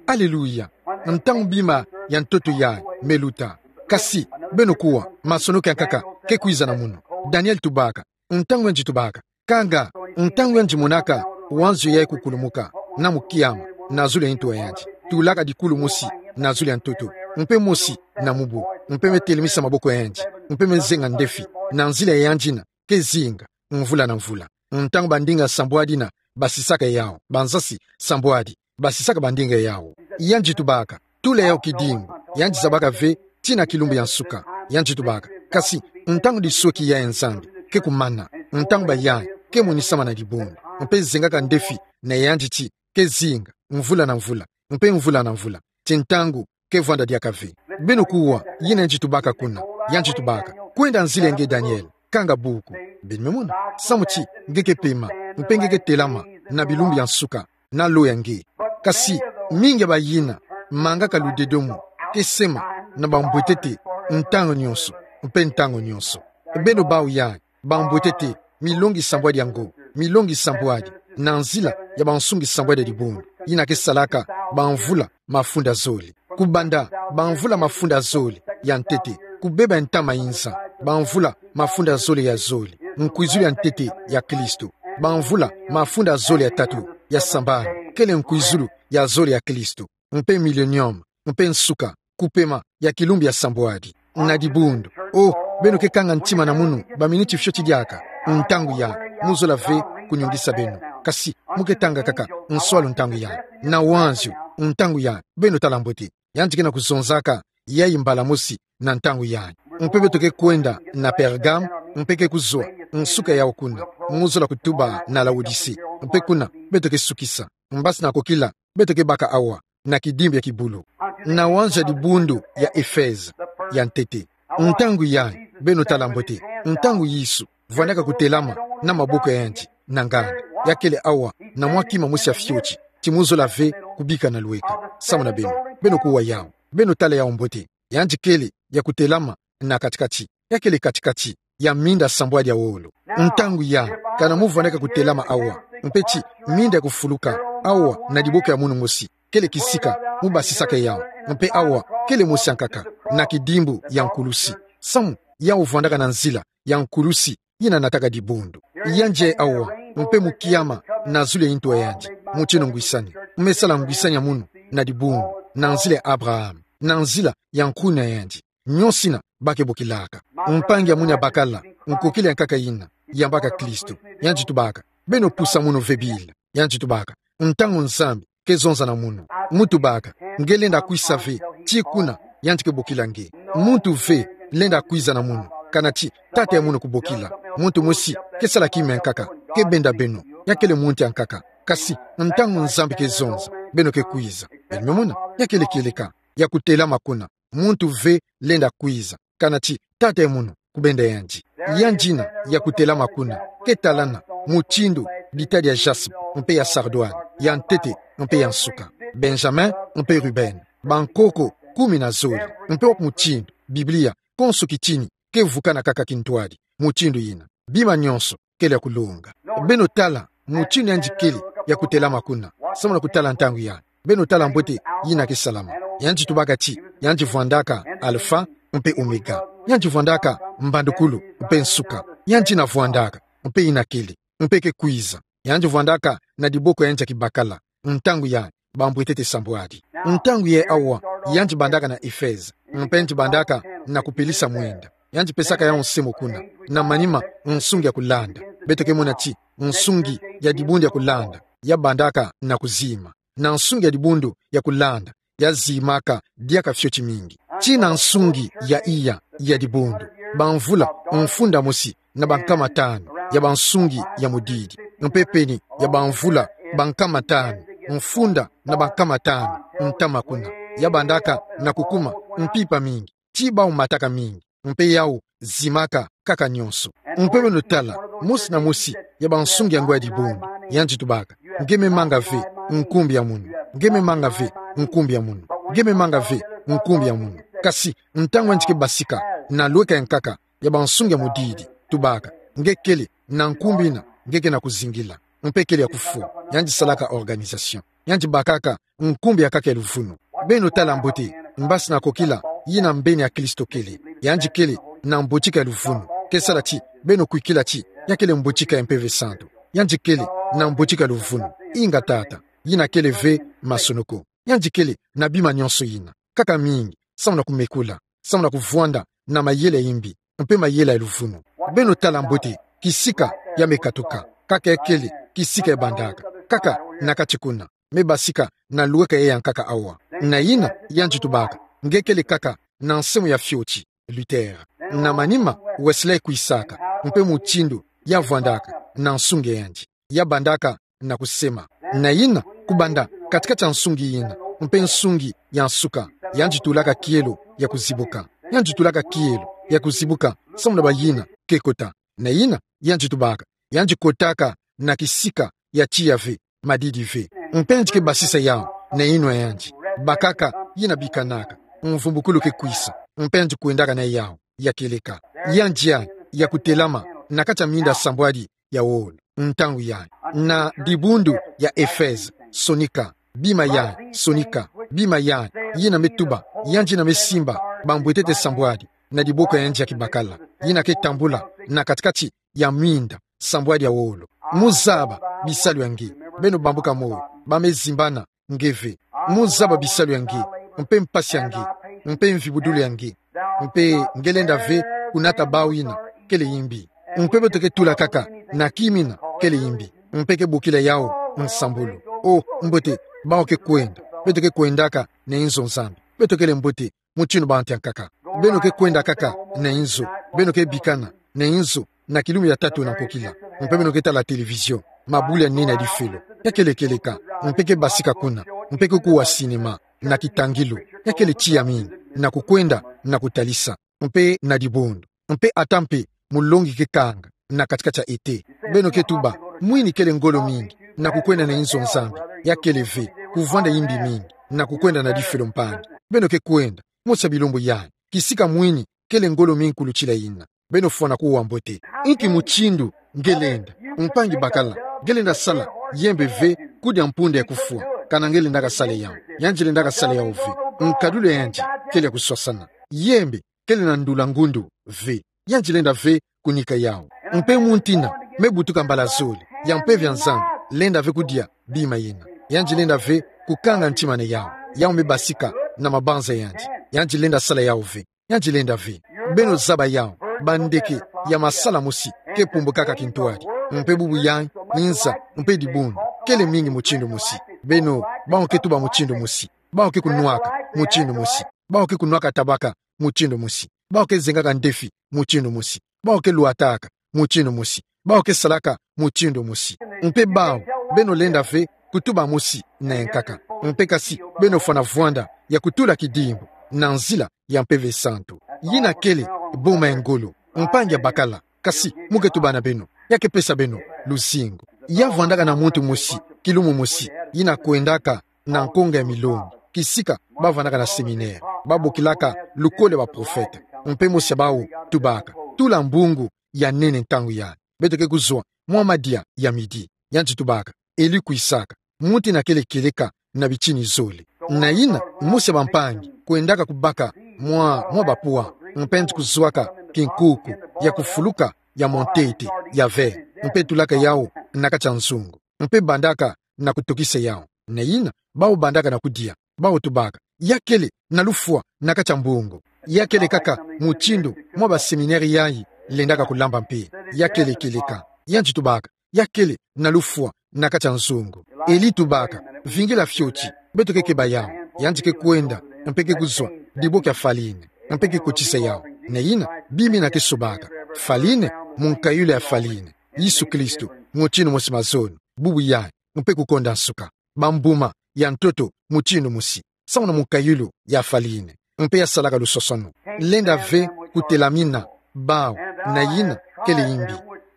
Aleluya. Ntangu bima ya ntoto yayi me luta. Kasi, beno kuwa, masonoko ya nkaka ke kwiza na munu. Daniel tubaka, ntangu yandi tubaka, kanga, ntangu yandi monaka wanzio yayi kukulumuka na mukiama na zulu ya ntu ya yandi, tulaka dikulu mosi na zulu ya ntoto, mpe mosi na mubu, mpe me telemisa maboko ya yandi, mpe me zenga ndefi na nzila ya yandi yina ke zinga mvula na mvula. Ntangu bandinga sambwadi yina basisaka yao, bansasi sambwadi basisaka bandinga yao. Yandi tubaka, tula yao kidingu. Yandi zabaka ve tina kilumbu ya nsuka. Yandi tubaka, kasi, ntangu disweki yayi ya Nzambi ke kumana, ntangu bayayi ke monisama na dibundu, mpe zengaka ndefi na yandi ti ke zinga mvula na mvula, mpe mvula na mvula, ti ntangu ke vwanda diaka ve. Beno kuwa, yina yandi tubaka kuna. Yandi tubaka, kwenda nzila ya nge Daniel, kanga buku. Beno me mona? Samu ti nge ke pema, mpe nge ke telama na bilumbu ya nsuka na lo ya nge. Kasi, mingi ya bayina mangaka ludedomo ke sema na bambwetete ntangu nyonso, mpe ntangu nyonso. Beno bawu yayi, bambwetete, milongi sambwadi ya ngo, milongi sambwadi, na nzila ya bansungi sambwadi ya dibundu, yina ke salaka bamvula mafunda zole. Kubanda bamvula mafunda zole ya ntete, kubeba ntama inza, bamvula mafunda zole ya zole, nkwizulu ya ntete ya Kristo, bamvula mafunda zole ya tatu ya sambanu, kele nkwizulu ya zole ya Kristo, mpe millennium, mpe nsuka, kupema ya kilumbu ya sambwadi na dibundu. O, beno ke kanga ntima na munu baminiti fioti diaka. Ntangu yayi, mu zola ve kunyungisa beno. Kasi, mu ke tanga kaka nswalu ntangu yayi. Na wanzio, ntangu yayi, beno tala mbote. Yandi ke na kuzonzaka yayi mbala mosi na ntangu yayi. Mpe beto ke kwenda na Pergame, mpe ke kuzwa nsuka yao kuna. Mu zola kutuba na Laodicee. Mpe kuna, beto ke sukisa. Mbasi na kokila, beto ke baka awa na kidimbi ya kibulu. Na wanzio ya dibundu ya Efeze ya ntete. Ntangu yayi, beno tala mbote. Ntangu Yesu vwandaka kutelama na maboko ya yandi na nganda, ya kele awa na mwa kima mosi ya fioti, ti mu zola ve kubika na lweka. Samu na beno, beno kuwa yao. Beno tala yao mbote. Yandi kele ya kutelama na kati-kati. Ya kele kati-kati. ya minda sambwadi ya wolo. Ntangu ya, kana mu vwandaka kutelama awa, mpe ti minda kufuluka awa na diboko ya munu mosi, kele kisika mu basisaka yau, mpe awa kele mosi ankaka, na kidimbu ya nkulusi. Samu yau vwandaka na nzila ya nkulusi yina nataka dibundu. Yandi awa, mpe mu kiama na zulu ya ntu a yandi, mutino ngwisani, me sala ngwisani ya munu na dibundu, na nzila ya Abraham, na nzila ya nkuna yandi. Nionso yina ba ke bokilaka. Mpangi ya munu ya bakala nkokila ya nkaka yina yambaka Kristo. Yandi tubaka: Beno pusa munu ve Bill? Yandi tubaka: Ntangu Nzambi ke zonza na munu. Mu tubaka: Nge lenda kwisa ve, ti kuna yandi ke bokila nge. Muntu ve lenda kwiza na munu, kana ti Tata ya munu kubokila. Muntu mosi ke sala kima ya nkaka, ke benda beno, ya kele muntu ya nkaka. Kasi ntangu Nzambi ke zonza, beno ke kwiza. Beno me mona, ya kele kieleka ya kutelama kuna. Muntu ve lenda kwiza, kana ti Tata ya munu kubenda yandi. Yandi yina ya kutelama kuna ke talana mutindu bitadi ya jaspe, mpe ya sardoine, ya ntete, mpe ya nsuka. Benjamin mpe Ruben, bankoko kumi na zole, mpe wa ku mutindu Biblia, konso kitini ke vukana kaka kintwadi mutindu yina. Bima nionso kele ya kulonga. Beno tala mutindu yandi kele ya kutelama kuna, samu na kutala ntangu yandi. Beno tala mbote yina ke salama. Yandi tubaka ti yandi vwandaka Alpha mpe Omega. Yandi vwandaka mbandukulu mpe nsuka. Yandi yina vwandaka, mpe yina kele, mpe ke kwiza. Yandi vwandaka na diboko ya yandi ya kibakala. Ntangu yandi, bambwetete sambwadi. Ntangu yayi awa, yandi bandaka na Efeze, mpe yandi bandaka na kupelisa mwinda. Yandi pesaka yau nse mo kuna. Na manima, nsungi ya kulanda. Beto ke mona ti nsungi ya dibundu ya kulanda ya bandaka na kuzima. Na nsungi ya dibundu ya kulanda ya zimaka diaka fioti mingi. Ti na nsungi ya iya ya dibundu, bamvula mfunda mosi na bankama tanu ya bansungi ya mudidi, mpe peni ya bamvula bankama tanu mfunda na bankama tanu ntama kuna, ya bandaka na kukuma mpimpa mingi, ti bau mataka mingi, mpe yau zimaka kaka nionso. Mpe beno tala mosi na mosi ya bansungi yango ya dibundu, yandi tubaka: Nge me manga ve nkumbu ya munu. Nge me manga ve nkumbu ya munu. Nge me manga ve nkumbu ya munu. Kasi ntangu yandi ke basika na lweka ya nkaka ya bansungi ya mudidi, tubaka: Nge kele na nkumbu yina, nge ke na kuzingila. Mpe kele ya kufwa. Yandi salaka organisation. Yandi bakaka nkumbu ya nkaka ya luvunu. Beno tala mbote mbasi na kokila yina mbeni ya Kristo kele. Yandi kele na mbotika ya luvunu. Ke sala ti beno kwikila ti ya kele mbotika ya Mpeve Santu. Yandi kele na mbotika ya luvunu. Inga tata, yina kele ve masonoko. Yandi kele na bima nionso yina, kaka mingi, samu na kumekula, samu na kuvwanda na mayela ya yimbi, mpe mayela ya luvunu. Beno tala mbote kisika ya me katuka, kaka ya kele kisika ya bandaka, kaka na kati kuna, me basika na lweka ya nkaka awa. Na yina, yandi tubaka: Nge kele kaka na nsemo ya fioti, Luther. Na manima, Wesley kwisaka, mpe mutindu ya vwandaka na nsungi ya yandi, ya bandaka na kusema. Na yina, kubanda kati-kati ya nsungi yina mpe nsungi ya nsuka, yandi tulaka kielo ya kuzibuka. Yandi tulaka kielo ya kuzibuka samu na bayina ke kota. Na yina, yandi tubaka: Yandi kotaka na kisika ya tiya ve, madidi ve. Mpe yandi ke basisa yau na yinwa ya yandi. Bakaka yina bikanaka, mvumbukulu ke kwisa, mpe yandi kwendaka na yau, ya kieleka. Yandi ya, ya kutelama na kati ya minda sambwadi ya wolo, ntangu yandi. Na dibundu ya Efeze, sonika. Bima yandi, sonika. Bima yandi, yina me tuba, yandi yina me simba bambwetete sambwadi na diboko ya yandi ya kibakala, yina ke tambula na kati-kati ya minda sambwadi ya wolo. Mu zaba bisalu ya nge. Beno bambuka moyo, ba me zimbana nge ve. Mu zaba bisalu ya nge, mpe mpasi ya nge, mpe mvibudulu ya nge. Mpe nge lenda ve kunata bau yina kele yimbi. Mpe beto ke tula kaka na kima yina kele yimbi, mpe ke bokila yau nsambulu. O, mbote, bau ke kwenda. Beto ke kwendaka na inzo Nzambi. Beto kele mbote, mutinu bantu ya nkaka. Beno ke kwenda kaka na inzo. Beno ke bikana na inzo na kilumbu ya tatu na nkokila. Mpe beno ke tala télévision, mabula ya nene ya difelo, ya kele kieleka, mpe ke basika kuna, mpe ke kuwa cinéma na kitangilu, ya kele tiya mingi na kukwenda na kutalisa, mpe na dibundu, mpe ata mpe mulongi ke kanga na kati-kati ya ete. Beno ke tuba: Mwini kele ngolo mingi na kukwenda na inzo Nzambi. Ya kele ve, kuvwanda yimbi mingi na kukwenda na difelo mpangi. Beno ke kwenda, mosi ya bilumbu yandi, kisika mwini kele ngolo mingi kulutila yina. Beno fwana kuwa mbote. Inki mutindu nge lenda, mpangi bakala, nge lenda sala yembe ve kudia mpunda ya kufwa? Kana nge lendaka sala yawu. Yandi lendaka sala yawu ve. Nkadulu ya yandi kele ya kuswasana. Yembe kele na ndula ngundu ve. Yandi lenda ve kunika yawu. Mpe mutindu me butuka mbala zole ya Mpeve ya Nzambi, lenda ve kudia bima yina. Yandi lenda ve kukanga ntima na yawu. Yawu me basika na mabanza ya yandi. Yandi lenda sala yawu ve. Yandi lenda ve. Beno zaba yawu. Bandeke ya masala mosi ke pumbukaka kintwadi. Mpe bubu yayi, inza, mpe dibundu kele mingi mutindu mosi. Beno, bawu ke tuba mutindu mosi. Bawu ke kunwaka mutindu mosi. Bawu ke kunwaka tabaka mutindu mosi. Bawu ke zengaka ndefi mutindu mosi. Bawu ke lwataka mutindu mosi. Bawu ke salaka mutindu mosi. Mpe bawu, beno lenda ve kutuba mosi na yankaka. Mpe kasi, beno fwana vwanda ya kutula kidimbu na nzila ya Mpeve Santu. Yina kele boma ya ngolo, mpangi ya bakala, kasi mu ke tuba na beno, ya ke pesa beno luzingu. Ya vwandaka na muntu mosi, kilumu mosi, yina kwendaka na nkonga ya milongi, kisika ba vwandaka na séminaire, ba bokilaka lukole ya baprofete. Mpe mosi ya bawu tubaka: Tula mbungu ya nene ntangu yayi. Beto ke kuzwa mwa madia ya midi. Yandi tubaka: Eli kwisaka. Muntu yina kele kieleka na bitini zole. Na yina, mosi ya bampangi kwendaka kubaka mwa, mwa bapwa, mpe yandi kuzwaka kinkuku ya kufuluka ya montete ya vert, mpe tulaka yawu na kati ya nzungu, mpe bandaka na kutokisa yawu. Na yina, bawu bandaka na kudia. Bawu tubaka: Ya kele na lufwa na kati ya mbungu. Ya kele kaka mutindu mwa baséminaire yayi lendaka kulamba mpe. Ya kele kieleka. Yandi tubaka: Ya kele na lufwa na kati ya nzungu. Eli tubaka: Vingila fioti. Beto ke keba yawu. Yandi ke kwenda, mpe ke kuzwa diboko ya farine, mpe ke kotisa yawu. Na yina, bima yina ke sobaka: farine, munkayulu ya farine, Yesu Kristo, mutindu mosi mazono, bubu yayi, mpe kukonda nsuka. Bambuma ya ntoto mutindu mosi, samu na munkayulu ya farine, mpe ya salaka luswaswanu. Lenda ve kutelamina bawu, na yina kele yimbi.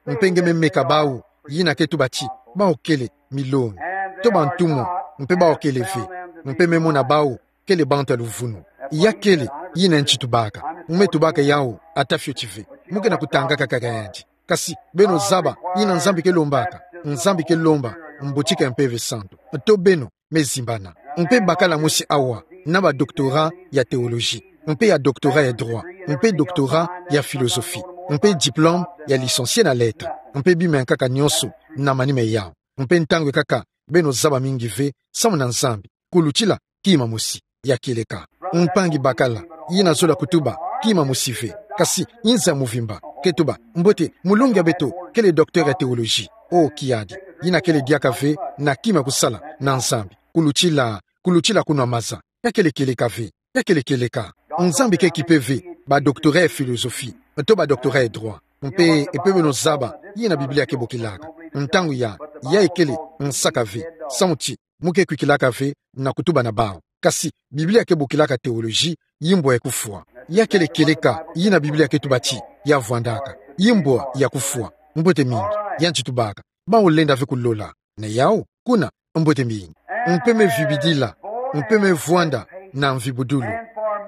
Mpe nge me meka bawu, yina ke tuba ti bawu kele milongi, to bantumwa, mpe bawu kele ve. Mpe me mona bawu kele bantu ya luvunu. Ya kele yina yandi tubaka. Mu me tubaka yawu ata fioti ve. Mu ke na kutangaka kaka yandi. Kasi beno zaba yina Nzambi ke lombaka. Nzambi ke lomba mbotika ya Mpeve Santu. To beno me zimbana. Mpe bakala mosi awa na ba doctorat ya théologie, mpe ya doctorat ya droit, mpe doctorat ya philosophie, mpe diplôme ya licencié na lettres, mpe bima ya nkaka nyonso na manima yawu. Mpe ntangu ya nkaka beno zaba mingi ve samu na Nzambi, kulutila kima mosi ya kieleka. Mpangi bakala, yina zola kutuba kima mosi ve, kasi inza ya muvimba ke tuba: Mbote, mulongi ya beto kele docteur ya théologie. O kiadi, yina kele diaka ve na kima kusala na Nzambi, kulutila, kulutila kunwa maza. Ya kele kieleka ve. Ya kele kieleka. Nzambi ke kipe ve ba doctorat ya philosophie, to ba doctorat ya droit. Mpe, mpe beno zaba yina Biblia ke bokilaka. Ntangu ya, yayi kele nsaka ve, samu ti mu ke kwikilaka ve na kutuba na bawu. Kasi Biblia ke bokilaka théologie yimbwa ya kufwa. Ya kele kieleka yina Biblia ke tuba ti ya vwandaka. Yimbwa ya kufwa. Mbote mingi. Yandi tubaka: Bawu lenda ve kulola. Na yawu, kuna, mbote mingi. Mpe me vibidila, mpe me vwanda na mvibudulu,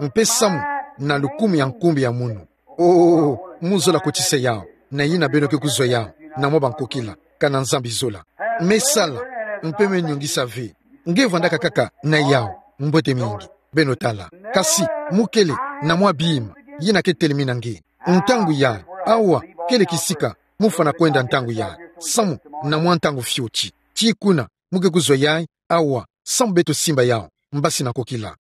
mpe samu na lukumu ya nkumbu ya munu. O, mu zola kotisa yawu, na yina beno ke kuzwa yawu na mwa bankokila, kana Nzambi zola. Me sala, mpe me nyongisa ve. Nge vwandaka kaka na yawu, mbote mingi. Beno tala. Kasi mu kele na mwa bima yina ke telemina nge. Ntangu yayi, awa, kele kisika mu fwana kwenda ntangu yayi, samu na mwa ntangu fioti. Ti kuna mu ke kuzwa yayi awa, samu beto simba yawu mbasi na nkokila.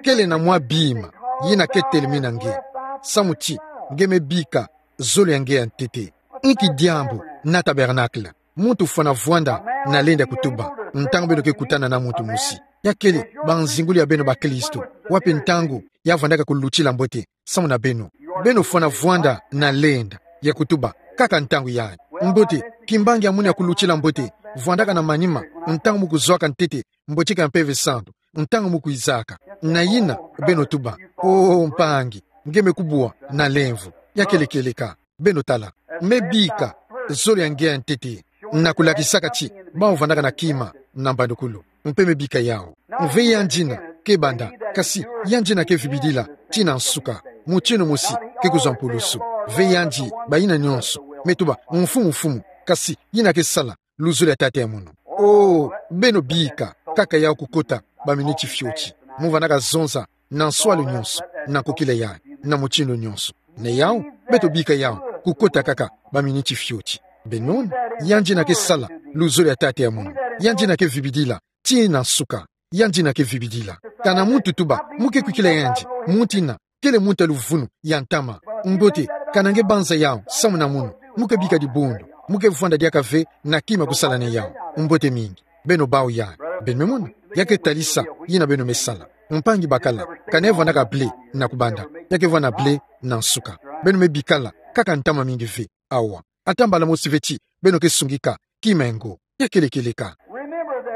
Kele na mwa bima yina ke telemina nge, samu ti nge me bika zolo ya nge ya ntete. Nki diambu na tabernacle? Muntu fwana vwanda na lenda kutuba ntangu beno ke kutana na muntu mosi. Ya kele banzingulu ya beno bakristu. Wapi ntangu ya vwandaka kulutila mbote samu na beno? Beno fwana vwanda na lenda ya kutuba kaka ntangu yayi. Mbote, kimbangi ya munu ya kulutila mbote vwandaka na manima ntangu mu kuzwaka ntete mbotika ya Mpeve Santu, ntangu mu kwizaka. Na yina, beno tuba: O mpangi, nge me kubwa na lemvo. Ya kele kieleka. Beno tala. Me bika zolo ya nge ya ntete na kulakisaka ti bawu vwandaka na kima na mbandukulu. Mpe me bika yawu. Mve yandi yina ke banda, kasi yandi yina ke vibidila tii na nsuka. mutindu mosi ke kuzwa mpulusu. Ve yandi, bayina nyonso, me tuba, mfumu, mfumu, kasi yina ke sala luzolo ya Tata ya munu. O, beno bika kaka yawu kukota baminiti fioti. Mu vandaka zonza na nswalu nyonso, na nkokila yayi, na mutindu nyonso. Na yawu, beto bika yawu kukota kaka baminiti fioti. Beno mona, yandi yina ke sala luzolo ya Tata ya munu. Yandi yina ke vibidila tii na nsuka. Yandi yina ke vibidila. Kana muntu tuba mu ke kwikila yandi, muntu yina kele muntu ya luvunu, ya ntama. Mbote, kana nge banza yawu samu na munu, mu ke bika dibundu, mu ke vwanda diaka ve na kima kusala na yawu. Mbote mingi. Beno bawu yayi. Beno me mona, ya ke talisa yina beno me sala. Mpangi bakala, kana ye vwandaka blé na kubanda, ya ke vwanda blé na nsuka. Beno me bikala kaka ntama mingi ve. Awa. Ata mbala mosi ve ti beno ke sungika kima ya ngo. Ya kele kieleka.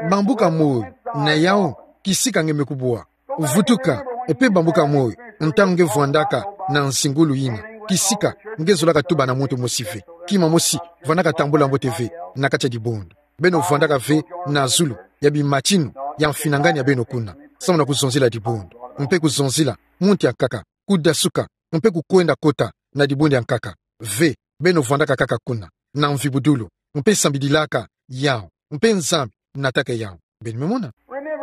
Bambuka moyo, na yawu, kisika nge me kubwa. Vutuka, mpe bambuka moyo ntangu nge vwandaka na nzingulu yina. Kisika nge zolaka tuba na muntu mosi ve. Kima mosi vwandaka tambula mbote ve na kati ya dibundu. Beno vwandaka ve na zulu ya bimatinu ya mfinangani ya beno kuna, samu na kuzonzila dibundu, mpe kuzonzila muntu ya nkaka kudasuka, mpe kukwenda kota na dibundu ya nkaka. Ve, beno vwandaka kaka kuna, na mvibudulu, mpe sambidilaka yawu, mpe Nzambi nataka yawu. Beno me mona.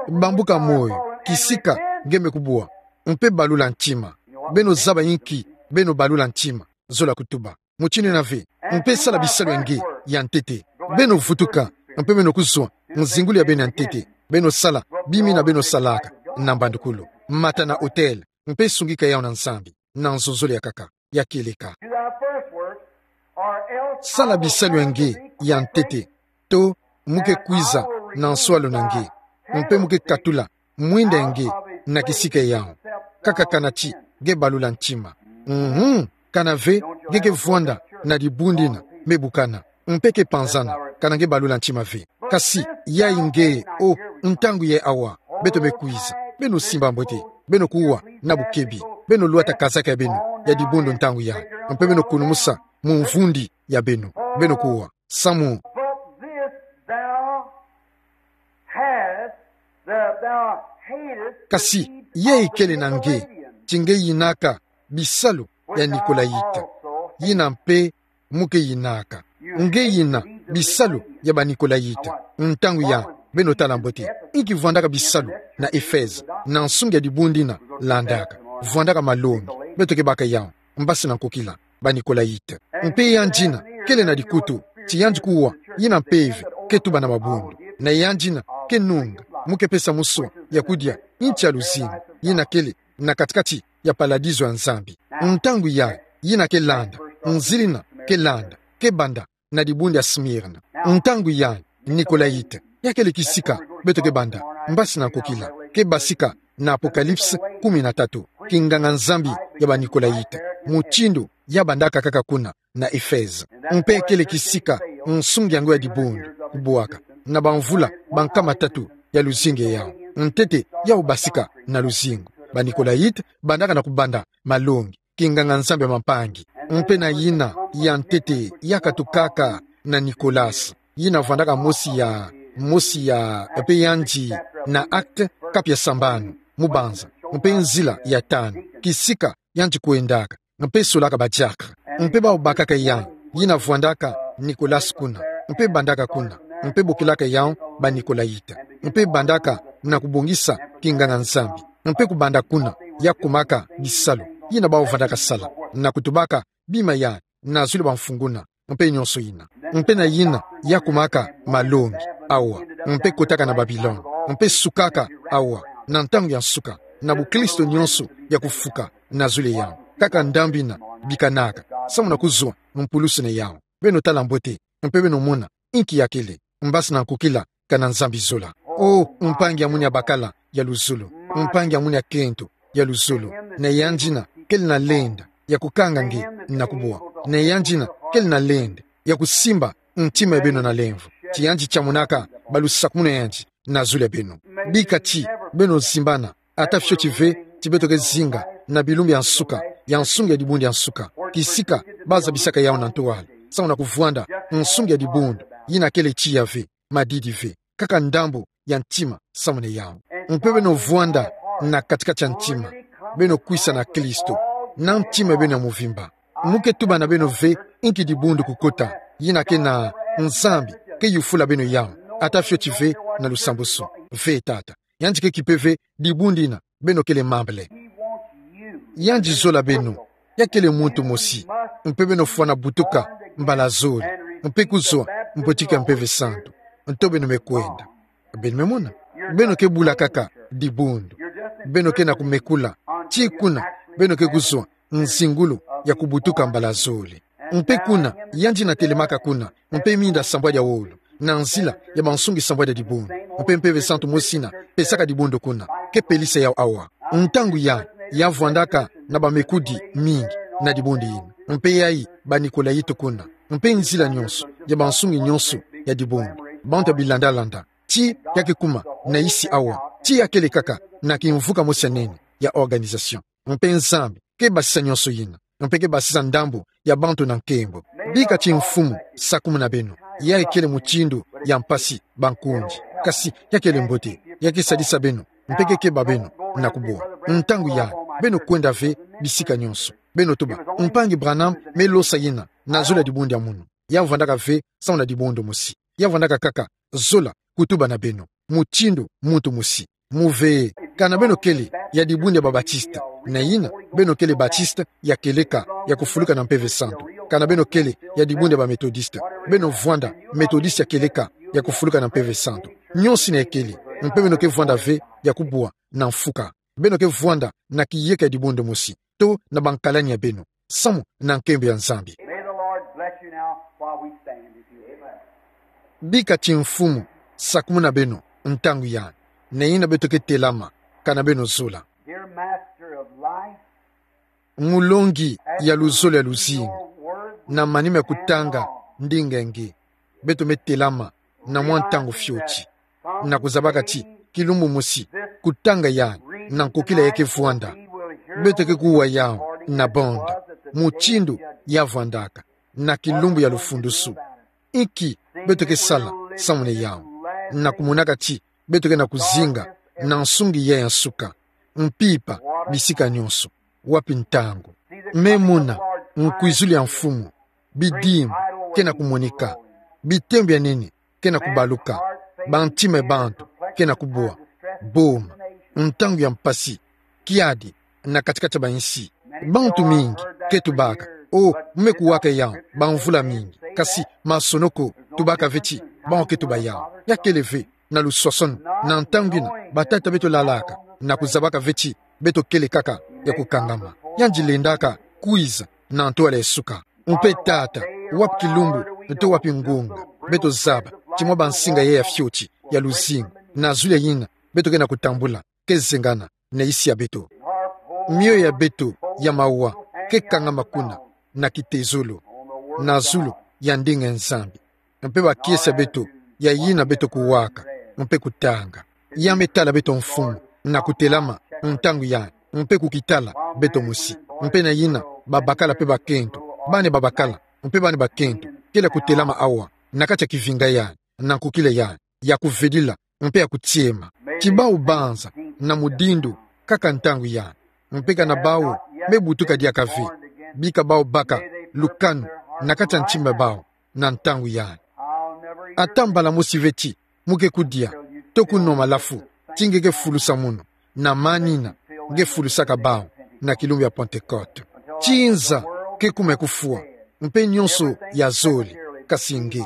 Bambuka moyo, kisika nge me kubwa, mpe balula ntima. Beno zaba inki beno balula ntima, zola kutuba. Mutindu yina ve, mpe sala bisalu ya nge ya ntete. Beno vutuka, mpe beno kuzwa nzingulu ya beno ya ntete. Beno sala bima yina beno salaka na mbandukulu, mata na autel, mpe sungika yawu na Nzambi na nzonzolo ya nkaka, ya kieleka. Sala bisalu ya nge ya ntete, to mu ke kwiza na nswalu na nge, mpe mu ke katula mwinda ya nge na kisika yawu, kaka kana ti nge balula ntima. Mhm. Kana ve nge ke vwanda na dibundu yina me bukana, mpe ke panzana, kana nge balula ntima ve. Kasi yayi nge, o, ntangu yayi awa, beto me kwiza. Beno simba mbote, beno kuwa na bukebi, beno lwata kazaka ya beno ya dibundu ntangu yayi, mpe beno kunumusa mu mvundi ya beno, beno kuwa. Samu. But this thou hast, that thou hatest. Kasi, ye ikele na nge, ti nge yinaka bisalu ya Nikolayite. Yina mpe mu ke yinaka. Nge yina bisalu ya ba Nikolayite. Ntangu yayi, beno tala mbote. Inki vwandaka bisalu na Efeze, na nsungi ya dibundu yina landaka. Vwandaka malongi. Beto ke baka yawu. Mbasi na nkokila, ba Nikolayite. Mpe yandi yina kele na dikutu, ti yandi kuwa, yina mpeve ke tuba na mabundu. Na yandi yina ke nunga, mu ke pesa muswa ya kudia nti ya luzingu, yina kele na kati-kati ya paladizo ya Nzambi. Ntangu yayi, yina ke landa, nzila yina ke landa, ke banda na dibundu ya Smirna. Ntangu yayi, Nikolayite, ya kele kisika beto ke banda, mbasi na nkokila, ke basika na Apokalipse kumi na tatu, kinganga-Nzambi ya ba Nikolayite, mutindu ya bandaka kaka kuna na Efeze. Mpe kele kisika nsungi ya ngo ya dibundu kubwaka, na bamvula ba nkama tatu ya luzingu yawu. Ntete yawu basika na luzingu. Ba Nikolayite bandaka na kubanda malongi, kinganga-Nzambi ya mampangi. Mpe na yina ya ntete ya katukaka na Nicolas, yina vwandaka mosi ya, mosi ya, mpe yandi na Actes, kapu ya sambanu, mu banza, mpe nzila ya tanu, kisika yandi kwendaka, mpe solaka ba diacre. Mpe bawu bakaka yandi, yina vwandaka Nicolas kuna, mpe bandaka kuna, mpe bokilaka yawu ba Nikolayite, mpe bandaka na kubongisa kinganga-Nzambi, mpe kubanda kuna, ya kumaka bisalu, yina bawu vwandaka sala, na kutubaka bima ya, na zulu ba mfunguna, mpe nyonso yina. Mpe na yina ya kumaka malongi, awa, mpe kotaka na Babilone, mpe sukaka, awa, na ntangu ya nsuka, na bukristo nyonso ya kufuka, na zulu yawu. Kaka ndambu yina bikanaka, samu na kuzwa mpulusu na yawu. Beno tala mbote, mpe beno mona inki ya kele, mbasi na nkokila, kana Nzambi zola. O, mpangi ya mwini ya bakala ya luzolo, mpangi ya mwini ya kento ya luzolo, na yandi yina kele na lenda ya kukanga nge na kubwa, na yandi yina kele na lenda ya kusimba ntima ya beno na lemvo, ti yandi tiamunaka balusakumunu ya yandi na zulu ya beno. Bika ti beno zimbana, ata fioti ve ti beto ke zinga na bilumbu ya nsuka, ya nsungi ya dibundu ya nsuka, kisika bazabisaka yawu na ntwala, samu na kuvwanda nsungi ya dibundu, yina kele tiya ve, madidi ve, kaka ndambu ya ntima samu na yawu. Mpe beno vwanda na kati-kati ya ntima, beno kwisa na Kristo, na ntima beno ya mvimba. Mu ke tuba na beno ve, inki dibundu kukota, yina ke na Nzambi ke yufula beno yau, ata fioti ve na lusambwasu. Ve Tata. Yandi ke kipe ve dibundu yina beno kele mambele. Yandi zola beno, ya kele muntu mosi, mpe beno fwana butuka mbala zole, mpe kuzwa mbotiki ya Mpeve Santu. Nto beno me kwenda. Beno me mona. Beno ke bula kaka dibundu. Beno ke na kumekula. Ti kuna, beno ke kuzwa nzingulu ya kubutuka mbala zole. Mpe kuna, yandi na telemaka kuna, mpe minda sambwadi ya wolo, na nzila ya bansungi sambwadi ya dibundu. Mpe Mpeve Santu mosi yina pesaka dibundu kuna, ke pelisa yau awa. Ntangu yai, ya vwandaka na bamekudi mingi na dibundu yina. Mpe yai ba Nikolayitu kuna. Mpe nzila nyonso, ya bansungi nyonso ya dibundu. Bantu ya bilandalanda. Ti ya ke kuma na isi awa. Ti ya kele kaka na kimvuka mosi ya nene, ya organisation. Mpe Nzambi ke basisa nyonso yina. Mpe ke basisa ndambu ya bantu na nkembo. Bika ti Mfumu sakumuna beno. Ya kele mutindu ya mpasi, bankundi. Kasi ya kele mbote. Ya ke sadisa beno. Mpe ke keba beno na kubwa. Ntangu yai, beno kwenda ve bisika nyonso. Beno tuba: Mpangi Branham me losa yina na zole ya dibundu ya munu. Ya vwandaka ve samu na dibundu mosi. Ya vwandaka kaka zola kutuba na beno mutindu muntu mosi. Mu ve, kana beno kele ya dibundu ya ba Batiste, na yina beno kele Batiste ya kieleka ya kufuluka na Mpeve Santu. Kana beno kele ya dibundu ya ba Methodiste, beno vwanda Methodiste ya kieleka ya kufuluka na Mpeve Santu. Nyonso yina kele, mpe beno ke vwanda ve ya kubwa na mfuka. Beno ke vwanda na kiyeka ya dibundu mosi, to na bankalani ya beno, samu na nkembo ya Nzambi. May the Lord bless you now while we stand, if you will. Bika ti Mfumu sakumuna beno ntangu yai, na yina beto ke telama, kana beno zola. Dear Master of life, Mulongi ya luzolo ya luzingu, na manima ya kutanga ndinga nge, beto me telama na mwa ntangu fioti, na kuzabaka ti kilumbu mosi, kutanga yai na nkokila ya ke vwanda, beto ke kuwa yau na banda, mutindu ya vwandaka na kilumbu ya lufundusu. Inki beto ke sala samu na yau, na kumonaka ti beto ke na kuzinga na nsungi yai ya nsuka, mpimpa bisika nyonso, wapi ntangu? Me mona nkwizulu ya Mfumu, bidimbu ke na kumonika, bitembo ya nene ke na kubaluka, bantima ya bantu ke na kubwa, boma, ntangu ya mpasi, kiadi na kati-kati ya bansi. Bantu mingi ke tubaka: O, mu me kuwaka yau bamvula mingi. Kasi masonoko tubaka ve ti bawu ke tuba yau. Ya kele ve na luswaswanu, na ntangu yina batata beto lalaka, na kuzabaka ve ti beto kele kaka ya kukangama. Yandi lendaka kwiza na ntwala ya suka. Mpe Tata, wapi kilumbu, nto wapi ngunga, beto zaba ti mwa bansinga yai ya fioti ya luzingu, na zulu ya yina beto ke na kutambula, ke zengana na isi ya beto. Mioyo ya beto ya mawa ke kangama kuna na kitezolo, na zulu ya ndinga ya Nzambi. Mpe bakiese ya beto ya yina beto kuwaka, mpe kutanga. Ya me tala beto Mfumu, na kutelama ntangu yai, mpe kukitala beto mosi. Mpe na yina babakala mpe bakento, bana babakala mpe bana bakento, kele kutelama awa, na kati ya kivinga yai, na nkokila yai, ya kuvedila, mpe ya kutiema. Ti bawu banza na mudindo kaka ntangu yai, mpe kana bawu me butuka diaka ve, bika bawu baka lukanu na kati ya ntima ya bawu na ntangu yai. Ata mbala mosi ve ti mu ke kudia, to kunwa malafu, ti nge ke fulusa munu, na manina nge fulusaka bawu na kilumbu ya Pentekote. Ti nza ke kuma ya kufwa, mpe nyonso ya zole, kasi nge,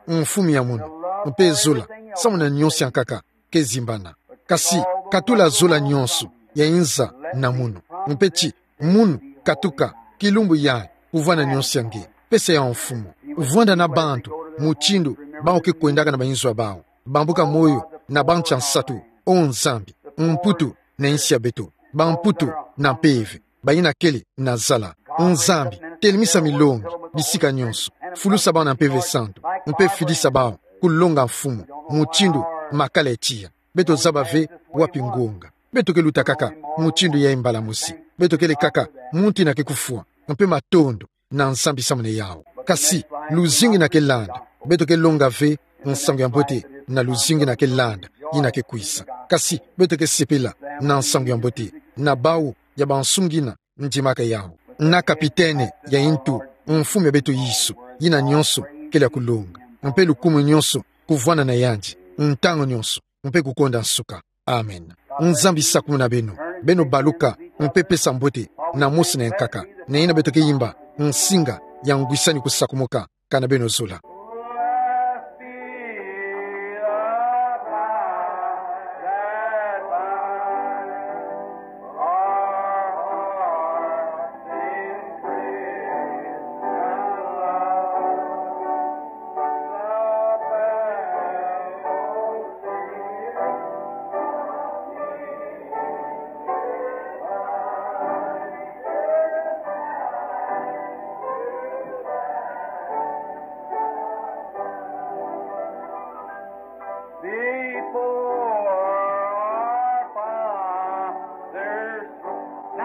Mfumu ya munu, mpe zola samu na nyonso ya nkaka ke zimbana. Kasi katula zola nyonso ya inza na munu, mpe ti munu katuka kilumbu yai kuvwanda nyonso ya nge. Pesa yau Mfumu. Vwanda na bantu mutindu bawu ke kwendaka na bayinzo ya bawu. Bambuka moyo na bantu ya nsatu, O Nzambi, mputu na insi ya beto, bamputu na mpeve, bayina kele na zala. Nzambi, telemisa milongi bisika nyonso, fulusa bawu na Mpeve Santu, mpe fidisa bawu kulonga Mfumu mutindu makala ya tiya. Beto zaba ve wapi ngunga. Beto ke luta kaka mutindu yai mbala mosi. Beto kele kaka muntu yina ke kufwa, mpe matondo na Nzambi samu na yawu. Kasi luzingu yina ke landa, beto ke longa ve nsangu ya mbote na luzingu yina ke landa, yina ke kwisa. Kasi beto ke sepela na nsangu ya mbote, na bawu ya bansungi yina ndimaka yawu. Na kapitene ya intu, mfumu ya beto Yesu, yina nyonso kele ya kulonga, mpe lukumu nyonso kuvwana na yandi, ntangu nyonso, mpe kukonda nsuka. Amen. Nzambi sakumuna beno, beno baluka, mpe pesa mbote, na mosi na yankaka, na yina beto ke yimba nsinga ya ngwisani kusakumuka, kana beno zola.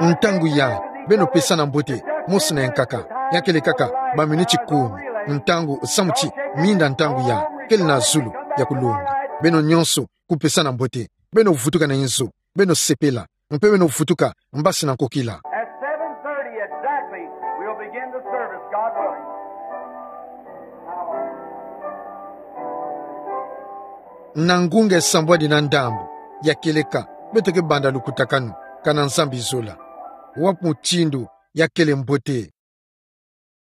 Ntangu ya, beno pesana mbote, mosi na yankaka, ya kele kaka ba miniti kumi, ntangu samu ti minda ntangu ya kele na zulu ya kulonga. Beno nyonso kupesana mbote, beno vutuka na inzo, beno sepela, mpe beno vutuka mbasi na nkokila. At seven thirty exactly, we'll begin the service, God willing. Na ngunga sambwadi na ndambu ya kieleka, beto ke banda lukutakanu, kana Nzambi zola. Wapi mutindu ya kele mbote